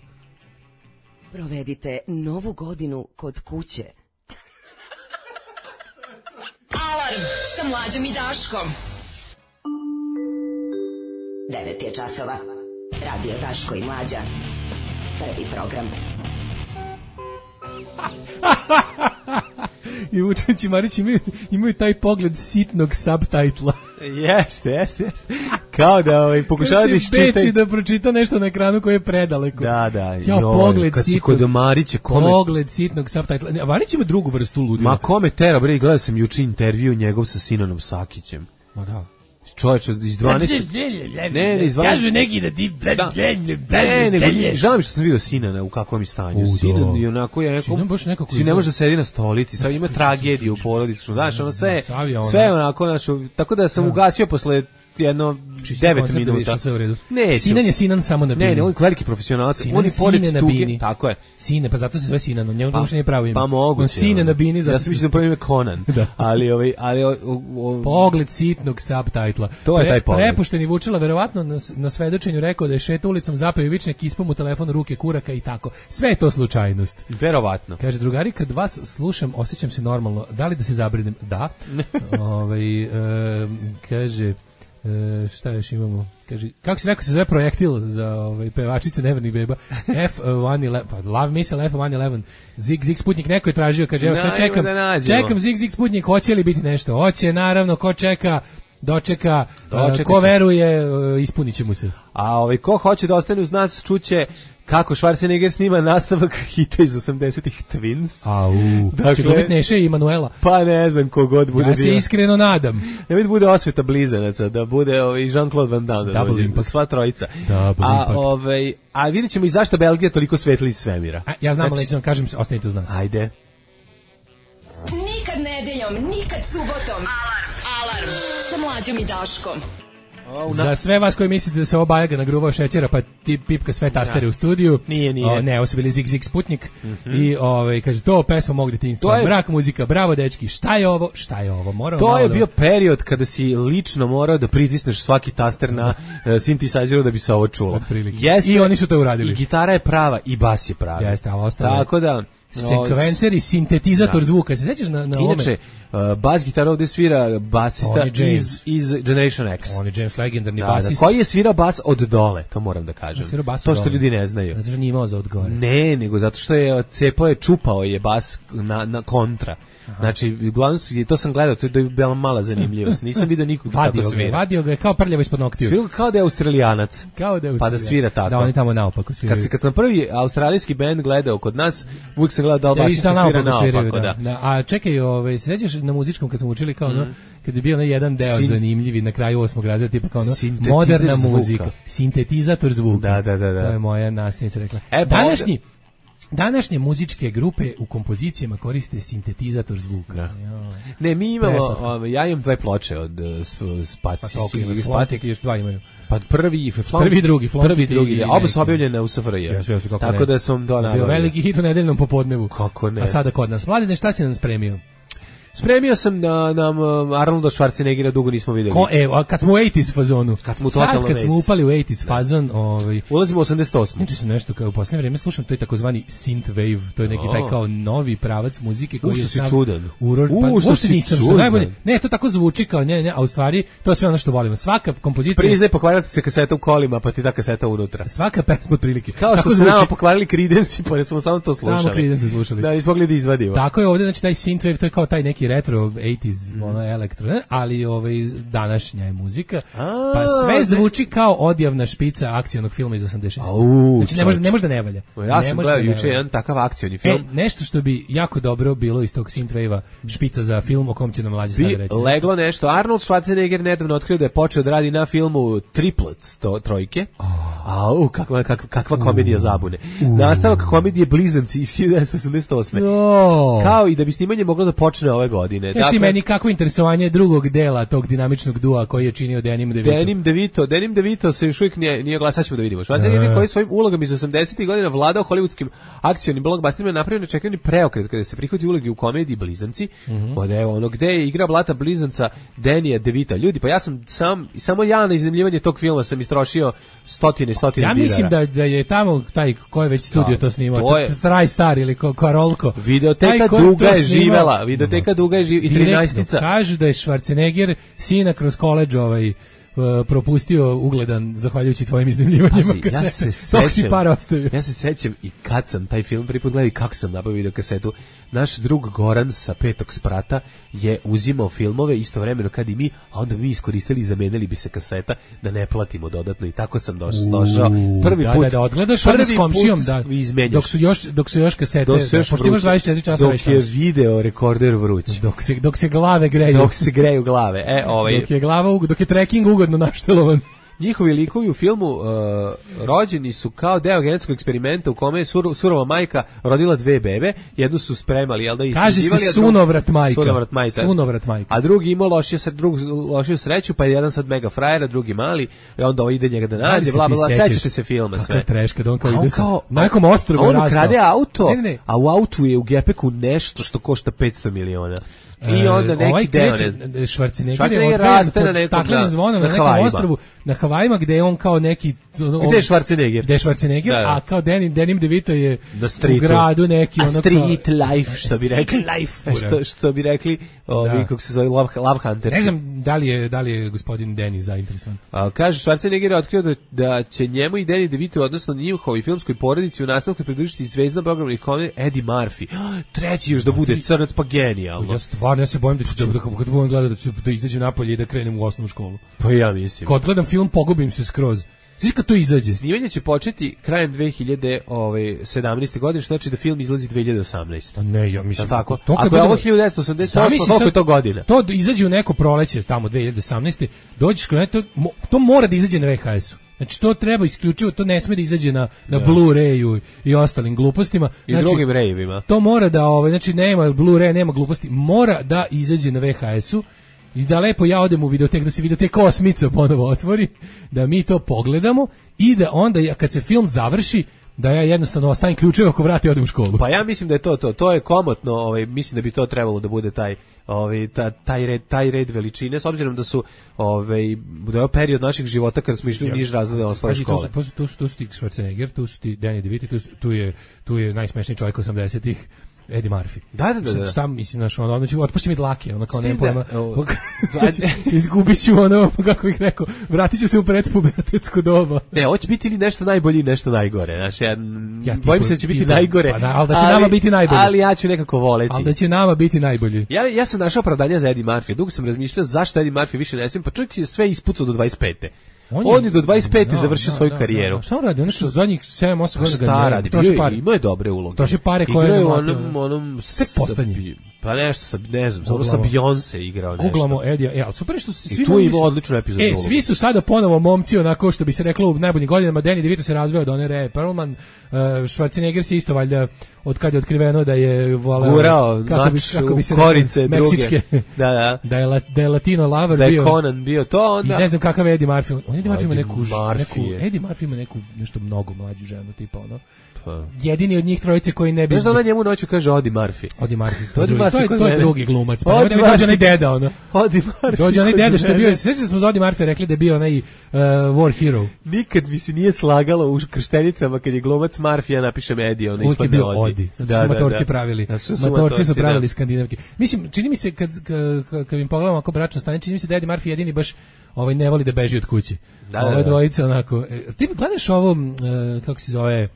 Provedite novu godinu kod kuće. Alarm sa Mlađom i Daškom. devet je časova. Radio Daško i Mlađa. Prvi program. I Vučević i Marić imaju, imaju taj pogled sitnog subtitla. Jeste, jeste, jeste. Kao da ovaj, pokušava da iščita iščita. da pročita nešto na ekranu koje je predaleko. Da, da. Ja, joj, pogled kad si sitnog, kod Marića, kome... pogled sitnog subtitla. Ne, Marić ima drugu vrstu ludila. Ma kome tera, bre, gledao sam juče intervju njegov sa Sinanom Sakićem. Ma da. Čovječe, iz dvanaeste... Ne, ne, iz dvanaeste... Kažu neki da ti... Da. Ne, nego, žao mi što sam vidio Sinana u kakvom je stanju. U, da. Sinan je onako je neko... Sinan baš nekako Si ne izgleda. može da sedi na stolici, sad ima tragediju u porodicu, znaš, ono sve, Savija, ono. sve onako, znaš, tako da sam ugasio posle jedno devet minuta. Sve u redu. Neću. Sinan je Sinan samo na bini. Ne, ne, on je veliki profesionalac, Sinan on je pored Sine na tuge, bini. tako je. Sine, pa zato se zove Sinan, on njemu Pa- pa, nije pravo ime. Pa moguće. On Sine ono. na bini, zato Ja sam mislio da prvo ime Conan, Da. ali, ovaj, ali, o, o, Pogled sitnog subtitla. To je taj pogled. Prepušteni Vučila verovatno na, na svedočenju rekao da je šetao ulicom, zapeo vičnik, ispao mu telefon u ruke kuraka i tako. Sve je to slučajnost. verovatno. Kaže, drugari, kad vas slušam, osjećam se normalno. Da li da se zabrinem? Da. ovaj, e, kaže, e, šta još imamo? Kaže, kako si rekao se zove projektil za ovaj, pevačice Nevernih beba? F one eleven, pa Love Missile F one eleven. Zig Zig Sputnik neko je tražio, kaže, evo sve Dajmo čekam, da nađemo. čekam Zig Zig Sputnik, hoće li biti nešto? Hoće, naravno, ko čeka, dočeka, Dočekat e, ko će. veruje, e, ispunit će mu se. A ovaj, ko hoće da ostane uz nas, čuće kako Schwarzenegger snima nastavak hita iz osamdesetih Twins. Au, Dakle- će dobiti Neše i Manuela. Pa ne znam kogod bude Ja se bio. iskreno nadam. Ne vidi bude osveta blizanaca, da bude ovaj Jean-Claude Van Damme, da Double dođe, impact. sva trojica. Double a, impact. ovaj, a vidjet ćemo i zašto Belgija toliko svetli iz svemira. A, ja znam, ali Znači- neću vam kažem, ostanite uz nas. Ajde. Nikad nedeljom, nikad subotom. Alarm. Alarm sa Mlađom i Daškom. Za sve vas koji mislite da se ovo Bajaga nagruvao šećera pa ti pipka sve tastere u studiju. Nije, nije. O, ne, ovo su bili Zig Zig Sputnik. I ovaj kaže to pesma mog detinjstva. To je- Mrak muzika, bravo dečki. Šta je ovo? Šta je ovo? Moramo To malo je da- bio period kada si lično morao da pritisneš svaki taster na uh, synthesizeru da bi se ovo čulo. Otprilike. Jeste, I oni su to uradili. I gitara je prava i bas je pravi. Jeste, a ostalo je- Tako da... sekvencer i sintetizator Da. zvuka. Se sećaš na na ovome? Inače, uh, bas gitara ovde svira basista On je James. iz, iz Generation X. On je James legendarni Da, da, basist. koji je svirao bas od dole, to moram da kažem. Svirao bas to od što dole. ljudi ne znaju. Zato što nije imao za odgore. Ne, nego zato što je cepao je, čupao je bas na, na kontra. Znači, uglavnom, si- to sam gledao, to je bila mala zanimljivost. Nisam vidio nikog tako Vadio ga, je, svira. vadio ga je kao prljavo ispod noktiju. Svirao kao da je Australijanac. Kao da je Pa da Australija. svira tako. Da, oni tamo naopako sviraju. Kad, se, kad sam prvi australijski band gledao kod nas, uvijek sam gledao da li Da, baš i se sad svira naopako naopako, sviraju, da. da. Da, a čekaj, ovaj, se sećaš na muzičkom kad smo učili kao ono, kad je bio onaj jedan deo Sin- zanimljivi na kraju osmog razreda, tipa kao ono, Sintetizer moderna zvuka. muzika, sintetizator zvuka. Da, da, da, da. To je moja nastavnica rekla. E, pa Današnji, današnje muzičke grupe u kompozicijama koriste sintetizator zvuka. Da. Joj. Ne, mi imamo, Preslatko. ovaj, ja imam dve ploče od uh, Pa Spaci. toliko ima, Flontek i još dva imaju. Pa prvi i Flontek. Prvi i drugi, Flontek Prvi i drugi, i da. Oba neki. su objavljene u S F R J. Jesu, jesu, kako Tako ne. da sam to Bio nabavio. veliki hit u nedeljnom popodnevu. Kako ne. A sada kod nas. Mladine, šta si nam spremio? Spremio sam na nam Arnolda Schwarzeneggera, dugo nismo videli. Ko, e, kad smo u osamdeset fazonu. Kad smo sad totalno kad smo upali u osamdeset fazon, ovaj ulazimo u osamdeset osam. Znači se nešto kao u poslednje vreme slušam, to je takozvani synthwave, to je neki taj kao novi pravac muzike koji je sam čudan. Urod, pa, U, što si nisam što najbolje. Ne, to tako zvuči kao ne, ne, a u stvari to je sve ono što volimo. Svaka kompozicija. Priznaj, pokvarila se kaseta u kolima, pa ti ta kaseta unutra. Svaka pesma otprilike. Kao što se nama pokvarili Creedence, pa smo samo to slušali. Samo Creedence slušali. Da, nismo mogli da izvadimo. Tako je ovdje, znači taj synthwave, to je kao taj neki retro osamdeset ono elektro, ne? Ali ovaj današnja je muzika. A, pa sve zvuči kao odjavna špica akcionog filma iz osamdeset šeste. Au, znači ne može ne može da ne valja. Ja sam gledao juče jedan takav akcioni film. E, nešto što bi jako dobro bilo iz tog synthwave špica za film o kom će nam mlađi sad reći. Leglo nešto. Arnold Schwarzenegger nedavno otkrio da je počeo da radi na filmu Triplets, to trojke. Oh. Au, kakva, kakva, kakva komedija zabune. Uh. Nastavak komedije Blizanci iz hiljadu devetsto osamdeset osme. Oh. Kao i da bi snimanje moglo da počne ove godine. Kaži ti meni kako interesovanje drugog dela tog dinamičnog dua koji je činio Danny DeVito. Danny DeVito, Danny DeVito se još uvijek nije, nije glas, sad ćemo da vidimo. Schwarzenegger uh. koji svojim ulogama iz osamdesetih godina vladao hollywoodskim akcionim blockbusterima, napravio nečekani preokret kada se prihvati uloge u komediji Blizanci. Mm-hmm. Od evo ono gde je igra blata Blizanca Danny DeVita. Ljudi, pa ja sam sam samo ja na iznajmljivanje tog filma sam istrošio stotine stotine dinara. Ja mislim da, da je tamo taj ko je već studio da, to snimao, to je TriStar ili Karolko. Videoteka Duga je živela, videoteka Duga je živela i trinaestica. Kažu da je Schwarzenegger sina kroz koledž ovaj Uh, propustio ugledan zahvaljujući tvojim iznajmljivanjima kasete. Ja se sećam, ja se sećam i kad sam taj film prvi put gledao i kako sam nabavio video kasetu. Naš drug Goran sa Petog sprata je uzimao filmove istovremeno kad i mi, a onda mi iskoristili i zamenili bi se kaseta da ne platimo dodatno i tako sam došao. došao prvi da, put. Da, da, odgledaš onda s komšijom, da, dok su još, dok su još kasete, dok su još da, imaš dvadeset četiri časa dok je video rekorder vruć. Dok se, dok se glave greju. Dok se greju glave. E, ovaj, dok je glava, dok je trekking ugodno naštelovan. Njihovi likovi u filmu uh, rođeni su kao deo genetskog eksperimenta u kome je sur, surova majka rodila dve bebe, jednu su spremali, jel da ih kaže se sunovrat majka. Sunovrat majka. Sunovrat majka. A drugi imao lošiju drug, lošiju sreću, pa je jedan sad mega frajer, drugi mali, i onda ovo ide njega da nađe, bla bla, sećate se filma sve. Kako treška, da on kao ide kao, na nekom ostrvu rastao. On krade auto, ne, ne, ne. a u autu je u gepeku nešto što košta petsto miliona. I onda neki ovaj deo Schwarzenegger je raste na nekom staklenim zvonom na, na nekom ostrvu na Havajima gde je on kao neki on, gde je Schwarzenegger gde je Schwarzenegger da, da. A kao Danny Danny DeVito je u gradu neki ono street life što bi rekli life što, što bi rekli ovi da. Kako se zove Love, Love Hunters. Ne znam da li je da li je gospodin Danny zainteresovan. A kaže Schwarzenegger je otkrio da, da će njemu i Danny DeVito odnosno njihovoj filmskoj porodici u nastavku pridružiti zvezda programnih komedija Eddie Murphy. Treći još da bude crnac pa genijalno. Ja stvarno ja se bojim da ću da kad budem gledao da ću da izađem napolje i da krenem u osnovnu školu. Pa ja mislim. Kad gledam film pogubim se skroz. Znaš kad to izađe? Snimanje će početi krajem dve hiljade sedamnaeste. godine, što znači da film izlazi dve hiljade osamnaeste. A ne, ja mislim. Tako. To ako je ovo hiljadu devetsto osamdeset osam, koliko je to godina? To izađe u neko proleće tamo dve hiljade osamnaeste. Dođeš kod to, to mora da izađe na V H S-u. Znači to treba isključivo, to ne sme da izađe na na ja. Blu-rayu i ostalim glupostima. I znači, drugim rejevima. To mora da, ovaj, znači nema Blu-ray, nema gluposti, mora da izađe na V H S-u. I da lepo ja odem u videotek, da se videoteka osmica ponovo otvori, da mi to pogledamo i da onda ja, kad se film završi, da ja jednostavno ostavim ključeve oko vrata i odem u školu. Pa ja mislim da je to to, to je komotno, ovaj mislim da bi to trebalo da bude taj ovaj ta, taj red taj red veličine s obzirom da su ovaj da je period naših života kada smo išli u niž razrede osnovne škole. Tu su tu su tu su Schwarzenegger, tu su ti Danny DeVito, tu, tu je tu je najsmešniji čovjek osamdesetih Eddie Murphy. Da, da, da. Šta, šta mislim, znaš, ono, ono ću, otpusti mi dlake, ono kao nema pojma. Izgubit ću ono, kako bih rekao, vratit ću se u predpubertetsko doba. Ne, hoće biti ili nešto najbolje ili nešto najgore, znaš, ja, ja bojim se da će biti da, najgore. Pa da, ali da će ali, nama biti najbolje. Ali ja ću nekako voleti. Ali da će nama biti najbolje. Ja, ja sam našao opravdanje za Eddie Murphy, dugo sam razmišljao zašto Eddie Murphy više ne smijem, pa čovjek je sve ispucao do dvadeset pete. On je, on je do dvadeset pete no, završio no, svoju no, karijeru. No, šta on radi? On što zadnjih sedam osam godina ga šta radi? Troši pare. Imao je dobre uloge. Troši pare koje je onom onom sve poslednji. Pa nešto sa ne znam, samo sa Beyoncé igrao nešto. Googlamo Eddie, e, al super što svi I tu ima odličnu epizodu. E, svi su sada ponovo momci onako što bi se reklo u najboljim godinama. Danny DeVito se razveo od one Ray Perlman, uh, Schwarzenegger se isto valjda od kad je otkriveno da je voleo Gurao, kako bi kako bi se korice rekao, meksičke. Da, da. Da je, la, da je Latino lover da je bio. Da Conan bio to onda. I ne znam kakav je Eddie Murphy. On Eddie Murphy ima neku, neku Eddie Murphy ima neku nešto mnogo mlađu ženu tipa ono. jedini od njih trojice koji ne bi... Znaš da ona njemu noću kaže Odi Murphy. Odi Murphy, to, Odi drugi, Murphy to, je, kod to je mene. drugi glumac, pa Odi nemoj da mi dođe onaj Murphy. deda, ono. Odi Murphy. Dođe onaj kod deda što je bio, mene. sveći da smo za Odi Murphy rekli da je bio onaj uh, War Hero. Nikad mi se nije slagalo u krštenicama kad je glumac Murphy, ja napišem Eddie, ona Uvijek je ispadne bio Odi. Odi, zato su matorci pravili. Matorci su pravili skandinavke. Mislim, čini mi se kad, kad, kad im pogledamo ako bračno stanje, čini mi se da Eddie Murphy jedini baš ovaj ne voli da beži od kuće. Da, da, Ove da. dvojice onako. E, ti gledaš ovo, uh, kako se zove,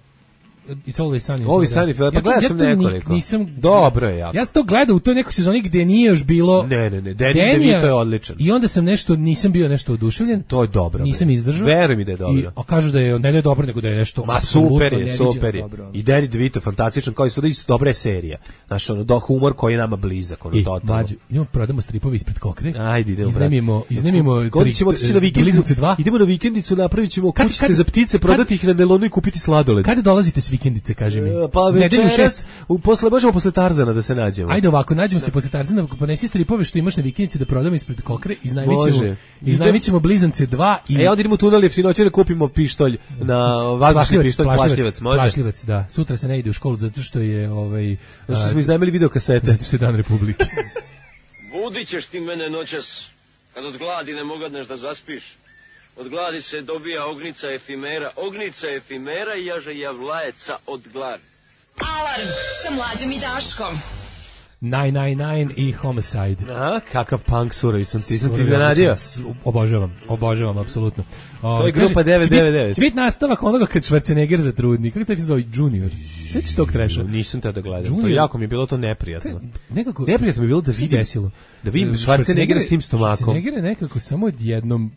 It's Always Sunny. Always Sunny, pa gledao sam to ni- nekoliko. Nisam, Dobro je jako. Ja sam to gledao u toj nekoj sezoni gde nije još bilo... Ne, ne, ne, Danny Danny DeVito je odličan. I onda sam nešto, nisam bio nešto oduševljen. To je dobro. Nisam bre. izdržao. Veruj mi da je dobro. I, a kažu da je, ne da je dobro, nego da je nešto Ma apsolutno super je, neviđeno super je. dobro. I Danny DeVito fantastičan, kao i svuda, i dobra je serija. Znaš, ono, do humor koji je nama blizak, ono, I, totalno. mlađu, idemo prodamo stripovi ispred Kokre. Ajde, idemo, brate. Iznemimo, iznemimo Kod ćemo otići na vikendicu. Bliznice dva. Idemo na vikendicu, napravit ćemo Kad- kućice kad- za ptice, prodati ih na nelonu i kupiti sladoled. Kada dolazite s vikendice, kaži mi? E, Pa Nedelju u večeras, šest. u posle, možemo posle Tarzana da se nađemo. Ajde ovako, nađemo se posle Tarzana, ponesi stripove što imaš na vikendici da prodamo ispred Kokre, iznajmit Može. ćemo, iznajmit ćemo Blizance dva i... E, onda idemo u tunel jeftinoće da kupimo pištolj na vazdušni pištolj, plašljivac, može? Plašljivac, da. Sutra se ne ide u školu zato što je ovaj Zato što a, smo iznajmili videokasete. zato što je Dan Republike. Budit ćeš ti mene noćas, kad od gladi ne mogadneš da zaspiš. Od gladi se dobija ognica efimera, ognica efimera i jaže javlajeca od gladi. Alarm sa Mlađom i Daškom. devet devet devet i Homicide. A, kakav punk surovi sam ti, sam ti iznenadio. Obožavam, obožavam, apsolutno. To je grupa devet devet devet. Će biti nastavak onoga kad Schwarzenegger zatrudni. Kako se to zove? Junior. Sjećaš tog treša? Nisam tada gledao. To Junior. jako mi je bilo to neprijatno. Nekako... Neprijatno mi je bilo da se vidim, desilo. da vidim Schwarzeneggera s tim stomakom. Schwarzenegger je nekako samo odjednom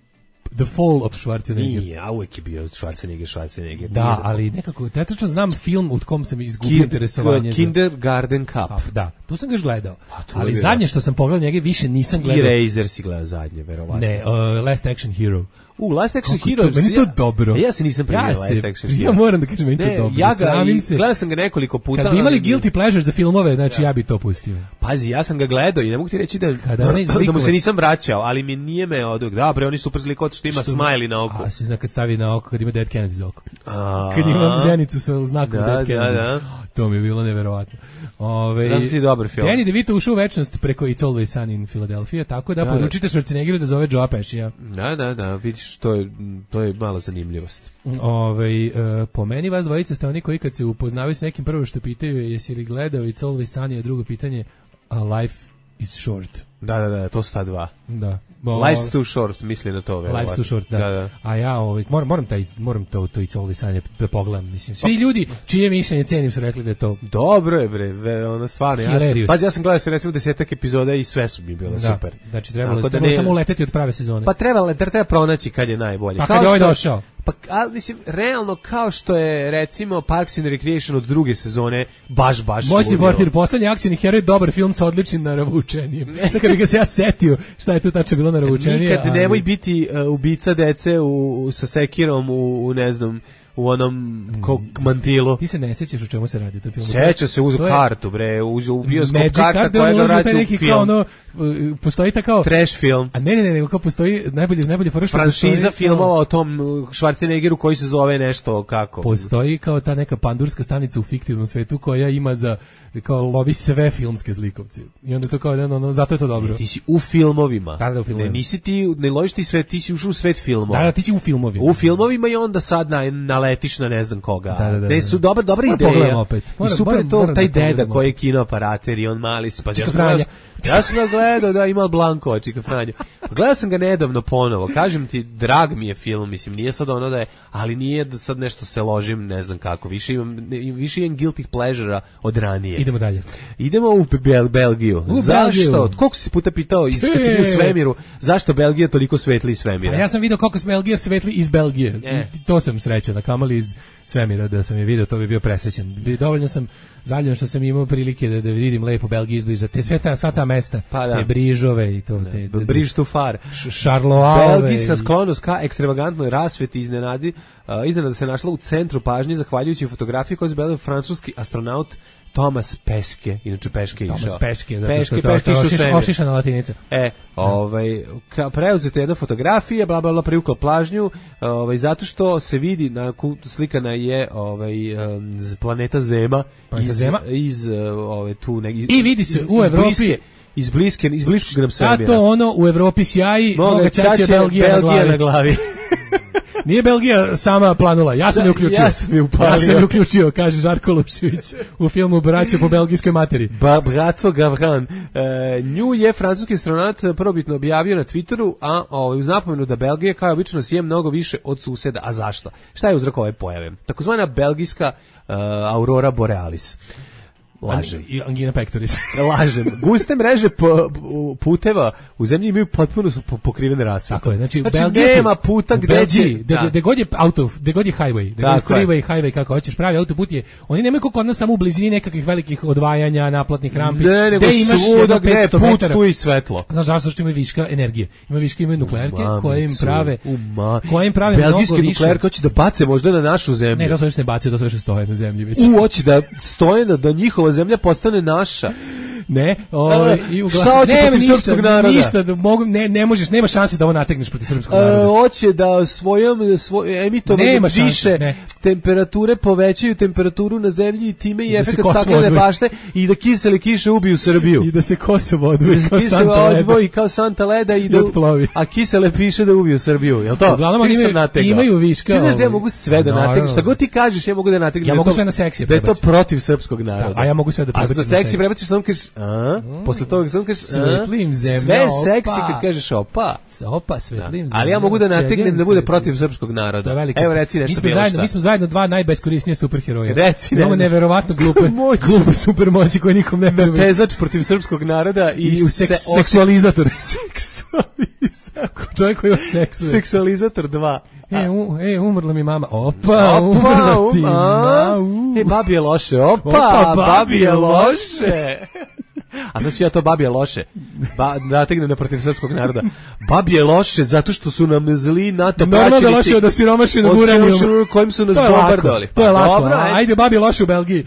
The Fall of Schwarzenegger. Nije, a uvek je bio Schwarzenegger, Schwarzenegger. Da, ali nekako, ja tačno znam film u kom sam izgubio interesovanje. za- Kindergarten Cup. A, da, tu sam ga još gledao. to Ali je zadnje što sam pogledao njega više nisam I gledao. Razor si gledao zadnje, verovatno. Ne, uh, Last Action Hero. U, Last Action Kako Hero. to- meni je to dobro. Ja se nisam primio Ja Last se- Action ja Hero. moram da kažem, meni je to Ne, dobro. Ja ga, Sramim i- se. gledao sam ga nekoliko puta. Kad bi imali ali- guilty pleasure za filmove, znači ja bi to pustio. Pazi, ja sam ga gledao i ne mogu ti reći da, Kada onaj da mu zlikovac- se nisam vraćao, ali mi nije me od... Da, bre, oni super zlikovac što ima Što- smiley na oku. A se zna kad stavi na oko, kad ima Dead Kennedy za oko. A, Kad imam zenicu sa znakom Da, Dead da, Kennedy. da. To mi je bilo neverovatno. Ove, Zato ti je dobar film. Danny DeVito ušao u večnost preko It's Always Sunny in Philadelphia, tako da, Da, poručite Schwarzeneggeru da zove Joe Pescija. Da, da, da, vidiš, to je, to je malo zanimljivost. Ove, e, po meni vas dvojica ste oni koji kad se upoznavaju s nekim, prvo što pitaju je jesi li gledao It's Always Sunny, a drugo pitanje a life is short. Da, da, da, to su ta dva. Da. Life's too short, misli na to. verovatno. Life's too short, da. da, da. A ja ovaj, moram, moram, taj, moram to, to It's Always Sunny da pogledam. Mislim, svi ljudi čije mišljenje cenim su rekli da je to Dobro je, bre, ve, ono stvarno. Ja sam, Hilarious. pa ja sam gledao se recimo desetak epizoda i sve su mi bile da, super. Znači trebalo, Tako da trebalo ne- samo uleteti od prave sezone. Pa treba, treba pronaći kad je najbolje. Pa Kao kad je ovaj što- došao? Pa, ali mislim, realno kao što je recimo Parks and Recreation od druge sezone baš, baš Moćni ludilo. portir, poslednji akcioni heroj, dobar film sa odličnim naravučenijem. Sad kad bi ga se ja setio šta je tu tačno bilo naravučenije. Nikad nemoj biti uh, ubica dece u, u, sa sekirom u, u ne znam, u onom ko, mantilu. Ti se ne sećaš o čemu se radi u tom filmu? Seća se, uzu To je kartu, bre, uzu u bioskop Magic karta card, koja on ga ulazi u taj vraća u neki kao film. ono, uh, postoji ta kao... Trash film. A ne, ne, ne, nego kao postoji najbolji, najbolji fora što Franšiza postoji kao- filmova o tom uh, Schwarzeneggeru koji se zove nešto kako. Postoji kao ta neka pandurska stanica u fiktivnom svetu koja ima za, kao lovi sve filmske zlikovce. I onda je to kao, ono, ono, zato je to dobro. Ti si u filmovima. Da, da, u filmovima. Ne, nisi ti, ne ložiš ti svet, ti si ušao u svet filmova. Da, da, ti si u filmovima. U filmovima i onda sad na, naletiš na ne znam koga. Da, da, da, Te da. su dobra, dobra Moram ideja. pogledam opet. I Moram- super moram- je to, moram taj da pogledam deda opet. koji je kinooperater i on mali se. Pa Čika ja sam Franja. gledao- Ja sam ga gledao, da, ima Blanko, Čika Franja. Pa gledao sam ga nedavno ponovo. Kažem ti, drag mi je film, mislim, nije sad ono da je, ali nije da sad nešto se ložim, ne znam kako. Više imam, ne, više imam guilty pleasure-a od ranije. Idemo dalje. Idemo u Bel Belgiju. U Zašto? Belgiju. Koliko si puta pitao iz kad si bio u svemiru, zašto Belgija toliko svetli iz svemira? A ja sam video koliko se Belgija svetli iz Belgije. E. I to sam srećan, a kamali iz svemira da sam je video, to bi bio presrećan. Bi- Dovoljno sam zaljubljen što sam imao prilike da, da vidim lepo Belgiju izbliža. Te sve ta, sva ta mesta, Pa da. te Brižove i to. Te, te, Briž tu far. Šarloave. Belgijska sklonost ka ekstravagantnoj rasveti iznenadi, uh, iznenada se našla u centru pažnje zahvaljujući fotografiji koju je izbelio francuski astronaut Thomas Peske, inače Peške išao. Thomas Peške, zato Peške, što to, Peške to išao ošiš, svemir. ošišana latinica. E, ovaj, ka, preuzeta jedna fotografija, bla, bla, bla, privukla plažnju, ovaj, zato što se vidi, na, slikana je ovaj, um, planeta Zema, Planeta iz, Zema. iz, ovaj, tu, ne, iz, I vidi se iz, u iz Evropi- bliske, iz bliske, iz bliskog nam svemira. Zato ono u Evropi sjaji, moga ćaće Belgija, Belgija na glavi. na glavi. Nije Belgija sama planula, ja sam je uključio. Ja sam je upalio. Ja sam je uključio, kaže Žarko Lušević u filmu Braća po belgijskoj materi. Ba, Braco Gavran. E, nju je francuski astronaut prvobitno objavio na Twitteru, a ovaj, uz napomenu da Belgija kao obično sije mnogo više od suseda. A zašto? Šta je uzrok ove pojave? Takozvana belgijska uh, aurora borealis. Lažem. I angina pectoris. Lažem. Guste mreže po, puteva u zemlji imaju potpuno su po- pokrivene rasvetom. Tako je, znači, znači u Belgiji, nema puta u gde Belgiji, će... gde, da. gde god je auto, gde god je highway, gde god je Tako je. freeway, highway, kako hoćeš, pravi autoput je, oni nemaju kako kod nas samo u blizini nekakvih velikih odvajanja, naplatnih rampi. Ne, nego gde imaš svuda jedno gde je petsto put, metara. tu i svetlo. Znaš zašto? Što imaju viška energije. Imaju viška, imaju nuklearke Mamicu, koje im prave, u ma- koje im prave mnogo Belgijski više. nuklearke hoće da bace možda na našu zemlju. Ne, to se još ne bacio, to se još stoje na zemlji već. U, hoće da stoje da, da njihova zemlja postane naša. Ne, ovaj i uglavnom Šta hoće nema protiv ništa, srpskog naroda? Ništa, da mogu, ne, ne možeš, nema šanse da ovo nategneš protiv srpskog E, naroda. hoće da svojom svoj emitovanjem Nema šanse, više ne. temperature povećaju temperaturu na zemlji i time i I da se efekat Kosovo staklene odvoji. bašte i da kisele kiše ubiju Srbiju. I da se Kosovo odvoji Da se kao kisele Santa Leda. odvoji kao Santa Leda i I da otplovi. a kisele piše da ubiju Srbiju. Jel to? Uglavnom, Ti oni što imaju- nategao? imaju viška, Ti znaš da ja ovaj. mogu sve da Naravno. nategnem. Šta god ti kažeš, ja mogu da nategnem. Ja da je mogu to- sve na seksije Da je to prebaciti. protiv srpskog naroda. Da, a ja mogu sve da A prebacim na na seksi seksi. prebaciš samo kažeš, a? Posle toga samo kažeš, a? Svetlim zemlja, Sve opa. seksi kad kažeš opa. Opa, svetlim. Ali ja mogu da nategnem Čegem da bude svetlim. protiv srpskog naroda. To je veliko. Evo reci mi nešto smo bilo zajedno, šta. mi smo zajedno dva najbeskorisnije superheroja. Reci, ne Imamo znaš. neverovatno glupe, Moći. glupe supermoći koje nikom ne treba. Tezač protiv srpskog naroda i, I u seks, se- seksualizator. seksualizator. Čovjek koji seksuje. Seksualizator dva. E, u, e, umrla mi mama. Opa, Opa, umrla ti um, a? mama. E, babi je loše. Opa, Opa, babi je loše. A znači ja to babi je loše. Ba, nategnem na protiv srpskog naroda. Babi je loše zato što su nam zli NATO Normalno da praćenici. loše od osiromašenog Od uranijuma. siromašnog kojim su nas To je lako, bombardovali. to je Pa lako. dobro, a, ajde. ajde, babi je loše u Belgiji.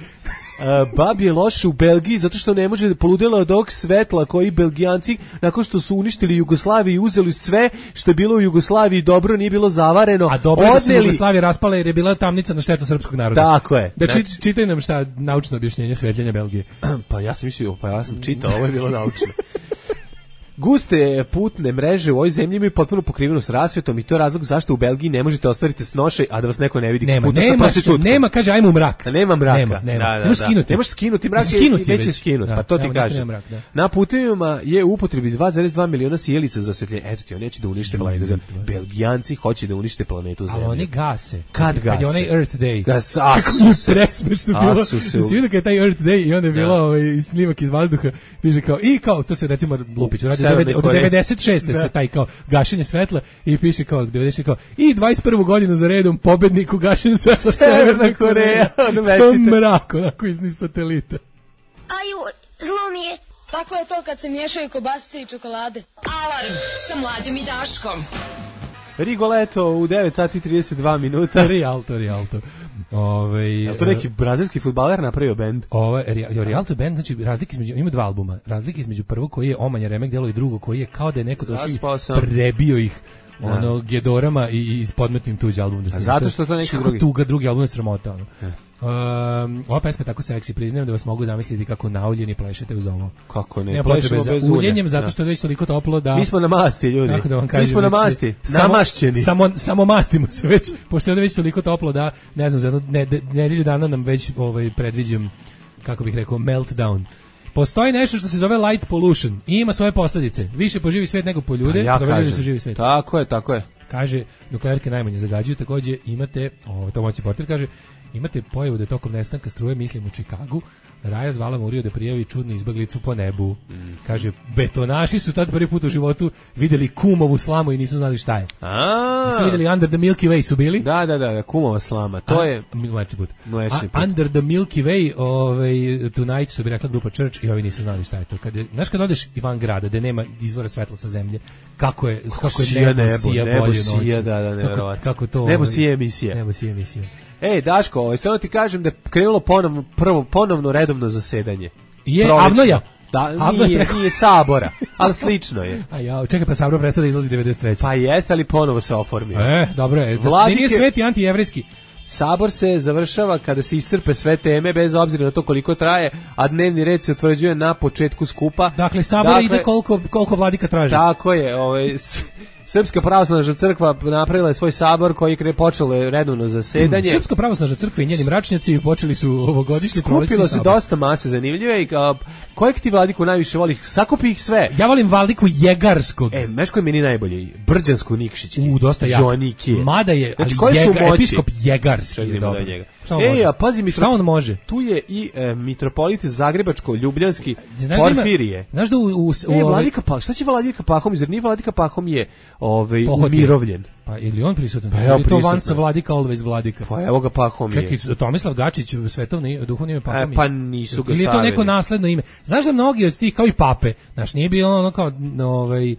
Uh, babi je loše u Belgiji zato što ne može da poludela od ovog svetla koji Belgijanci nakon što su uništili Jugoslaviju i uzeli sve što je bilo u Jugoslaviji dobro, nije bilo zavareno. A dobro je da se odneli- Jugoslavija raspala jer je bila tamnica na štetu srpskog naroda. Tako je. Da či, Znači- čitaj nam šta naučno objašnjenje svetljenja Belgije. Pa ja sam mislio, pa ja sam čitao, ovo je bilo naučno. Guste putne mreže u ovoj zemlji imaju potpuno pokrivenu s rasvetom i to je razlog zašto u Belgiji ne možete ostvariti snošaj, a da vas neko ne vidi. Nema, Puta sa nema, prostitutkom. nema, kaže ajmo u mrak. Da nema mraka. Nema, nema. Da, da, Ne možeš da. skinuti. Ne možeš skinuti mrak, Skinuti neće već. skinuti, Da, pa to ti evo, neka kažem. nema mrak, da. Na putevima je u upotrebi dva zarez dva miliona sjelica za osvetljenje. Eto ti, oni neće da unište planetu Zemlju. Belgijanci hoće da unište planetu Ali Zemlju. oni gase. Kad Kad je gase? onaj Earth Day. Gas, Kako asu je se. presmešno A bilo. su se Da u- si vidio kad je taj Earth Day i onda je bilo Da. ovaj snimak iz vazduha, piše kao i kao to se recimo Lupić radi Severnoj od Koreji. devedeset šeste Da. se taj kao gašenje svetla i piše kao devedeset šeste kao i dvadeset prvu godinu za redom pobednik u gašenju svetla Severna Koreja, ono Sve večite. mrak onako iz niz satelita. Aju, zlo mi je. Tako je to kad se miješaju kobasice i čokolade. Alarm sa mlađom i Daškom. Rigoletto u devet sati i trideset dva minuta. Rialto, Rialto. Ovaj Je li to neki brazilski fudbaler napravio bend? Ovo je Rialto band, znači razlike između, ima dva albuma, razlike između prvog koji je Omanja remek delo i drugo koji je kao da je neko došao Zaspao i sam. prebio ih Da. ono gedorama i, i podmetnim tuđi album da snima. zato što je to neki Što drugi. tuga, drugi album je sramota ono. Um, ova pesma je tako seksi, priznajem da vas mogu zamisliti kako nauljeni plešete uz ovo. Kako ne? Nema potrebe Plešemo za bez ulja. uljenjem zato Da. što je već toliko toplo da Mi smo na masti, ljudi. kako da vam kažem, Mi smo na već se- masti, samo- namašćeni. Samo, samo mastimo se već, pošto je ovdje već toliko toplo da, ne znam, za jednu ne, ne, nedelju dana nam već ovaj, predviđam, kako bih rekao, meltdown. Postoji nešto što se zove light pollution i ima svoje posljedice. Više po živi svijet nego po ljude, Pa ja dobro ljudi kažem. su živi svijet. Tako je, tako je. Kaže, nuklearke najmanje zagađuju, takođe imate, o, to moći portir kaže, imate pojavu da tokom nestanka struje, mislim u Čikagu, Raja zvala Muriju da prijavi čudnu izbeglicu po nebu. Kaže, betonaši su tad prvi put u životu vidjeli kumovu slamu i nisu znali šta je. A, Nisu vidjeli Under the Milky Way su bili. Da, da, da, kumova slama. To A- je mlečni put. Mlečni A put. Under the Milky Way, ovaj Tonight su bi rekla grupa Church i ovi nisu znali šta je to. Kad je, znaš kad odeš i van grada, da nema izvora svetla sa zemlje, kako je kako je sija nebo, nebo, sija nebo bolje sija, noći. da, da, kako, nevjerovatno. kako to Nebo ovaj, sija emisija. Nebo sija emisija. Ej, Daško, ovaj, samo ti kažem da je krenulo ponovno, prvo, ponovno redovno zasedanje. Je, Prolećno. Avnoja. Da, Avnoja nije, preko- nije Sabora, ali slično je. A ja, čekaj, pa Sabro prestao da izlazi devedeset treće. Pa jeste, ali ponovo se oformio. E, dobro je. Da, Vladike- nije sveti antijevrijski. Sabor se završava kada se iscrpe sve teme, bez obzira na to koliko traje, a dnevni red se utvrđuje na početku skupa. Dakle, Sabor ide koliko, koliko vladika traži. Tako je, ovaj, s- Srpska pravoslavna crkva napravila je svoj sabor koji je počelo redovno zasedanje. Srpska pravoslavna crkva i njeni mračnjaci počeli su ovogodišnji prolećni Skupilo se sabor. dosta mase zanimljive i a, kojeg ti vladiku najviše voli? Sakupi ih sve. Ja volim vladiku Jegarskog. E, meš koji je meni najbolji? Brđansko Nikšić. U, dosta jak. Joanikije. Mada je, ali Znači, koje su Jega- moći? episkop Jegarski Čekaj, je idemo dobro. do njega. Šta on Ej, može? a pazi, mitro- Šta on može? Tu je i e, mitropolit Zagrebačko-Ljubljanski Znaš da ima- Porfirije. Znaš da u... u, u E, ovaj- vladika Pahom, šta će vladika Pahom? Zar nije vladika Pahom je ovaj, Pohotio. umirovljen? Pa ili on prisutan? Pa Pa evo, je to prisutan. Vansa vladika, always vladika. Pa evo ga Pahom je. Čekaj, Tomislav Gačić, svetovni duhovni ime Pahom je. E, pa nisu ga Ili je to stavili. neko nasledno ime? Znaš da mnogi od tih, kao i pape, znaš, nije bilo ono kao, no, ovaj,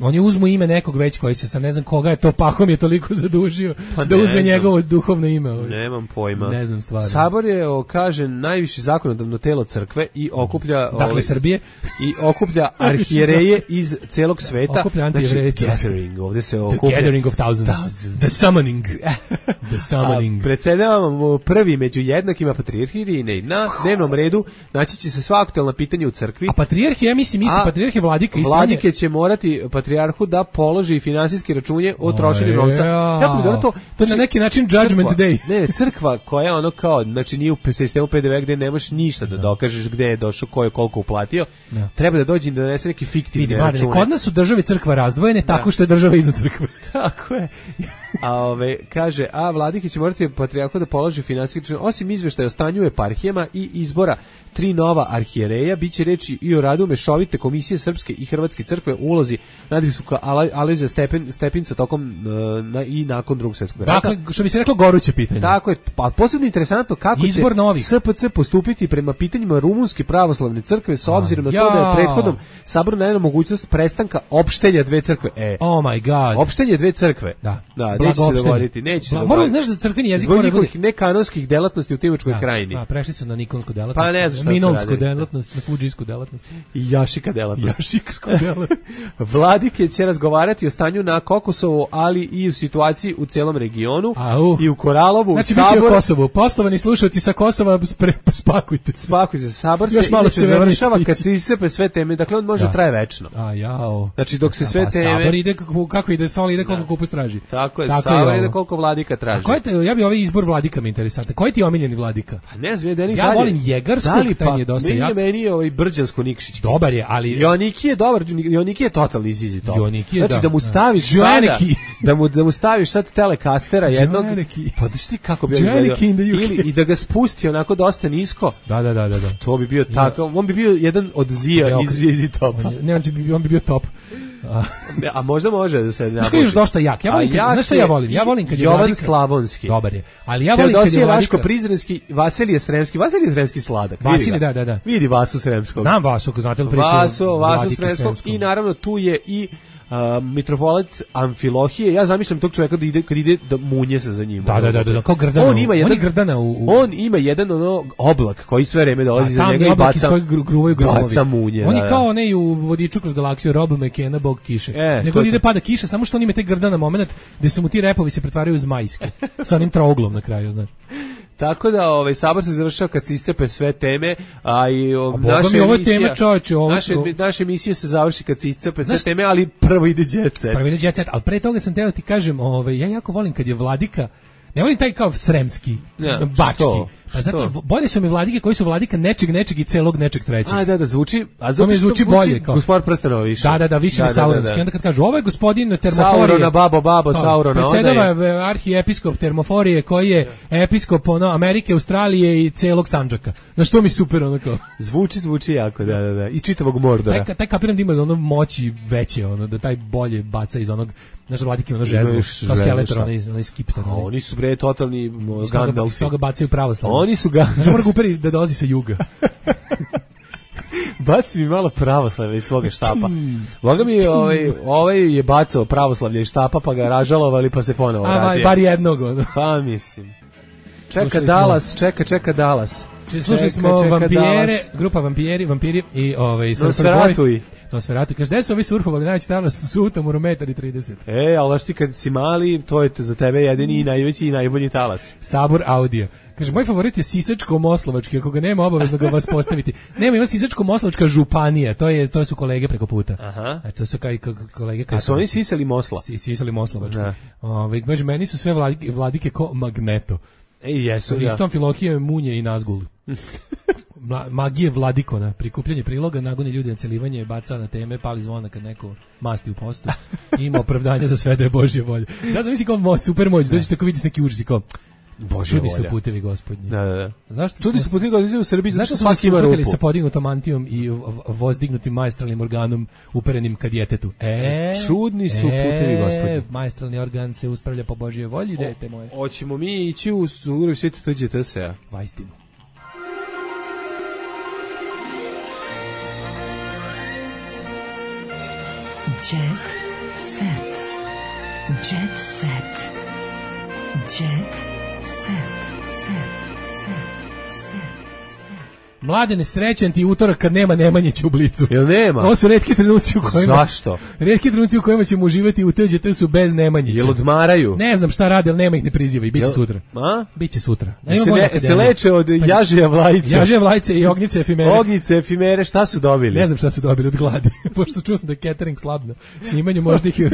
oni uzmu ime nekog već koji se, sam ne znam koga je to Pahom je toliko zadužio Pa da ne uzme znam. njegovo duhovno ime. Ovaj. Nemam pojma. Ne znam stvarno. Sabor je, o, kaže, najviše zakonodavno telo crkve i okuplja... Dakle, ovaj, Srbije. I okuplja arhijereje iz celog sveta. Okuplja antijevreje. Znači, gathering, ovde se The okuplja... gathering of thousands. The summoning. The summoning. A predsedavamo prvi među jednakima patrijarhirine. Na dnevnom redu naći će se sva aktualna pitanja u crkvi. A patrijarh je, ja mislim, isto, A patrijarh je vladika. Isto Vladike će morati patrijarhu da položi finansijske računje o trošenju O, novca. ja. Jako mi dobro to. To je na neki način judgment crkva, day. Ne, ne, crkva koja ono kao, znači nije u sistemu P D V gde ne možeš ništa da dokažeš gde je došao, ko je koliko uplatio. Da. Treba da dođe i da donese neki fiktivni Vidi, Marine, račune. kod nas su države i crkva razdvojene tako što je država iznad crkve. Tako je. A ove, kaže, a vladike će morati patrijarhu da položi finansijski račun. Osim izveštaja o stanju u eparhijama i izbora tri nova arhijereja, biće reči i o radu mešovite komisije Srpske i Hrvatske crkve u ulozi nadbiskupa Alojzija Stepen, Stepinca tokom uh, na, i nakon drugog svjetskog rata. Dakle, što bi se reklo, goruće pitanje. Tako je, pa posebno interesantno kako Izbor će novih. S P C postupiti prema pitanjima rumunske pravoslavne crkve s obzirom na to Ja. da je prethodnom saboru najavljena mogućnost prestanka opštenja dve crkve. E, Oh my god. opštenje dve crkve. Da. Da, Blago neće se opštenje. dogoditi, neće se Bla- dogoditi. Moram, znaš da crkveni jezik Zbog mora da bude- njihovih nekanonskih delatnosti u Timočkoj Da, krajini. da, prešli su na nikonsku delatnost. Pa ne znam šta su Minolsku radili. delatnost, na fudžijsku delatnost. I Jašika delatnost. Jašiksku delatnost. Vladike će razgovarati o stanju na Kokosovu, ali i u situaciji u celom regionu. Au. I u Koralovu, Znači, u bit će Saboru. o Kosovu. Poštovani slušalci sa Kosova, spre, spakujte se. Spakujte se, Sabor se Još malo inače će vremena završava stići. kad se iscepe sve teme, dakle on može Da. da traje večno. A jao. Znači dok se sve Pa teme... Sabor ide kako, kako ide sol, ide koliko kupus traži. Tako je, Tako Sabor je ide ovo. koliko vladika A traži. ko je te, ja bi ovaj izbor vladika mi interesantan. Koji ti je omiljeni vladika? Pa ne znam, je Ja volim Jegarskog, da li taj pa, mi je dosta meni jak. je meni je ovaj Brđansko Nikšić. Dobar je, ali... Joniki je dobar, Joniki je totalni izizi to. Joniki je, znači da, da mu da. staviš sada, Joniki. da mu da mu staviš sad telekastera jednog. Joniki. Pa da ti kako bi on Joniki izgledao. in the U K. Ili i da ga spusti onako dosta nisko. Da, da, da, da. da. To bi bio tako, on bi bio jedan od zija Ja, iz iz topa. On je- Ne, on bi, on bi bio top. A, A možda može da se Znaš koji je još dosta jak? Ja volim, A kad, jak znaš šta je ja volim? Ja volim kad je Jovan vladika... Slavonski. Dobar je. Ali ja volim kad je Teodosije vladika... Vaško Prizrenski, Vasilije Sremski. Vasilije Sremski sladak. vidi Vasilije, ga. da, da, da. Vidi Vasu Sremskog. Znam Vasu, ako znate li priču. Vasu, o Vasu vladiki Sremskog. Sremskom. I naravno tu je i uh, mitropolit Amfilohije. Ja zamišljam tog čovjeka da ide, kad ide da munje se za njim. Da, da, da, da, da, kao Grdana. On ima jedan, on je Grdana u... u... on ima jedan ono oblak koji sve vreme dolazi za tamni njega i oblak iz baca, kojeg gru- gruvaju gromovi. baca munje. On da, je da. kao onaj u Vodiču kroz galaksiju Rob McKenna, bog kiše. E, Nego to je ide to. pada kiša, samo što on ima taj Grdana moment gde su mu ti repovi se pretvaraju u zmajske. Sa onim trouglom na kraju, znaš. Tako da ovaj sabor se završava kad se iscrpe sve teme, a i o, A boga naša mi, ovo je emisija- tema, čoveče, ovo naše, su- naše emisije se završi kad se iscrpe sve Znaš- teme, ali prvo ide Jet Set. Prvi ide Jet Set, ali pre toga sam teo ti kažem, ovaj, ja jako volim kad je vladika, ne volim taj kao sremski, Ja, bački. što? Pa zato Što? bolje su mi vladike koji su vladika nečeg, nečeg i celog nečeg trećeg. A da, da, zvuči, a To zato mi što zvuči bolje, kao. Gospodar prstenova više. Da, da, da, više mi sauronski. Onda kad kažu, ovo je gospodin Termoforije. Saurona, babo, babo, Kao, Saurona, onda Predsedava je- arhiepiskop Termoforije koji je episkop ono, Amerike, Australije i celog Sandžaka. Znaš, to mi super, ono kao. Zvuči, zvuči jako, da, da, da. I čitavog Mordora. Taj, taj kapiram da ima ono moći veće, ono, da taj bolje baca iz onog, znaš, vladike ono žezlo, još kao žezlo, skeletor, šta? onaj, onaj skiptar. A oni su bre totalni mo, Iz toga, iz Gandalfi. toga bacaju pravoslavno. Oni su ga... Znaš, mora ga uperi da dolazi sa juga. Baci mi malo pravoslavlja iz svoga štapa. Boga mi, ovaj, ovaj je bacao pravoslavlje iz štapa, pa ga ražalovali, pa se ponovo A, vratio. bar jednog, ono. Pa mislim. Čeka Dallas, čeka, čeka Dallas. Slušali smo vampire, grupa vampiri, vampiri i ovaj Nosferatu. Nosferatu. Kaže, gde su ovi surfovali najveći tamo su sutom u rometar i trideset. E, ali ti kad si mali, to je za tebe jedini i najveći i najbolji talas. Sabor audio. Kaže, moj favorit je Sisačko-Moslovački, ako ga nema, obavezno ga vas postaviti. Nema, ima Sisačko-Moslovačka županija, to je to su kolege preko puta. Aha. A to su kao kolege kako. Su oni sisali Mosla? Si, sisali Moslovački. Ovaj, među meni su sve vladike, vladike ko Magneto. Ej, jesu ga. Ristom Filohije, Munje i Nazgul. Magije Vladikona, prikupljanje priloga, nagoni ljudi na celivanje, baca na teme, pali zvona kad neko masti u postu. Ima opravdanje za sve da je Božja volja. Da znam, misli kao super moć, dođeš tako vidiš neki užas i kao Božja volja. Čudi su putevi gospodnji. Da, da, da. Zašto Čudi su putevi gospodnji u Srbiji, zašto svaki ima rupu? Sa podignutom mantijom i vozdignutim maestralnim organom uperenim ka djetetu. E, čudni su putevi gospodnji. Maestralni organ se uspravlja po Božjoj volji, dete moje. Hoćemo mi ići u Suru Sveti T Đ T S-a. Vajstinu. Jet set. Jet set. Jet set. Set. Set. Mladene, srećan ti utorak kad nema Nemanjića u Blicu. Jel nema? Ovo su retki trenuci u kojima... Zašto? Retki trenuci u kojima ćemo uživati u T Đ T su bez Nemanjića. Jel odmaraju? Ne znam šta rade, ali nema ih ne priziva i bit će sutra. A? Biće sutra. Ne, se, ne, se leče od jažija vlajca. Jažija vlajca i ognjice efimere. Ognjice efimere, šta su dobili? Ne znam šta su dobili od gladi. Pošto čuo sam da je catering slab na snimanju, možda ih je,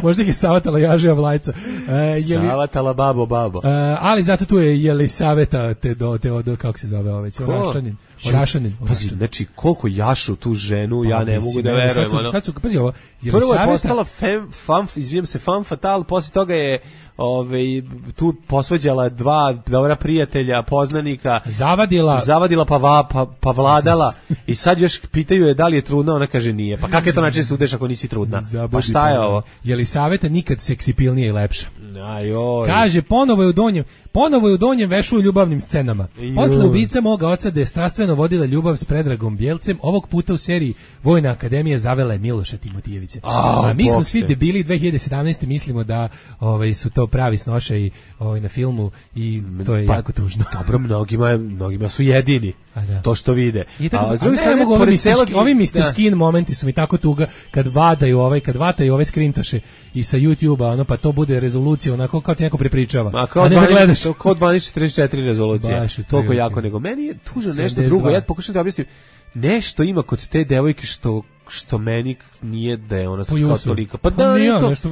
možda ih je savatala jažija vlajca. Uh, jeli, savatala babo babo. Uh, ali zato tu je Jelisaveta te do, te od, kako se zove ovaj, Oraščanin. Orašanin. Pazi, znači koliko jašu tu ženu, ja ne mogu da verujem. Sad su, sad su, pazi ovo, prvo je postala fem, fam, izvijem se, fam fatal, poslije toga je Ove, tu posvađala dva dobra prijatelja, poznanika, zavadila, zavadila pa, va, pa, pa vladala i sad još pitaju je da li je trudna, ona kaže nije. Pa kako je to način sudeš ako nisi trudna? Zabudi, pa šta je ovo? Jelisaveta nikad seksipilnije i lepša. Ajoj. Kaže, ponovo je u donjem, ponovo je u donjem vešu u ljubavnim scenama. Posle ubica moga oca da je strastveno vodila ljubav s Predragom Bjelcem, ovog puta u seriji Vojna akademija zavela je Miloša Timotijevića. A, A mi smo svi debili dve hiljade sedamnaeste mislimo da ovaj, su to pravi snošaji ovaj, na filmu i to je pa, jako tužno. Dobro, mnogima, mnogima su jedini da. to što vide. I tako, a, a drugi strane, mogu, ovi, mister, celog... ovi mister Skin momenti su mi tako tuga kad vadaju ovaj, kad vataju ove skrintaše i sa YouTube-a, ono, pa to bude rezolucija onako kao ti neko prepričava. Ma, kao, a ne dvanaest, da gledaš. Kao dvanaest četrdeset četiri rezolucija. Toliko jako nego. Meni je tužno nešto drugo. Ja pokušam da objasnim. Nešto ima kod te devojke što što meni nije da je ona kao tolika. Pa da, nije to. Nešto,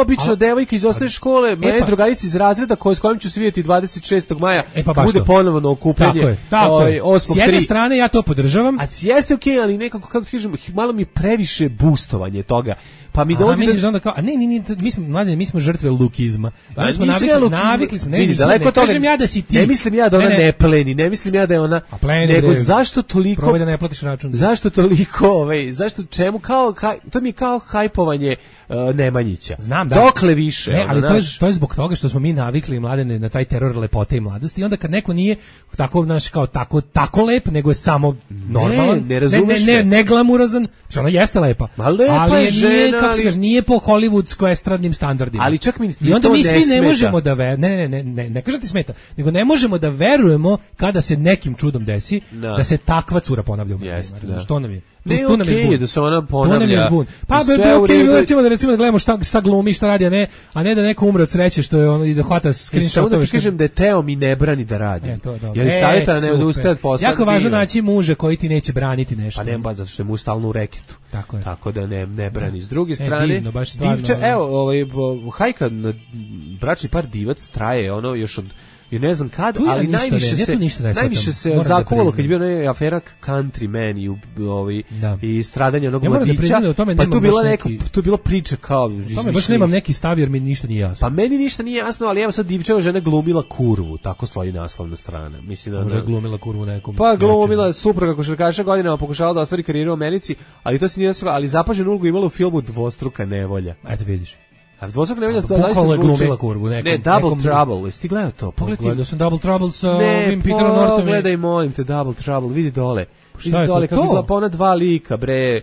obično devojka iz osnovne škole, e moje pa, drugarice iz razreda koje s kojim ću se vidjeti dvadeset šestog maja, e pa bude to. Ponovo na okupljanje. Tako je, tako je. S jedne strane ja to podržavam. A jeste okej, okay, ali nekako, kako ti kažem, malo mi previše boostovanje toga. Pa mi dovodi da onda kao, a ne, ne, ne, mi smo mlađe, mi smo žrtve lukizma. Mi smo navikli, luk... navikli smo, ne, vidi, daleko toga. Kažem ja da si ti. Ne mislim ja da ona ne, ne pleni, ne mislim ja da je ona. A pleni, nego bre, zašto toliko? Probaj da ne platiš račun. Zašto toliko, ovaj, zašto čemu kao haj, to mi je kao hajpovanje uh, Nemanjića. Znam da. Dokle više. Ne, ona, ali naš... to je to je zbog toga što smo mi navikli mladene na taj teror lepote i mladosti i onda kad neko nije tako naš kao tako tako lep, nego je samo normalan, ne, ne, razumeš ne, ne, ne glamurazan, što ona jeste lepa. Lepa ali je žena, nije, kako ali... se kaže, nije po hollywoodsko-estradnim standardima. Ali čak mi I onda mi svi ne, ne možemo da ver, ne, ne, ne, ne, ne kažem ti smeta, nego ne možemo da verujemo kada se nekim čudom desi da, da se takva cura ponavlja u medijima. Da. Što nam je? Ne, tu nam okay, je da se ona ponavlja. Pa be be okej, okay, recimo da recimo da gledamo šta šta glumi, šta radi, a ne, a ne da neko umre od sreće što je ono i da hvata screenshot. Samo da ti kažem da je Teo mi ne brani da radi. E, to, jer e, savjeta ne da ustaje posle. Jako važno naći muža koji ti neće braniti nešto. Pa nema baš zato što je mu stalno u reketu. Tako je. Tako da ne ne brani. S druge strane, e, divno, baš stvarno, divča, evo, ovaj hajka bračni par divac traje ono još od I ne znam kad, ja ali najviše ne, se ja najviše se zakuvalo kad je bio onaj afera Country Man i ovaj da. i stradanje onog ja mladića. Da pa tu bila neka neki... tu bilo priče kao tome baš nemam neki stav jer mi ništa nije jasno. Pa meni ništa nije jasno, ali evo sad Divčeva žena glumila kurvu, tako stoji naslovna strana. Mislim da može glumila kurvu nekom. Pa glumila supruga košarkaša, godinama pokušavala da ostvari karijeru u Americi, ali to se nije desilo, ali zapaženu ulogu imala u filmu Dvostruka nevolja. Eto vidiš. A dvostruka nevolja to zaista je glumila kurvu nekom. Ne, Double nekom... Trouble, jesi ti gledao to? Pogledaj. Gledao sam Double Trouble sa ovim Peterom Nortonom. Ne, pogledaj, molim te, Double Trouble, vidi dole. Šta vidi je dole, to? kako izgleda, pa ona dva lika, bre.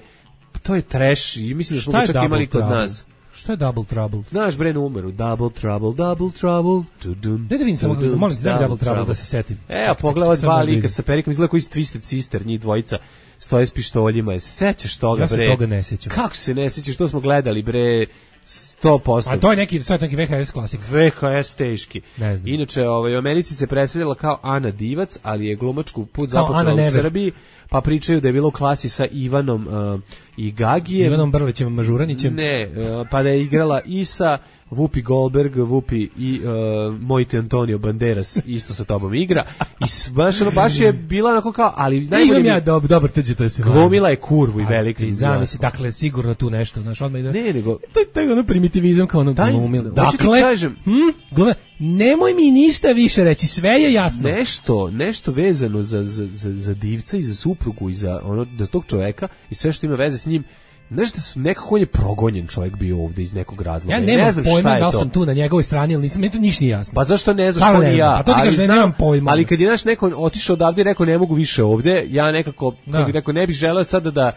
To je trash i mislim da smo ga čak imali kod nas. Šta je Double Trouble? Znaš bre numeru, Double Trouble, Double Trouble. Tudum, ne da vidim samo, molim te, Double Trouble da se setim. E, a pogledaj dva lika sa perikom, izgleda koji Twisted Sister, njih dvojica, stoje s pištoljima. Se sećaš toga, ja bre? Ja se toga ne sećam. Kako se ne sećaš, to smo gledali, bre, sto posto. A to je neki, to je neki V H S klasik. V H S teški. Ne znam. Inače, ovaj, u Americi se predstavljala kao Ana Divac, ali je glumačku put započela u Srbiji, pa pričaju da je bilo u klasi sa Ivanom uh, i Gagijem. Ivanom Brlićem Mažuranićem. Ne, uh, pa da je igrala i sa Whoopi Goldberg, Whoopi i uh, Mojte Antonio Banderas isto sa tobom igra. I baš, ono, baš je bila onako kao, ali najbolje... Imam ja dob, dobar tđe, to je se... Glumila je kurvu i velika. I zamisli, dakle, sigurno tu nešto, znaš, odmah ide... Ne, nego... To je taj ono primitivizam kao ono glumila. Dakle, kažem, hm, glumila, nemoj mi ništa više reći, sve je jasno. Nešto, nešto vezano za, za, za, za divca i za suprugu i za, ono, za tog čoveka i sve što ima veze s njim. Znaš da su nekako on je progonjen čovjek bio ovde iz nekog razloga. Ja nemam ne znam pojma da li to. sam tu na njegovoj strani ili nisam, meni to ništa nije jasno. Pa zašto ne znaš ko ni ja? A to ti kažeš da nemam pojma. Ali kad je naš neko otišao odavde i rekao ne mogu više ovde, ja nekako, da. Bih rekao, ne bih želeo sada da...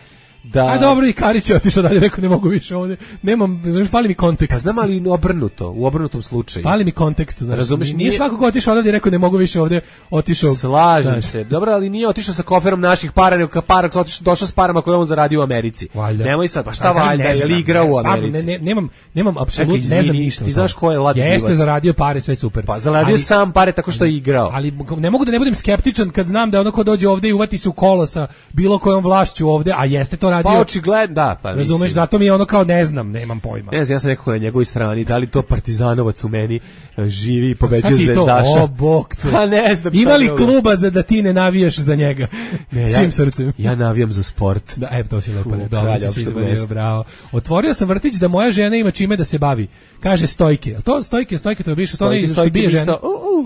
Da... A dobro, i Karić je otišao dalje, rekao ne mogu više ovdje. Nemam, znaš, fali mi kontekst. Pa znam, ali obrnuto, u obrnutom slučaju. Fali mi kontekst, znaš. Razumeš, nije, nije svako ko otišao odavde, rekao ne mogu više ovdje, otišao. Slažem znaš. se. Dobro, ali nije otišao sa koferom naših para, nego para, otišao, došao s parama koje on zaradio u Americi. Valjda. Nemoj sad, pa šta valjda, je li igra u Americi? Ne, ne, nemam, nemam apsolutno, ne znam ništa. Ti znaš ko je Lat Divac? Jeste zaradio pare, sve super. Pa zaradio sam pare tako što je igrao. Ali ne mogu da ne budem skeptičan kad znam da ono ko dođe ovdje i uvati se u kolo sa bilo kojom vlašću ovdje, a jeste to radio. Pa očigledno da, pa razumeš, mislim. zato mi je ono kao ne znam, nemam pojma. Ne znam, ja sam nekako na njegovoj strani, da li to partizanovac u meni živi i pobeđuje zvezdaša. O, bog te. Pa ne znam. Ima li kluba za da ti ne navijaš za njega? Ne, svim ja, srcem. Ja navijam za sport. Da, e, to si lepo, ne, dobro si se izvadio, bravo. Otvorio sam vrtić da moja žena ima čime da se bavi. Kaže Stojke. To Stojke, Stojke, to je biše što ne što bije ženu.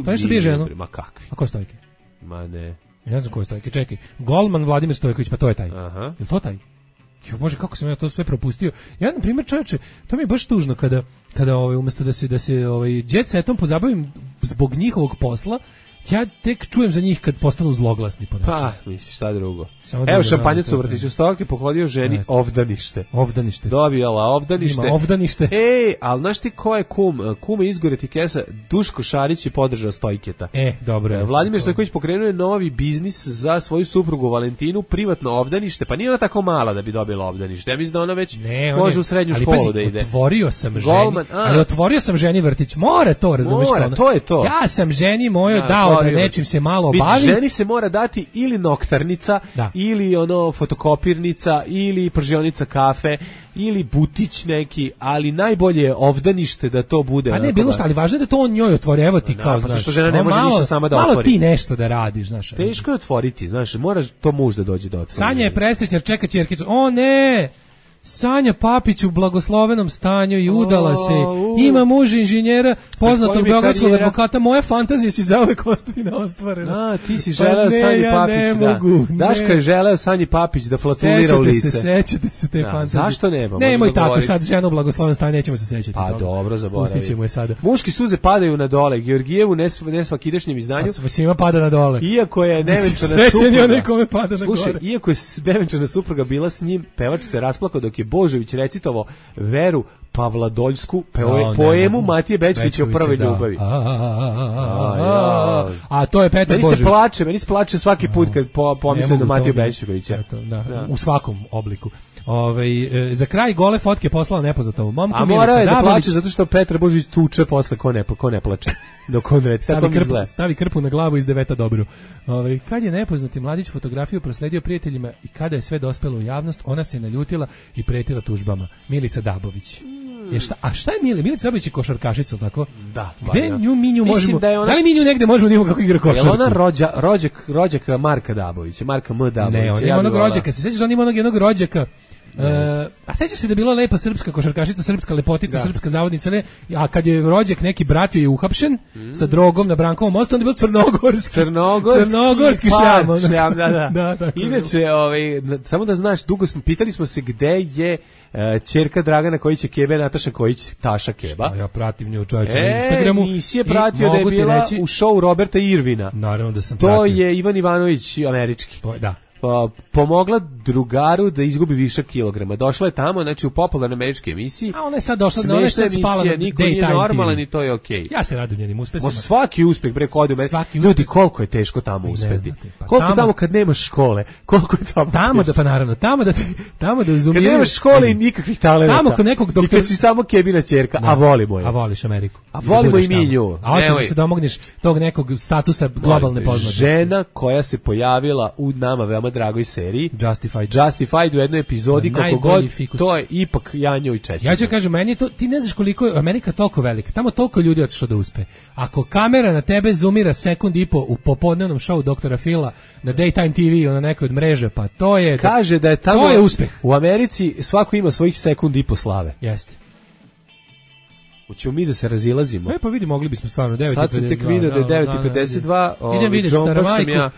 To nešto bije ženu. Ma kakvi. A ko je Stojke? Ma ne. Ne znam ko je Stojke, čekaj. Golman Vladimir Stojković, pa to je taj. Aha. Je to taj? Jo, Bože, kako sam ja to sve propustio. Ja, na primjer, čovječe, to mi je baš tužno kada, kada ovaj, umjesto da se, da se ovaj, jet setom pozabavim zbog njihovog posla, ja tek čujem za njih kad postanu zloglasni po nečemu. Pa, misliš, šta drugo. Evo šampanjac u vrtiću Stojke pohodio ženi ovdanište. Ovdanište. Dobijala ovdanište. Ima ovdanište. Ej, ali znaš ti ko je kum? Kum je izgore ti kesa, Duško Šarić je podržao Stojketa. E, dobro. Vladimir Stojković pokrenuo je novi biznis za svoju suprugu Valentinu, privatno ovdanište, pa nije ona tako mala da bi dobila ovdanište. Ja mislim da ona već ne, može je, u srednju ali, školu pazi, da ide. Otvorio sam Golman, ženi, ali otvorio sam ženi vrtić. Mora to, razumiješ? Mora, to je to. Ja sam ženi mojoj da, dao da nečim se malo obavi. Ženi se mora dati ili noktarnica, da. ili ono fotokopirnica, ili pržionica kafe, ili butić neki, ali najbolje je ovdanište da to bude. Pa ne, bilo šta, ali važno je da to on njoj otvori, evo ti no, kao, pa znaš. Što žena ne može malo, ništa sama da malo otvori. Malo ti nešto da radiš, znaš. Teško je otvoriti, znaš, moraš to muž da dođe da otvori. Sanja je presrećnjar, čeka ćerkicu. O ne! Sanja Papić u blagoslovenom stanju i udala se. Ima muž inženjera, poznatog beogradskog advokata. Moja fantazija će zauvek ostati neostvarena. A, ti si želeo pa Sanji ja Papić, ne da. Mogu, Daška je želeo Sanji Papić da flatulira u lice. Se, sećate se te da, fantazije. Zašto nema? Nemoj tako sad ženu u blagoslovenom stanju, nećemo se sećati. Pa toga. dobro, zaboravi. Pustit ćemo je sada. Muški suze padaju na dole. Georgijevu nesvakidašnjem izdanju. A svima pada na dole. Iako je nevenčana supruga. Onaj kome pada na Slušaj, gore. iako je nevenčana supruga bila s njim, pevač se rasplakao dok je Božović recitovao Veru Pavladoljsku, poemu Matije Bećkovića o prvoj ljubavi. A to je Petar Božović. Meni se plače, meni se plače svaki put kad pomislim na Matiju Bećkovića. U svakom obliku. Ove, za kraj gole fotke poslala nepoznatom momku. A mora je da plače zato što Petar Božović tuče posle ko ne, ko ne plače. Dok on reci, stavi, krpu, stavi krpu na glavu iz deveta dobro. Ove, kad je nepoznati mladić fotografiju prosledio prijateljima i kada je sve dospelo u javnost, ona se naljutila i pretila tužbama. Milica Dabović. Mm. Je šta, a šta je Milica? Milica Dabović je košarkašica, tako? Da. Gde nju mi nju možemo? Da, ona... da li mi nju negde možemo da imamo kako igra košarku? Je ona rođa, rođak, rođaka Marka Dabovića, Marka M. Dabovića? Ne, on ima onog rođaka. Se sećaš, on ima onog jednog rođaka. Uh, a sećaš se da je bila lepa srpska košarkašica, srpska lepotica, da. Srpska zavodnica, ne? A kad je rođak neki bratio je uhapšen mm. sa drogom na Brankovom mostu, onda je bio crnogorski. Crnogorski, crnogorski šljam. šljam da, da. da, da Inače, ovaj, samo da znaš, dugo smo, pitali smo se gde je uh, ćerka Dragana Kojić Kebe, Nataša Kojić, Taša Keba. Šta, ja pratim nju čovječe e, na Instagramu. Nisi je pratio da je bila reći, u show Roberta Irvina. Naravno da sam to pratio. To je Ivan Ivanović američki. To je, da. uh, pomogla drugaru da izgubi više kilograma. Došla je tamo, znači u popularnoj američkoj emisiji. A ona je sad došla, ona je sad spala na niko nije normalan i to je okej. Okay. Ja se radujem njenim uspesima. Svaki uspeh, bre, kod me. Ljudi, koliko je teško tamo uspeti. Pa koliko tamo, tamo kad nemaš škole, koliko je tamo Tamo teško. Da, pa naravno, tamo da, tamo da uzumiraju. Kad nemaš škole i nikakvih talenata. Tamo kod nekog doktora. I kad si samo kebina ćerka, a volimo je. A voliš Ameriku. A volimo i mi nju. A hoćeš da se domogneš tog nekog statusa globalne poznatosti. Žena koja se pojavila u nama veoma dragoj seriji Justified. Justified u jednoj epizodi kako god, fikus. To je ipak ja njoj čestitam. Ja ću kažem, meni je to, ti ne znaš koliko je Amerika toliko velika, tamo toliko ljudi otišlo da uspe. Ako kamera na tebe zoomira sekund i po u popodnevnom šovu doktora Phila na Daytime T V na nekoj od mreže, pa to je... Kaže da je tamo... To je uspeh. U Americi svako ima svojih sekund i po slave. Jeste. Hoćemo mi da se razilazimo. E pa vidi, mogli bismo stvarno devet i pedeset dva. Sad sam tek vidio da je devet i pedeset dva. Idem vidjeti Staramajku. Ja,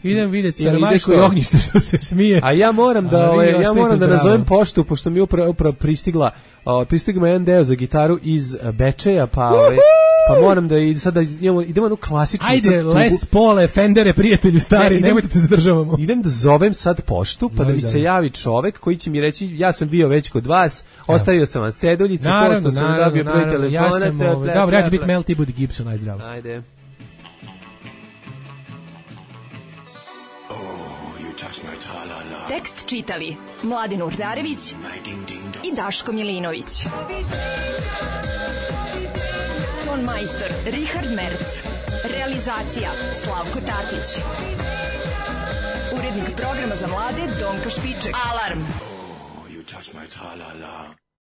idem vidjeti Staramajku i ognjište što se smije. A ja moram da, ove, ja moram da nazovem poštu, pošto mi upravo upra pristigla, o, pristigla jedan deo za gitaru iz Bečeja, pa, ove, pa moram da i sada idemo, idemo na klasičnu... Ajde, Les Pole, Fendere, prijatelju stari, ne, nemojte te zadržavamo. Idem da zovem sad poštu, pa da mi se javi čovek koji će mi reći, ja sam bio već kod vas, ostavio sam vas ceduljicu, naravno, pošto sam naravno, dobio broj telefona. Ja sam, ove, dobro, ja ću biti Mel T. Gibson, aj zdravo. Ajde. Tekst čitali Mladin Urdarević i Daško Milinović. Ton majstor Richard Merc. Realizacija Slavko Tatić. Urednik programa za mlade Donka Špiček. Alarm! Oh, you touch my tra-la-la.